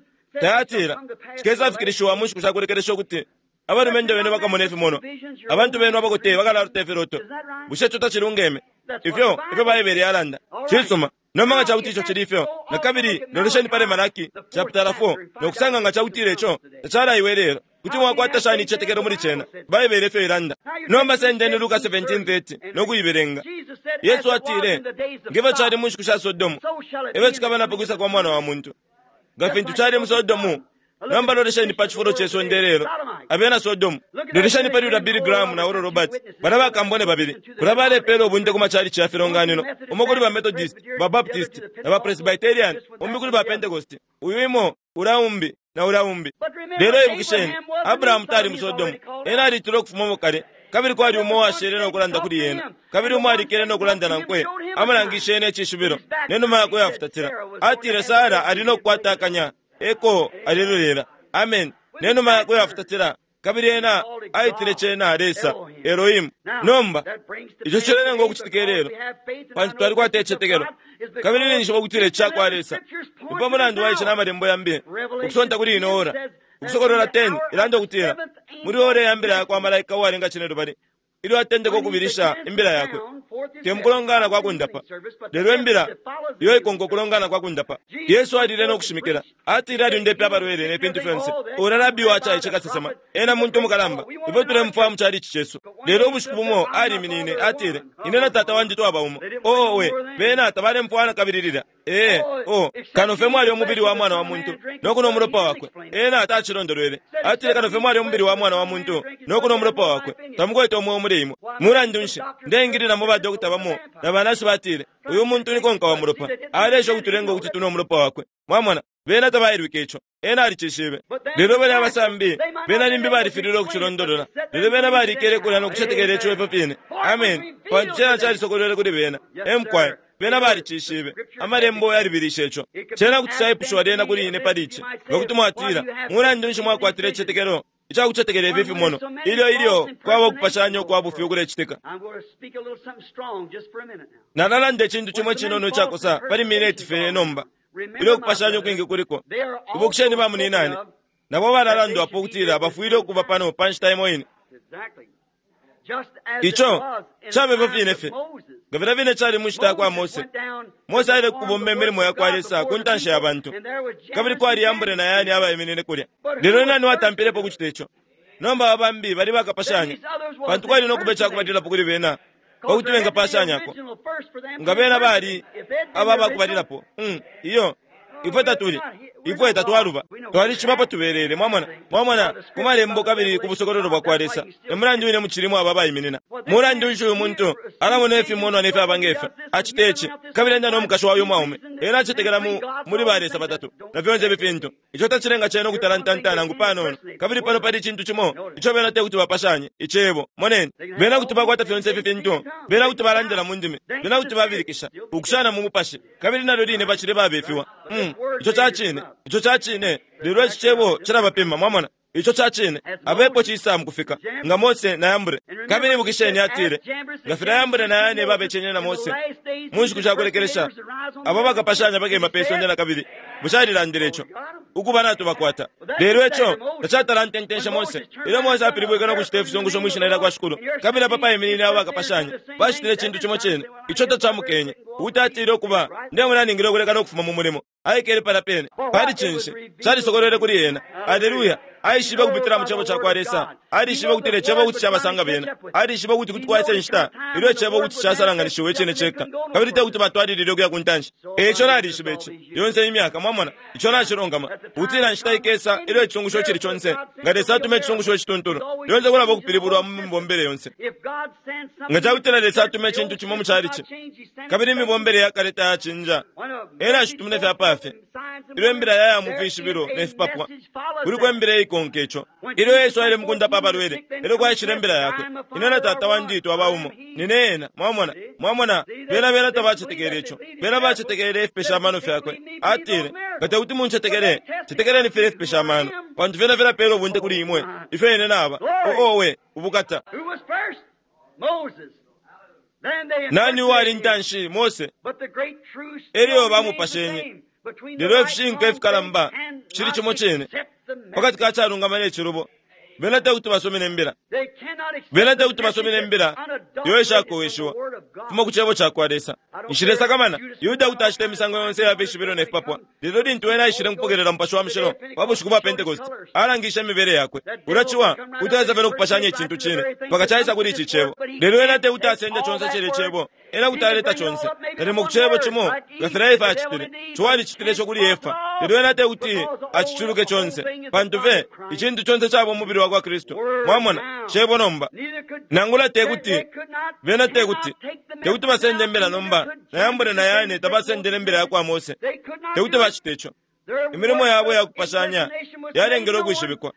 tayatila, Cikesafikilishiwa mu nshiku sha kulekelesha ukuti abalumendo benu bakamona ifimonwa, abantu benu abakote bakalalota ifiloto? Bushe ico tacilungeme? Ifyo efyo Baibele yalanda. Cisuma. Nomba nga ca kuti ico cili ifyo, na kabili lolesheni pali Malaki chaputala 4 no kusanga nga ca kutila ico tacalaiwe ilelo. Kuti mwakwata shani icitetekelo muli cena? Baibele efyo ilanda. Nomba sendeni Luka 17:30 no kuibelenga. Yesu atile, ngefyo cali mu nshiku sha Sodomu, efyo cikaba na pakwisa kwa Mwana wa Muntu. Nga fintu cali mu Sodomu, nomba lolesheni pa cifulo ce sonde lelo, abena Sodomu. Lolesheni pali ulya Billy Graham na Oral Roberts, balya bakambone babili, kulya balepela ubunte ku machalichi ya filonganino, umo kuli ba Methodist, ba Baptist, na ba Presbyterian, umbi kuli ba Pentecost, uyu imo, ulya umbi, na ulya umbi. Lelo ibukisheni, Abrahamu tali mu Sodomu, ena alitilwe ukufumamo kale, kabili kwali umo uwashele no kulanda kuli ena, kabili umo alikele no kulanda nankwe, amulangishe ena icishibilo, ne numa yakwe yafutatila. Atile Sara ali no kukwata akanya, eko alelolela. Amen. Ne numa yakwe yafutatila, kabili ena aitile cena Lesa, Elohim. Nomba, ico cilelenga ukucitika ilelo, pantu twalikwata icitetekelo, kabili ninjishiba ukutila ici cakwa Lesa. Ni pa mulandu wa ici na Malembo yambi, ukusonta kuli ino ora. Ukusokolola 10 ilanda ukutila, muli ora ya mbila yakwa malaika uwalenga cinelubali, ilyo atendeka ukubilisha imbila yakwe, te mukulongana kwa kundapa, lelo imbila iyo ikonka ukulongana kwa kundapa. Yesu alile no kushimikila, atile alyundepe abalwele ne fintu fyonse. Ula rabi wacaice kasesema, ena muntu mukalamba, ifwe tulemufwaya mu chalichi cesu. Lelo ubushiku bumo aliminine, atile, ine na tata wandi twaba umo. Oo we, bena tabalemufwaya nakabili lilya. Ee, oh, kano fye mwali umubili wa Mwana wa Muntu no kunwa umulopa wakwe. Ena tacilondolwele. Atile kano fye mwali umubili wa Mwana wa Muntu no kunwa umulopa wakwe, tamukwete umweo muli imwe. Mulandu nshi, ndeingilila mu badokota bamo na banasi batile, uyu muntu ni konka wa mulopa. Aleesha ukutulenga ukuti tunwe umulopa wakwe. Mwamona, bena tabailwike ico. Ena alicishibe. Lelo balya abasambi, bena limbi balifililwe ukucilondolola. Lelo bena balikele kulya no kucetekela ico ifyo fine. Ameni. Pantu cena calisokolwele kuli bena. E mukwai. Bena balicishibe. Amalembo yalibilishe ico. Cena kuti caipushiwa lyena kuli ine pali ici. Nga kuti mwatila, mulandu nshi mwakwatila icitetekelo ica kucetekela ifi fimono, ilyo ilyo kwaba ukupashanya ukwa bufi ukulecitika? Nalalanda icintu cimo icinono icakosa pali mineti fye nomba, ilyo ukupashanya ukwingi kuliko. Ibukisheni ba muninane, nabo balalandwapo ukutila bafwile ukuba pano pa nshita imo ine. Ico cabe ifyo fine fye, nga filya fine cali mu nshita ya kwa Mose. Mose aile ku kubomba imilimo ya kwa Lesa ku ntanshi ya bantu, kabili kwali Yambure na Yani abaiminine kulya. Lelo ni nani watampilepo ukucita ico? Nomba aba bambi bali bakapashanya, pantu kwali no kuba ica kubalilapo kuli bena pa kuti bengapashanyako. Nga bena bali aba bakubalilapo, um, iyo, ifwe tatuli, ifwe tatwaluba. Twalishiba apo tubelele, mwamona, mwamona, ku Malembo kabili ku busokololo bwakwa Lesa. E mulandu wine mucilimo aba abaiminina. Mulandu nshi uyu muntu alamona ifimonwa ne fyaba nge fyo, acite ci, kabili enda no mukashi wa uyu mwaume? Ena acetekela mu, muli ba lesa batatu, na fyonse ifi fintu. Ico tacilenga cena ukutalantanta nangu panono. Kabili pano pali icintu cimo ico bena tekuti bapashanye, Icebo. Moneni. Bena kuti bakwata fyonse ifi fintu. Bena kuti balandila mu ndimi. Bena kuti babilikisha, ukushana mu mupashi, kabili nalyo line bacili babefiwa. Hum, ico ca cine. Ico ca cine. Lelo ici Cebo cilabapima, mwamona. Ico ca cine. Abepo cisa mukufika, nga Mose na Yambre. Kabili ibukisheni, atile, Nga filya Yambre na Yane babecenye na Mose, mu nshiku sha kulekelesha, abo bakapashanya bakema pe sonde nakabili. Bushe alilandile ico? Ukuba natubakwata. Lelo ico tacatalantentenshe Mose. Ilyo Mose apilibwike no kucita ifisungusho mwi shina lya kwa Shikulu, kabili apa paiminine abo bakapashanya, bacitile icintu cimo cine, ico tacamukenye. Ukuti atile, Ukuba, ndemona ningile ukuleka no kufuma mu mulimo. Aikele palya pene. Pali cinshi? Calisokolwele kuli ena. Aleluya! Aishibe ukupitila mu Cebo cakwa Lesa. Alishibe ukutila Icebo kuti cabasanga bena. Alishibe ukuti kuti kwaisa inshita ilyo Icebo kuti casalanganishiwa icine ceka, kabili te kuti batwalilile ukuya ku ntanshi. E ico nalishiba ici, yonse imyaka, mwamona, ico nacilungama, ukutila inshita ikesa ilyo icisungusho icili conse, nga Lesa atuma icisungusho icituntulu, lyonse kulaba ukupilibulwa mu mibombele yonse. Nga cakutila Lesa atuma icintu cimo mu chalichi, kabili imibombele ya kale tayacinja, Ena ashitumine fye apafye. Ilyo imbila yaya mu fishibilo ne fipapwa, kuliko imbila iikonka ico. Ilyo Yesu aile mukundapa abalwele, elyo kwaishile imbila yakwe, Ine na Tata wandi twaba umo. Nine Ena. Mwamona? Mwamona? Bena, bena tabacetekele ico. Bena bacetekele ifipesha amano fyakwe. Atile, Nga tekuti muncetekele, cetekeleni filya ifipesha amano, pantu fyena filapela ubunte kuli imwe ifyo Ine naba. Oh, owe! Ubukata! Nani uwali intanshi? Mose. Elyo bamupashenye. Lelo ifishinka ifikalamba ficili cimo cine pakati ka calungama ne cilubo. Bena te kuti basomene imbila. Bena te kuti basomene imbila iyo ishakoweshiwa kufuma ku cebo cakwa Lesa. Nshilesakamana Yuda kuti acita imisango yonse iya fishibilo ne fipapwa, lelo lintu ena aishile mukupokelela Mupashi wa Mushilo pa bushiku bwa Pentecost, alangishe imibele yakwe. Ulya ciwa kuti aisa fye no kupashanya icintu cine mpaka caisa kuli ici Cebo. Lelo ena te kuti asende conse cilya Cebo, ena kuti aleta conse nalimo ku Cebo cimo nga filya Efa acitile. Ciwa alicitile ico kuli Efa, lelo ena te kuti aciculuke conse, pantu fye icintu conse caba umubili wakwa Kristu. Mwamona? Cebo nomba. Nangula te kuti, bena te kuti, te kuti basende imbila nomba, na Yambure na Yane tabasendele imbila yakwa Mose. Te kuti bacite ico. Imilimo yabo iya kupashanya yalengele ukwishibikwa.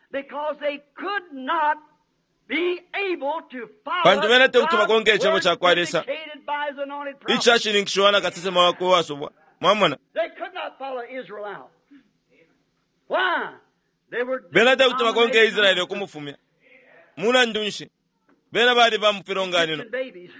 Pantu bena te kuti bakonke Icebo cakwa Lesa icashininkishiwa na kasesema wakwe uwasubwa. Mwamona? Bena te kuti bakonke Israele ukumufumya. Mulandu nshi? Bena bali ba mu filonganino,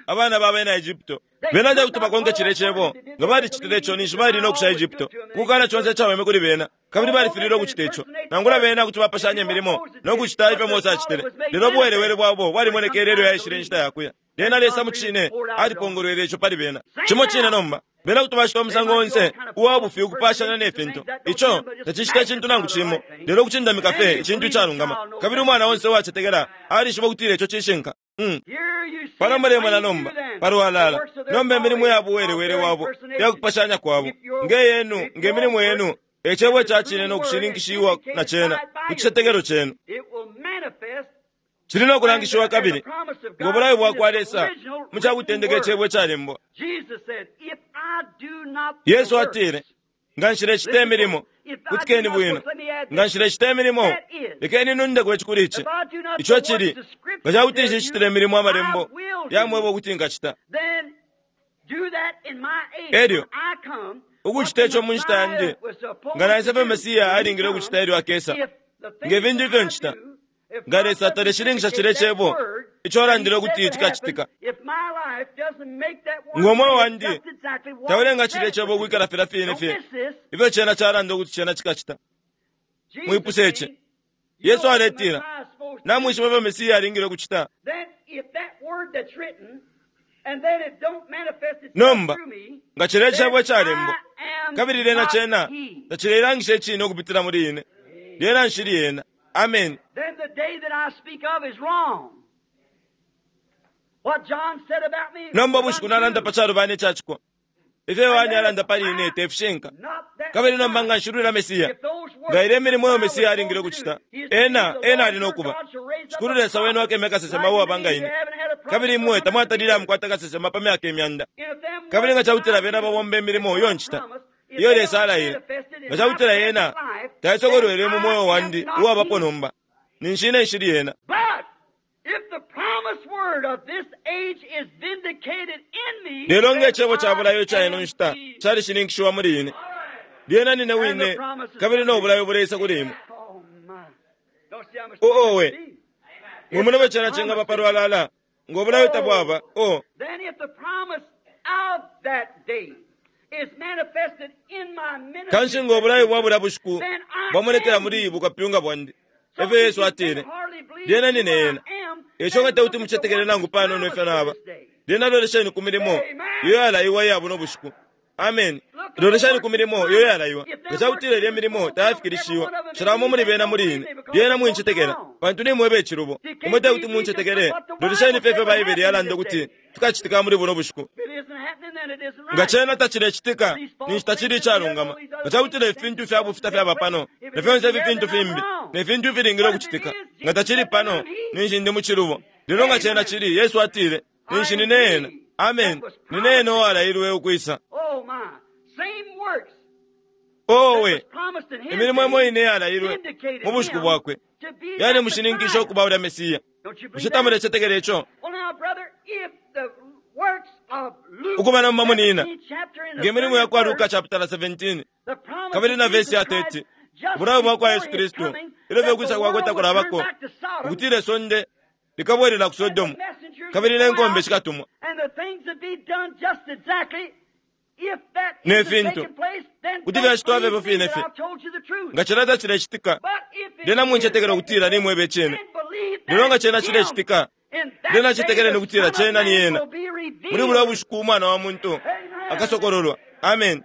abana ba bena Egypto. Bena te kuti bakonke cilye Cebo. Nga balicitile ico, ninshi bali no kusha Egypto, ukukana conse icaweme kuli bena. Kabili balifililwe ukucita ico. Nangula bena kuti bapashanya imilimo no kucita ifyo Mose acitile, lelo ubuwelewele bwabo bwalimonekele ilyo yaishile inshita ya kuya. Lyena Lesa mucine alipongolwele ico pali bena. Cimo cine nomba, bena kuti bacita umusango onse uwa bufi ukupashanya ne fintu. Ico tacicita icintu nangu cimo lelo ukucindamika fye icintu icalungama. Kabili umwana onse uwacetekela alishiba ukutila ico cishinka. Mm. Pano mulemona nomba, palwalala, nomba imilimo ya buwelewele wabo ya kupashanya kwabo, nge yenu, nge milimo yenu, e cebo ca cine no kushininkishiwa na cena ku citetekelo cenu. Cili no kulangishiwa kabili ngo bulayo bwa kwa Lesa mu ca kutendeka icebo icalembwa. Yesu atile, Nga nshilecita imilimo, kutikeni bwino, nga nshilecita imilimo, lekeni nundeko ici kuli ici. Ico cili, nga ca kuti nshicitile imilimo Amalembo yamweba ukuti nkacita. Elyo, ukucita ico mu nshita yandi, nga naisa ifyo Mesiya alingile ukucita ilyo akesa, nge fintu ifyo ncita. Nga Lesa taleshininkisha cilye Cebo ico alandile ukuti cikacitika, ngo mweo wandi taulenga cilye Cebo ukwikala filya fine fye ifyo Cena calanda ukuti Cena cikacita. Mwipuse ici. Yesu aletila, Namwishiba ifyo Mesiya alingile ukucita? Nomba, nga cilya Cebo icalembwa, kabili lyena Cena tacileilangisha Icine ukupitila muli ine, lyena nshili Ena. Ameni. Then the day that I speak of is wrong. What John said about me Nomba ubushiku nalanda pa calubana icacikwa. Ifyo Yohane alanda pali ine te fishinka. Kabili nomba nga nshilwila Mesiya, nga ilya imilimo iyo Mesiya alingile ukucita, ena, ena ali no kuba. Shikulu Lesa wenu akemya kasesema uwaba nga ine. Kabili imwe tamwatalile amukwata kasesema pa myaka imyanda. Kabili nga cakutila bena babomba imilimo iyo ncita, iyo Lesa alaile, nga ca kutila yena taisokolwele mu mweo wandi uwabapo nomba, ninshi ine nshili yena. Lelo nge cebo ca bulayo ica ino nshita calishininkishiwa muli ine, lyena nine wine kabili no bulayo buleisa kuli imwe. Oh, owe! Mwimona ifyo cena cingaba palwalala, ngo bulayo tabwaba, oh. Kanshi ngo bulayo bwa bulya bushiku bwamonekela muli bukapyunga bwandi, efyo Yesu atile, lyena nine Ena. Eico nga tekuti mucetekele nangu panono ifyo naba, lyena lolesheni ku milimo iyo yalaiwa iya buno bushiku. Ameni. Lolesheni ku milimo iyo yalaiwa. Nga ca kutila ilya milimo tayafikilishiwa, shalamo muli bena muli ine, lyena mwincetekela, pantu nimweba icilubo. Imwe tekuti muncetekele. Lolesheni fye ifyo Baibele yalanda ukuti fikacitika muli buno bushiku. Nga cena tacilecitika, ninshi tacili icalungama. Nga cakutila ifintu ifya bufi tafyaba pano, na fyonse ifi fintu fimbi, ne fintu ifilingile ukucitika, nga tacili pano, ninshi ndi mucilubo. Lelo nga cena cili, Yesu atile, ninshi nine Ena. Ameni. Nine Ena uwalailwe ukwisa. Owe, imilimo imo ine iyalailwe mu bushiku bwakwe yalimushininkishe ukuba ulya Mesiya. Bushe tamulecetekela ico? Ukuba nomba munina, nge milimo ya kwa Luka chapitala 17 kabili na vesi ya 30, ubulayo bwa kwa Yesu Kristu ilyo fye ukwisa kwakwe takulabako, ukutila isonde likabwelela ku Sodomu kabili ne nkombe shikatumwa ne fintu kuti fyacitwa fye fine fye. Nga cilya tacilecitika, lyena muncetekela ukutila nimweba icine. Lelo nga cena cilecitika, lyena nacetekeleni ukutila cena ni ena. Muli bulya bushiku Umwana wa muntu akasokololwa. Amen.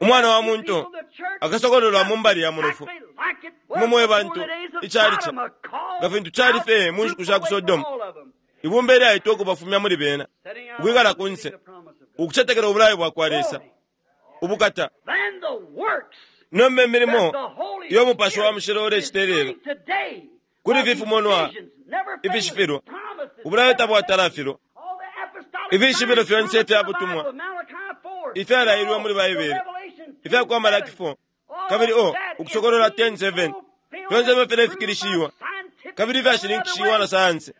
Umwana wa muntu akasokololwa mu mbali ya munofu. Imwe mwe bantu, icalici, nga fintu cali fye mu nshiku sha ku Sodomu, ibumba ilyaitwa ukubafumya muli bena, ukwikala kunse, ukucetekela ubulayo bwakwa Lesa. Ubukata! Nomba imilimo iyo Mupashi wa Mushilo ulecita ilelo, kuli ifi fimonwa ifishifilwa, ubulayo tabwatalafilwa, ifishibilo fyonse ifya butumwa ifyalailwe muli Baibele, ifya kwa Malaki 4, kabili o Ukusokolola 10:7, fyonse ifyo filefikilishiwa kabili ifyashininkishiwa na sayansi,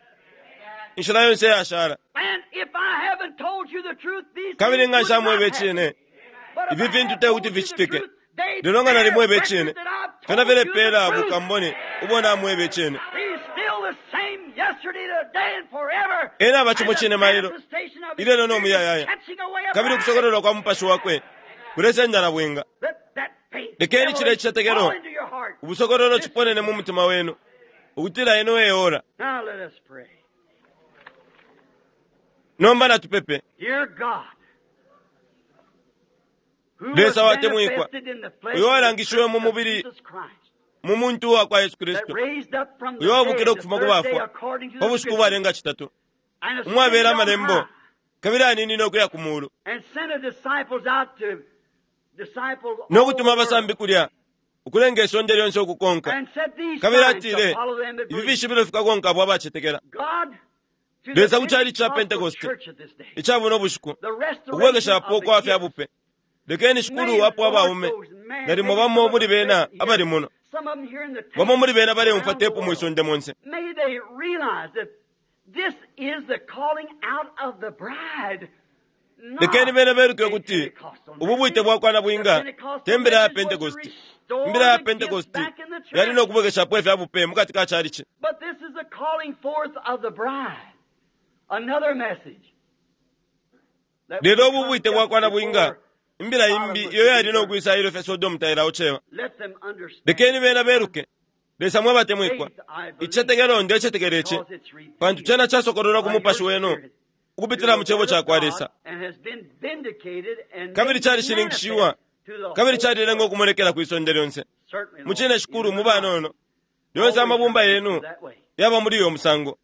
inshila yonse iyashala. Kabili nga nshamwebe icine, ifi fintu te kuti ficitike. Lelo nga nalimweba icine, fyena filepeela bukambone ubo namweba icine. Ena aba cimo cine mailo, ilelo no muyayaya, kabili ukusokololwa kwa Mupashi wakwe kulesenda na bwinga. Lekeni cilya icitetekelo, ubusokololo ciponene mu mutima wenu, ukutila ino e ora. Nomba natupepe. Lesa watemwikwa, uyo walangishiwe mu mubili mu muntu uwa kwa Yesu Kristu, uyo wabukile ukufuma ku bafwa pa bushiku ubwalenga citatu, umwabela amalembo, kabili aninine ukuya ku mulu, no kutuma abasambi kulya ukulenga isonde lyonse ukukonka. Kabili atile, ifi fishibilo fikakonka abo abacetekela. Lesa ku cali ca Pentekoste ica buno bushiku, ukubwekeshapo kwa fya bupe. Lekeni Shikulu wapo abaume, nalimo bamo muli bena abali muno, bamo muli bena baleumfwa tepu mwi sonde monse. Lekeni bena beluke ukuti ubu bwite bwa kwa nabwinga te mbila ya Pentekoste. Imbila ya Pentekoste yali no kubwekeshapo ifya bupe mukati ka calici. Lelo ubu bwite bwa kwa nabwinga, imbila imbi iyo yali no kwisa ilyo fye Sodomu tailaocewa. Lekeni bena beluke. Lesa mwe batemwikwa, icitetekelo ndecetekela ici, pantu cena casokololwa ku mupashi wenu ukupitila mu cebo ca kwa Lesa, kabili calishininkishiwa kabili calilenga ukumonekela kwi sonde lyonse. Mu cine Shikulu, mu banono lyonse amabumba yenu yaba muli uyo musango.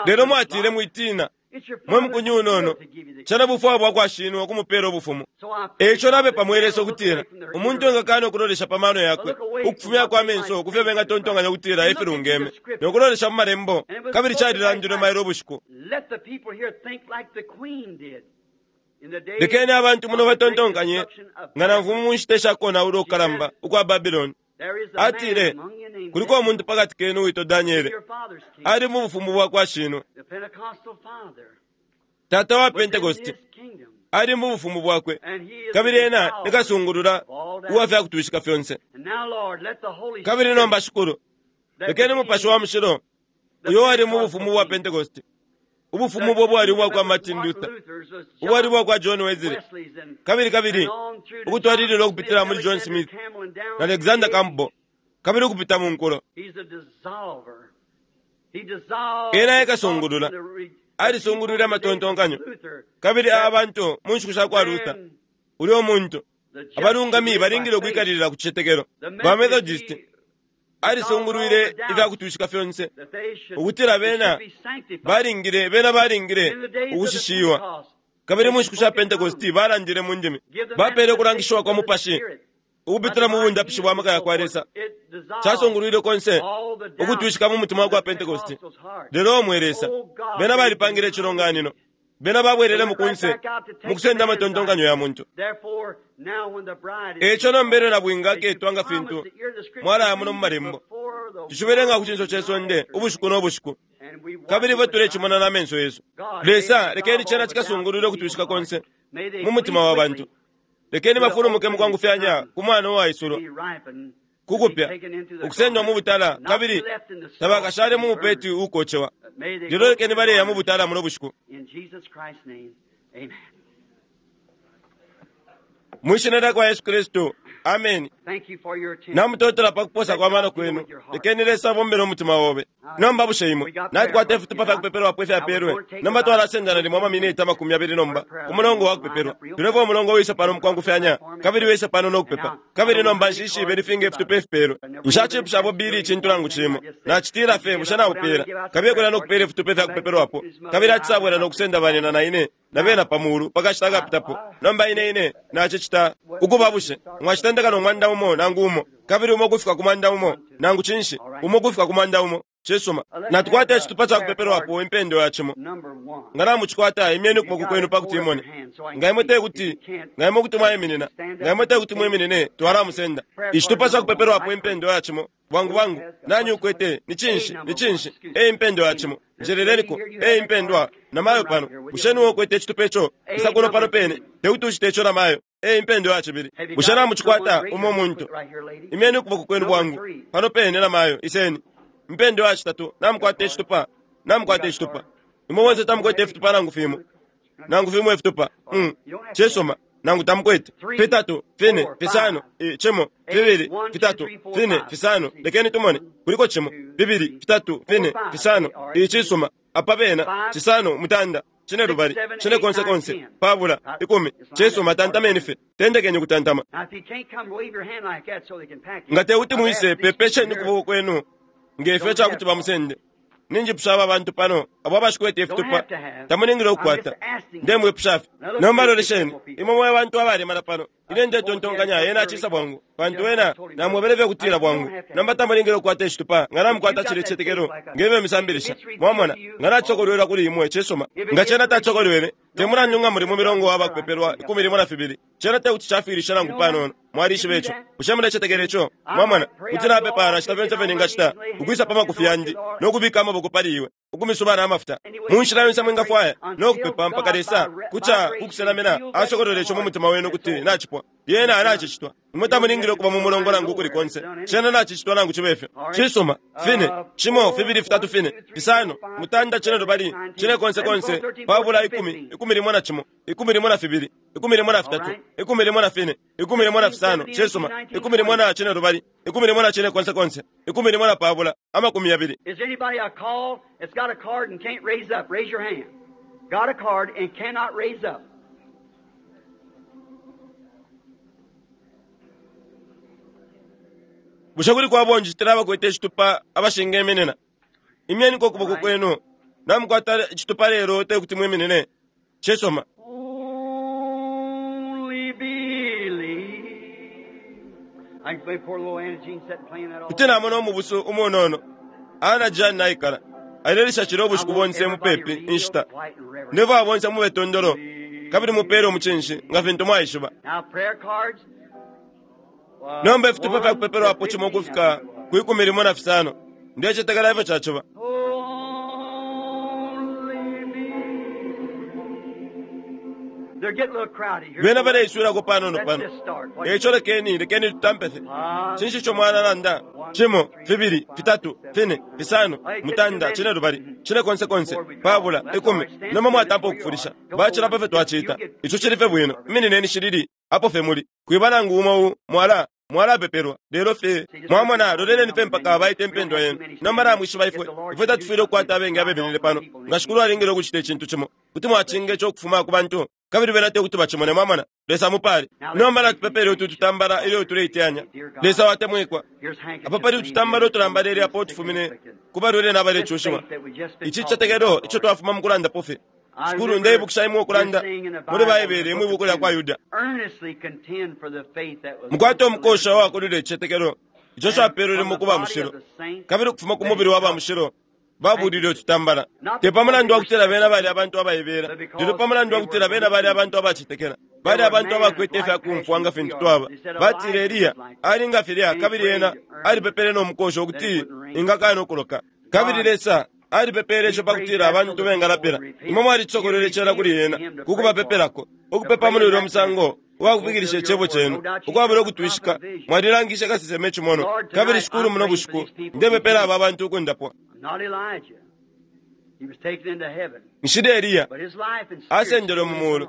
Lelo mwatile, mwitina, mwe mukunyu unono, cena bufwayo bwa kwa Shinwe ukumupeela ubufumu. E ico napepa mwe Lesa ukutila umuntu engakana ukulolesha pa mano yakwe, ukufumyako amenso ku fyo bengatontonkanya ukutila e filungeme, no kulolesha mu Malembo, kabili calilandilwe mailo ubushiku. Lekeni abantu muno batontonkanye nga namfumu mu nshita isha konaula ukukalamba ukwa Babiloni. Atile, kuliko umuntu pa kati kenu uwitwa Daniele, ali mu bufumu bwa kwa shinwe. Tata wa Pentekoste ali mu bufumu bwakwe, kabili ena ni kasungulula uwa fya kutwishika fyonse. Kabili nomba, Shikulu, lekeni Mupashi wa Mushilo uyo wali mu bufumu bwa Pentekoste, ubufumu ubo bwali ubwa kwa Martin Luther, ubwali ubwa kwa John Wesley, kabili kabili ukutwalilila ukupitila muli John Smith na Alexander Campbell, kabili ukupita mu nkulo. Ena ekasungulula, alisungulwile amatontonkanyo, kabili abantu mu nshiku sha kwa Luther, ulyo muntu, abalungami balingile ukwikalilila ku cicetekelo. Ba Methodist alisungulwile ifya kutwishika fyonse, ukutila bena balingile, bena balingile ukushishiwa. Kabili mu nshiku sha Pentecost balandile mu ndimi, bapele ukulangishiwa kwa Mupashi ukupitila mu bundapishi bwa maka ya kwa Lesa. Casungulwile konse ukutwishika mu mutima wa kwa Pentecost. Lelo mwe Lesa, bena balipangile icilonganino. Bena babwelelemo kunse mukusenda amatontonkanyo ya muntu. Eico nomba elyo nabwinga aketwa nga fintu mwalaya muno mu Malembo, tushibelenga ku cinso ce sonde ubushiku no bushiku, kabili ifwe tulecimona na menso yesu. Lesa, lekeni cena cikasungulule ukutwishika konse mu mutima wa bantu. Lekeni bafulumuke mukwangufyanya ku mwana uwaisulwa ku kupya, ukusendwa mu butala, kabili tabakashale mu mupeti uukocewa. Lelo lekeni baleya mu butala muno bushiku. Mwishina lya kwa Yesu Kristu. Ameni. Thank you for your attention. Namutotela pakuposa kwa mano kwenu. Lekeni Lesa abombele umutima obe. Nomba bushe imwe natukwata ifitupa fya kupepelwapo ifyapelwe. Nomba twalasendana limo amaminiti 20 nomba ku mulongo wa kupepelwa. Tulefwa umulongo wisa pano mukwangufyanya kabili wisa pano no kupepa. Kabili nomba nshishibe lifinga ifitupa ifipelwe. Nshacipusha abo bili icintu nangu cimo. Nacitila fye bushe naupela. Kabiye kulya no kupela ifitupa ifya kupepelwapo. Kabili acisabwela no kusenda banina na ine na bena pa mulu pakashita akapitapo. Nomba ine ine nacicita ukuba bushe mwacitendeka no mwanda umo nangu umo kabili umo kufika ku mwanda umo nangu cinshi umo kufika ku mwanda umo. Cisuma, natukwata icitupa ca kupepelwapo impendo ya cimo. Number one. Nga namucikwata imyeni ukuboko kwenu pakuti imone. Nga imwe te kuti nga imwe kuti mwaiminina, nga imwe te kuti mwiminine twalamusenda. Icitupa ca kupepelwapo impendo ya cimo bwangu bwangu nani ukwete ni cinshi ni cinshi e impendo ya cimo njeleleliko e impendwa namayo pano bushe niwe ukwete icitupa ico isa kuno pano pene tekuti ucite ico namayo e impendo ya cibili. Bushe namucikwata umo muntu imyeni ukuboko kwenu bwangu pano pene namayo iseni mpendo ya citatu namukwata icitupa namukwata icitupa imwe bonse tamukwete ifitupa nangu fimo nangu fimo ifitupa cisuma nangu tamukwete fitatu fine fisano cimo fibili fitatu fine fisano lekeni tumone kuliko cimo fibili fitatu fine fisano icisuma apa pena cisano mutanda cine lubali cine konse konse pabula 10 cisuma tantameni fe tendekeni kutantama. Now, if you can't come, wave your hand like that so they can pack you. Nga tekuti I've mwise asked these pepesheni people here, ukuboko kwenu ngefyo cakuti bamusende. Ninjipusha aba bantu pano abo abashikwete ifitupa tamuningile ukukwata. Ndemwipusha fye. Nomba lolesheni imwe mwe bantu abalemana pano. Ine ndetontonkanya ena acisa bwangu pantu ena namwebele fye kutila bwangu. Nomba tamuningile ukukwata icitupa nga namukwata cile icicetekelo ngefyo misambilisha. Mwamona nga nacokolwelwa kuli imwe cisuma. Nga cena tacokolwele te mulandu nga muli mu milongo wa bakupepelwa 12. Cena tekuti cafiilisha nangu panono. Mwalishiba ico. Bushe mulecetekela ico? Mwamona kuti napepa nacita fyonse fye ningacita ukwisa pa makufi yandi no kubika amaboko pali iwe ukumisuba na amafuta mu nshila yonse mwingafwaya no kupepa mpaka Lesa kuca kukusenamina asokolole ico mu mutima wenu kuti nacipwa. Lyena nacicitwa. Imwe tamulingile ukuba mu mulongo nangu ukuli konse. Cena nacicitwa nangu cibe fyo. Cisuma, fine, cimo, fibili, fitatu, fine, fisano, mutanda, cine lubali, cine konse konse, pabula 10, 11, 12, 13, 14, 15, cisuma, 11 cine lubali, 11 cine konse konse, 11 pabula, 20. Is anybody I call that's got a card and can't raise up? Raise your hand. Got a card and cannot raise up. Bushe kuli kwabonjitila abakwete icitupa abashingeminina? Imyeni ko kuboko kwenu. Namukwata icitupa lelo te kuti mwiminine. Cisuma. Only believe. I can play poor little Anna Jean sitting playing that all Kuti namona umubusu umunono. Ana Jean naikala. Ailelisha cilo ubushiku bonse mupepi inshita. Ndeva bonse mube tondolo. Kabili mupere umucinshi nga fintu mwaishiba. Now prayer cards. Nomba ifitupa fya kupepelwapo cimo kufika ku 15. Ndecetekela ifyo caciba. Only believe. They're getting a little crowded here. Bena baleiswilako panono Let's pano. just start. What Eico lekeni lekeni tutampe fye. Cinshi ico mwalalanda? Cimo, fibili, fitatu, fine, fisano, mutanda, cine lubali, cine konse konse, pabula, 10. Nomba mwatampa ukufulisha. Bacilapo fye twacita. Ico cili fye bwino. Iminineni shilili apo fye muli. Kwiba nangu umo u mwala mwalapepelwa lelo fye mwamona loleleni fye mpaka baite impendwa yenu. Nomba namwishiba ifwe ifwe tatufwile ukukwata abengi abeminine pano. Nga shikulu alingile ukucita icintu cimo kuti mwacinga ico ukufuma ku bantu kabili bena te kuti bacimone. Mwamona Lesa mupale. Nomba natupepele utu tutambala ilyo tuleiteyanya. Lesa watemwikwa. Here's handkerchiefs. Apa pali ututambala utulambala ilyo apo tufumine ku balwele n'abalecushiwa. Ici cicetekelo ico twafuma mu kulandapo fye. Shikulu ndeibukisha imwe ukulanda muli Baibele mwi buku lya kwa Yuda. Earnestly contend for the faith that was Mukwate umukosha wakulile icicetekelo ico capelwele mu kuba mushilo kabili ukufuma ku mubili wa ba mushilo babulile ututambala. Te pa mulandu wa kutila bena bali abantu abaibela, lelo pa mulandu wa kutila bena bali abantu abacetekela. Bali abantu abakwete ifya kumfwa nga fintu twaba. Batile Eliya ali nga filya kabili ena alipepele no mukosha ukuti ingakana ukuloka. Kabili Lesa alipepele ico pakutila abantu bengalapela. Imwe mwalicokolele cela kuli ena kukubapepelako. Ukupepa muli ulya musango uwakufikilisha icebo cenu ukwabula ukutwishika mwalilangisha kasesema icimono. Kabili shikulu muno bushiku ndepepela aba bantu ukundapwa. I'm not Elijah. He was taken into heaven. Nshile Eliya But his life and spirit asendelwe mu mulu.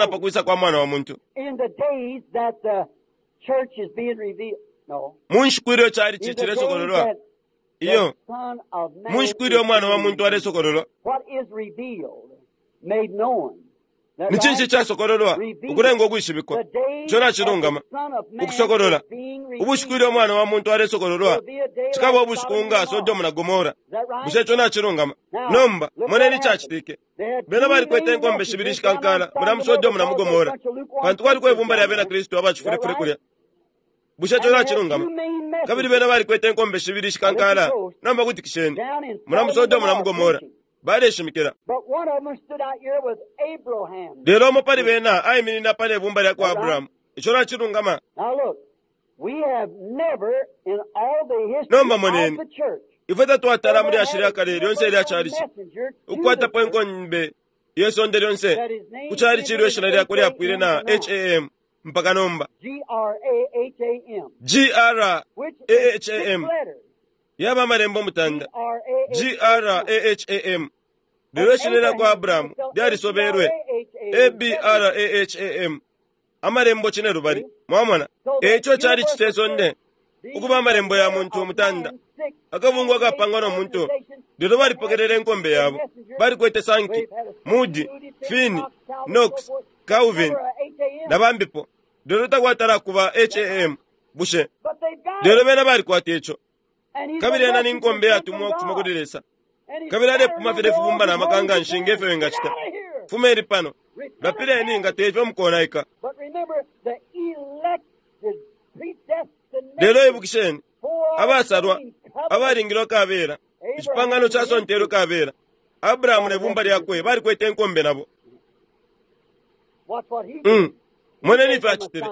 na pa kwisa kwa Mwana wa muntu. In the days that the church is being revealed. No. Mu nshiku ilyo chalichi In the days cilesokololwa, that the iyo, Son of Man mu nshiku ilyo is Umwana wa being muntu alesokololwa, What is revealed, made known, Ni cinshi icasokololwa? Ukulenga ukwishibikwa. Ico nacilungama. Ukusokolola. Ubushiku ilyo Umwana wa muntu alesokololwa, cikaba ubushiku nga Sodomu na Gomora. Bushe ico nacilungama? Nomba, moneni icacitike. Bena balikwete inkombe shibili ishikankala mulya mu Sodomu na mu Gomora, pantu kwaliko ibumba lya Bena Kristu abacifulefule kulya. Bushe ico nacilungama? Kabili bena balikwete inkombe shibili ishikankala, nomba kutikisheni, mulya mu Sodomu na mu Gomora, baleshimikila. Lelo umo pali bena aiminina apa ne bumba lya kwa Abrahamu. Ico nacilungama. Nomba moneni, ifwe tatwatala muli ashili kale lyonse ilya chalichi ukukwatapo inkombe ye sonde lyonse ku chalichi ilyo ishina lyakwe lyapwile na ham mpaka nomba. G-R-A-H-A-M yaba amalembo mutanda G-R-A-H-A-M, lelo ishina lya kwa Abrahamu lyalisobelwe A-B-R-A-H-A-M, amalembo cine lubali. Mwamona, eico chalichi ce sonde ukuba amalembo ya muntu mutanda akabungwe akapangwa no muntu, lelo balipokelele inkombe yabo. Balikwete Sankey, Moody, Finney, Knox, Calvin na bambipo, lelo takwatala kuba ham. Bushe lelo bena balikwata ico? Kabili ena ni nkombe yatumwa ukufuma kuli Lesa, kabili alepuma fye ifibumba na maka nga nshi nge fyo wingacita. Fumeni pano, lapileni nga tefyo mukonaika. Lelo ibukisheni, abasalwa abalingilwe kabela, icipangano casontelwe kabela, Abrahamu ne bumba lyakwe balikwete inkombe nabo. Moneni ifyo acitile.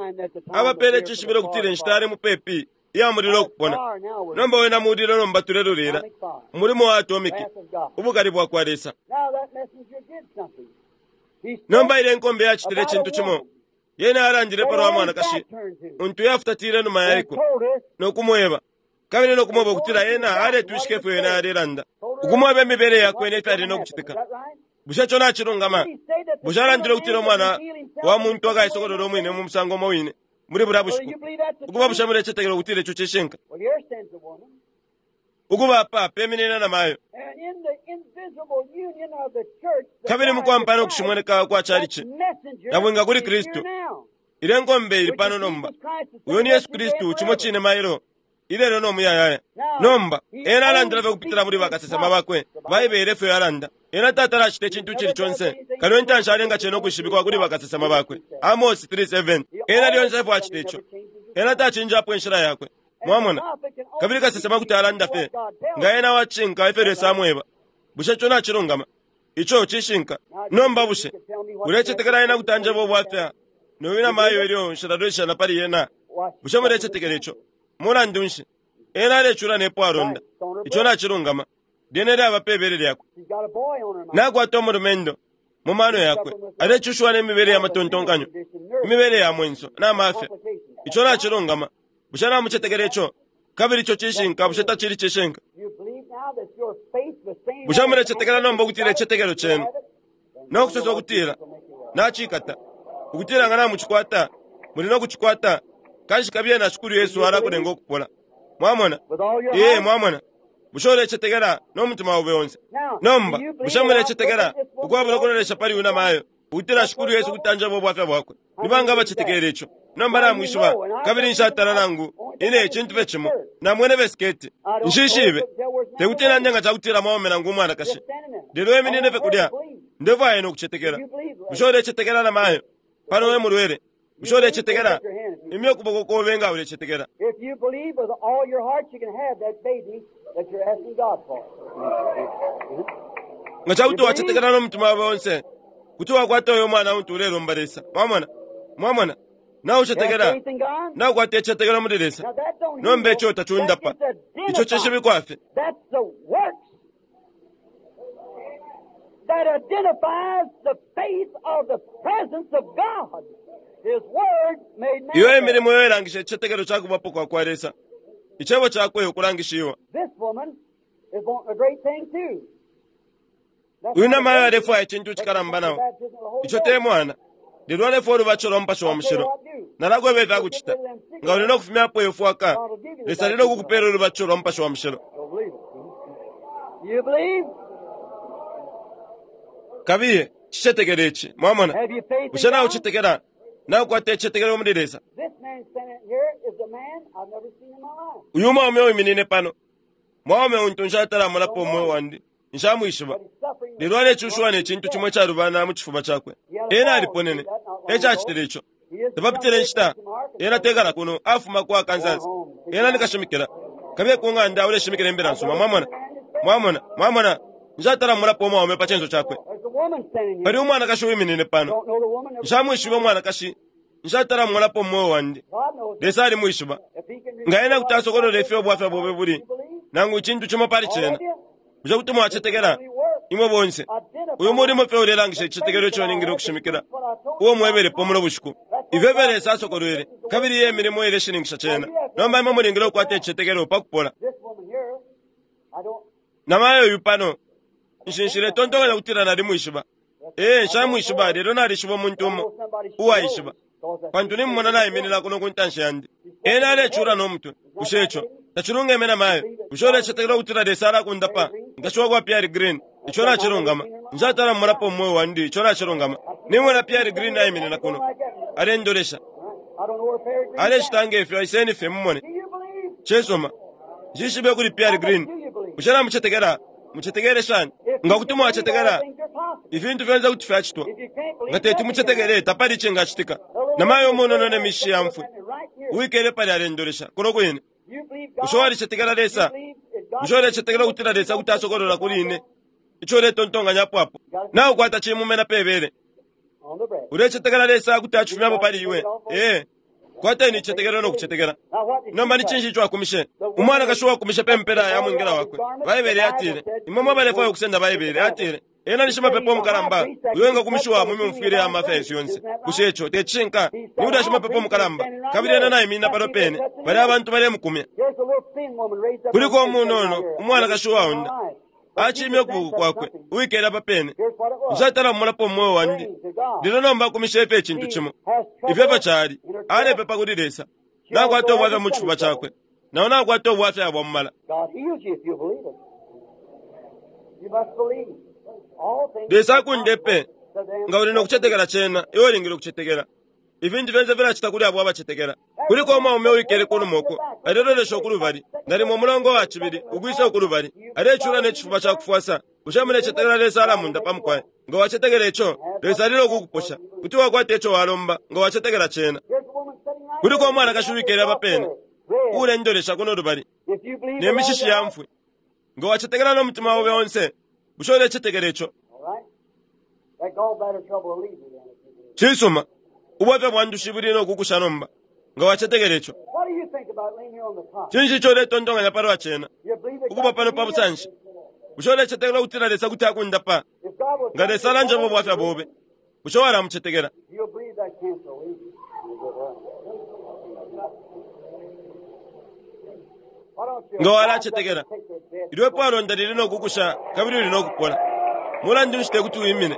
Abapele icishibilo ukutila inshita yali mupepi iya mulilo ukupona. Nomba wena mulilo, nomba tulelulila umulimo wa atomiki, ubukali bwakwa Lesa. Nomba ile nkombe yacitile icintu cimo. Yena alandile palwa mwanakashi untu yafutatile numa yaiko no kumweba, kabili no kumweba ukutila ena aletwishika ifyo ena alelanda, ukumweba imibele yakwe ne fyali no kucitika. Bushe ico nacilungama? Bushe alandile ukutila umwana wa muntu akaisokolola umwine mu musango umo wine muli bulya bushiku? Ukuba bushe mulecetekela ukutila ico cishinka? Ukuba apa peminina na mayo. Kabili mukwampana ukushimoneka kwa chalichi nabwinga kuli Kristu, ile nkombe ili pano nomba. Uyo ni Yesu Kristu, cimo cine mailo, ilelo no muyayaya. Nomba ena alandila fye kupitila muli bakasesema bakwe. Baibele efyo yalanda. Ena tatala acita icintu icili conse kano intanshi alenga cena ukwishibikwa kuli bakasesema bakwe. Amosi 3:7. Ena lyonse efyo acita ico. Ena tacinjapo inshila yakwe. Mwamona? Kabili kasesema kuti alanda fye nga ena wacinka ifyo Lesa amweba. Bushe ico nacilungama? Ico cishinka. Nomba bushe ulecetekela ena kuti anjeba ubwafya noyu na mayo ilyo nshilalweshana pali yena? Bushe mulecetekela ico? Mulandu nshi, ena alecula nepo alonda. Ico nacilungama. Lyene lyaba pe bele lyakwe. Nakwata umulumendo mu mano yakwe, alecushiwa ne mibele ya matontonkanyo, imibele ya mwenso na mafya. Ico nacilungama. Bushe namucetekela ico? Kabili ico cishinka. Bushe tacili cishinka? Bushe mulecetekela nomba ukutila icicetekelo cenu no kusosa ukutila nacikata, ukutila nga namucikwata muli no kucikwata? Kanshi kabiye na Shikulu Yesu alakulenga ukupola. Mwamona? Ee, mwamona. Bushe ulecetekela no mutima obe onse? Nomba bushe mulecetekela ukwabula ukulolesha pali uyu namayo ukutila Shikulu Yesu kuti anjeba ubwafya bwakwe? Ni banga abacetekela ico? Nomba namwishiba, kabili nshatala nangu ine icintu fye cimo. Namwene besiketi. Nshishibe. Tekuti nande nga cakutila mwaume nangu umwanakashi. Lelo eminine fye kulya. Ndefwaya ine ukucetekela. Bushe ulecetekela namayo? Pano we mulwele. Bushe ulecetekela? Imya ukuboko kobe nga ulecetekela. If you believe with all your heart, you can have that baby that you're asking God for. Nga cakuti wacetekela no mutima wawe onse, kuti wakwata uyo mwana untu ulelomba Lesa. Mwamona? Mwamona? Naucetekela, Have faith in God? naukwata icicetekelo muli Lesa. Now that don't Nomba heal. ico tacundapa. That gets Ico cishibikwa fye. That's the works that identifies the faith of the presence of God. His word made Iyo manifest. emilimo yo ilangisha icicetekelo ca kubapo kwa kwa Lesa. Icebo cakwe ukulangishiwa. This woman is wanting a great thing too. That's Uyu not a namayo baby. alefwaya icintu cikalamba That's nao. the baptism of the Holy Ico Ghost. te mwana. Lelo alefwaya ulubatisho lwa Mupashi wa Mushilo. Nalakweba ifya kucita. Nga uli no kufumyapo iyo fwaka, Lesa ali no kukupela ulubatisho lwa Mupashi wa Mushilo. Don't believe it. You believe? Kabiye, Cicetekele ici. Mwamona? Have you faith in Bushe God? naucetekela? Naukwata icicetekelo muli Lesa? This man standing here is a man I've never seen in my life. Uyu mwaume uwiminine pano. Mwaume untu nshatala-mulapo umweo wandi. Nshamwishiba. But he's suffering with Lelo alecushiwa ne cintu cimo icalubana mu cifuba cakwe. Ena aliponene. Ecacitile ico. He is the Tapapitile young inshita. man from Arkansas. Ena tekala kuno afuma ku Arkansas. Ena nikashimikila. Kabiye ku ng'anda uleshimikila imbila nsuma. Mwamona? Mwamona? Mwamona? Nshatala-mulapo umwaume pa censo cakwe. There's a woman standing here. Pali umwanakashi uwiminine pano. Don't know the woman. Never Nshamwishiba umwanakashi. Nshatala-mulapo umweo wandi. God knows. Lesa alimwishiba. If he can Nga ena kuti asokolola ifyo ubwafya bwobe buli. You believe? Nangu icintu cimo pali All cena. of you? Bushe kuti mwacetekela? Imwe bonse. Uyu mulimo fye ulelangisha icicetekelo ico ningile ukushimikila. Uo mwebelepo muno bushiku. Ifyo fye Lesa asokolwele. Kabili iye milimo ileshininkisha cena. Nomba imwe mulingile ukukwata icicetekelo pa kupola. This woman here, I don't. Namayo uyu pano. Nshinshile tontonkanya kutila nalimwishiba. Ee, nshamwishiba lelo nalishiba umuntu I umo know somebody she uwaishiba. knows, 'cause that's Pantu nimumona naiminina kuno ku ntanshi yandi. Ena alecula no mutwe. Bushe ico tacilungeme namayo. Bushe ulecetekela ukutila Lesa alakundapa nkashiwa kwa Pierre Green. Ico nacilungama. Nshatala mmulapo umweo wandi. Ico nacilungama. Nimona Pierre Green naiminina kuno. Alendolesha. I don't know where Perry Green is. Alecita ngefyo aiseni fye mumone. Do you believe? Cesoma. Nshishibe kuli Pierre Green. Do you believe? Bushe namucetekela? Mucetekele shani? If Nga you kuti can believe, all mwacetekela, things are possible. ifintu fyonse kuti fyacitwa. If you can't believe, Nga teti nothing can mucetekele tapali icingacitika. Namayo umunono ne mishi ya mfwi. Right here. Uwikele pali alendolesha. Kuno kwine. You believe God. Bushe walicetekela Lesa? You believe if God Bushe ulecetekela ukutila Lesa kuti asokolola kuli ine? Ico uletontonkanyapo apo. Naukwata cimumena pebele. on the bread. Ulecetekela Lesa kuti acifumyapo pali iwe. Ee. Kwateni icicetekelo no kucetekela. Now what did Nomba she ni say? cinshi ico akumishe? Umwanakashi uwakumishe pe mpela ya mwingila wakwe. Baibele yatile. Imwe mwabalefwaya ukusenda Baibele yatile. Ena ni shimapepo mukalamba. Uyo engakumishiwa mu myumfwile ya mafya yesu yonse. Bushe ico te cishinka? Ni ulya shimapepo mukalamba. Kabili ena naiminina pano pene. Bali abantu balemukumya. Here's a little thin woman raised up Kuliko her hand umunono, right here. umwanakashi uwaonda. But she Acimya could ukuboko sense kwakwe. something. Uwikele apa pene. Here's what it was. Nshatala mmulapo umweo wandi. Praying to God. Lelo nomba akumishe ife icintu cimo. Ifyo efyo cali. Alepepa kuli Lesa. Nakwata ubwafya mu cifuba cakwe. Nawo nakwata ubwafya bwa mumala. God heals you if you believe it. You must believe. All things Lesa are akundepe. possible to them Nga uli no kucetekela cena, iwe ulingile ukucetekela. Ifintu fyonse filacita kuli abo abacetekela. Kuliko umwaume uwikele kunuma uko, alelolesha ukulubali. Nalimo umulongo wa cibili, ukwisa ukulubali. Alecula ne cifuba ca kufwasa. Bushe mulecetekela Lesa alamunda pa mukwai? Nga wacetekela ico, Lesa alile ukukuposha. Kuti wakwata ico walomba, nga wacetekela cena. Here's a woman sitting right Kuliko here. umwanakashi uwikele apa pene, Red. ulendolesha kuno lubali. If you believe Ne with all mishishi your ya heart, mfwi. Nga wacetekela no mutima obe onse, bushe ulecetekela ico? all right? That gallbladder trouble will leave you then if you believe. Cisuma, ubwafya bwa ndushi buli no kukusha nomba. Nga wacetekela ico. What do you think about laying here on the cot? Cinshi ico uletontonkanya palwa cena? You believe that Ukuba God pano can pa heal you? busanshi. Bushe ulecetekela ukutila Lesa kuti akundapa? If God will Nga Lesa alanjeba ubwafya bobe. Bushe walamucetekela? You'll believe that cancer will leave you. You'll get well. Why don't you Nga walacetekela. take that bed? Ilwepo alonda lili no kukusha kabili uli no kupola. Mulandu nshi te kuti wimine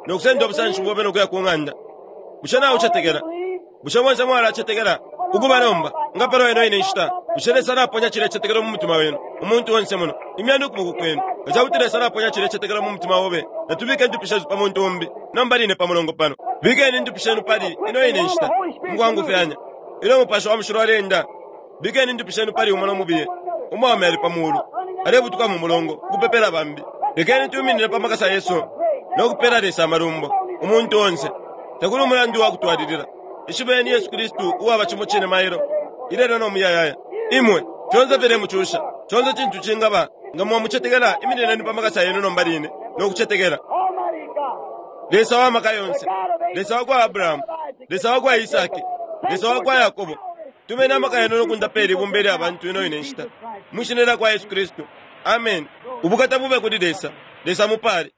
no kusenda obusanshi bobe no kuya ku ng'anda. Bushe nawe ucetekela? Bushe bonse mwalacetekela? Ukuba nomba nga pano ino ine nshita. Bushe Lesa alaponya cile cetekelo mu mutima wenu? Umuntu onse muno. Imyani ukuboko kwenu. Nga ca kuti Lesa alaponya cile cetekelo mu mutima obe, natubike indupi shesu pa muntu umbi. Nomba line pa mulongo pano. Bikeni indupi shenu pali ino ine nshita. Mukwangufyanya. Ilyo Mupashi wa Mushilo alenda, bikeni indupi shenu pali umo no mubiye. Umwaume ali pa mulu. Alebutuka mu mulongo, ukupepela bambi. Lekeni tuminine pa makasa Yesu no kupela Lesa amalumbo. Umuntu onse. Takuli umulandu wa kutwalilila. Ishibeni Yesu Kristu uwaba cimo cine mailo. Ilelo no muyayaya. Imwe, fyonse filemucusha. Conse cintu cingaba, nga mwamucetekela iminineni pa makasa yenu nomba line, no kucetekela. Almighty God, Lesa wa maka yonse. Lesa wa kwa Abrahamu. Lesa wa kwa Isaki. Lesa wa kwa Yakobo. Tumeni amaka yenu no kundapela ibumba ilya bantu ino ine nshita. Mwishina lya kwa Yesu Kristu. Amen. Ubukata bube kuli Lesa. Lesa mupale.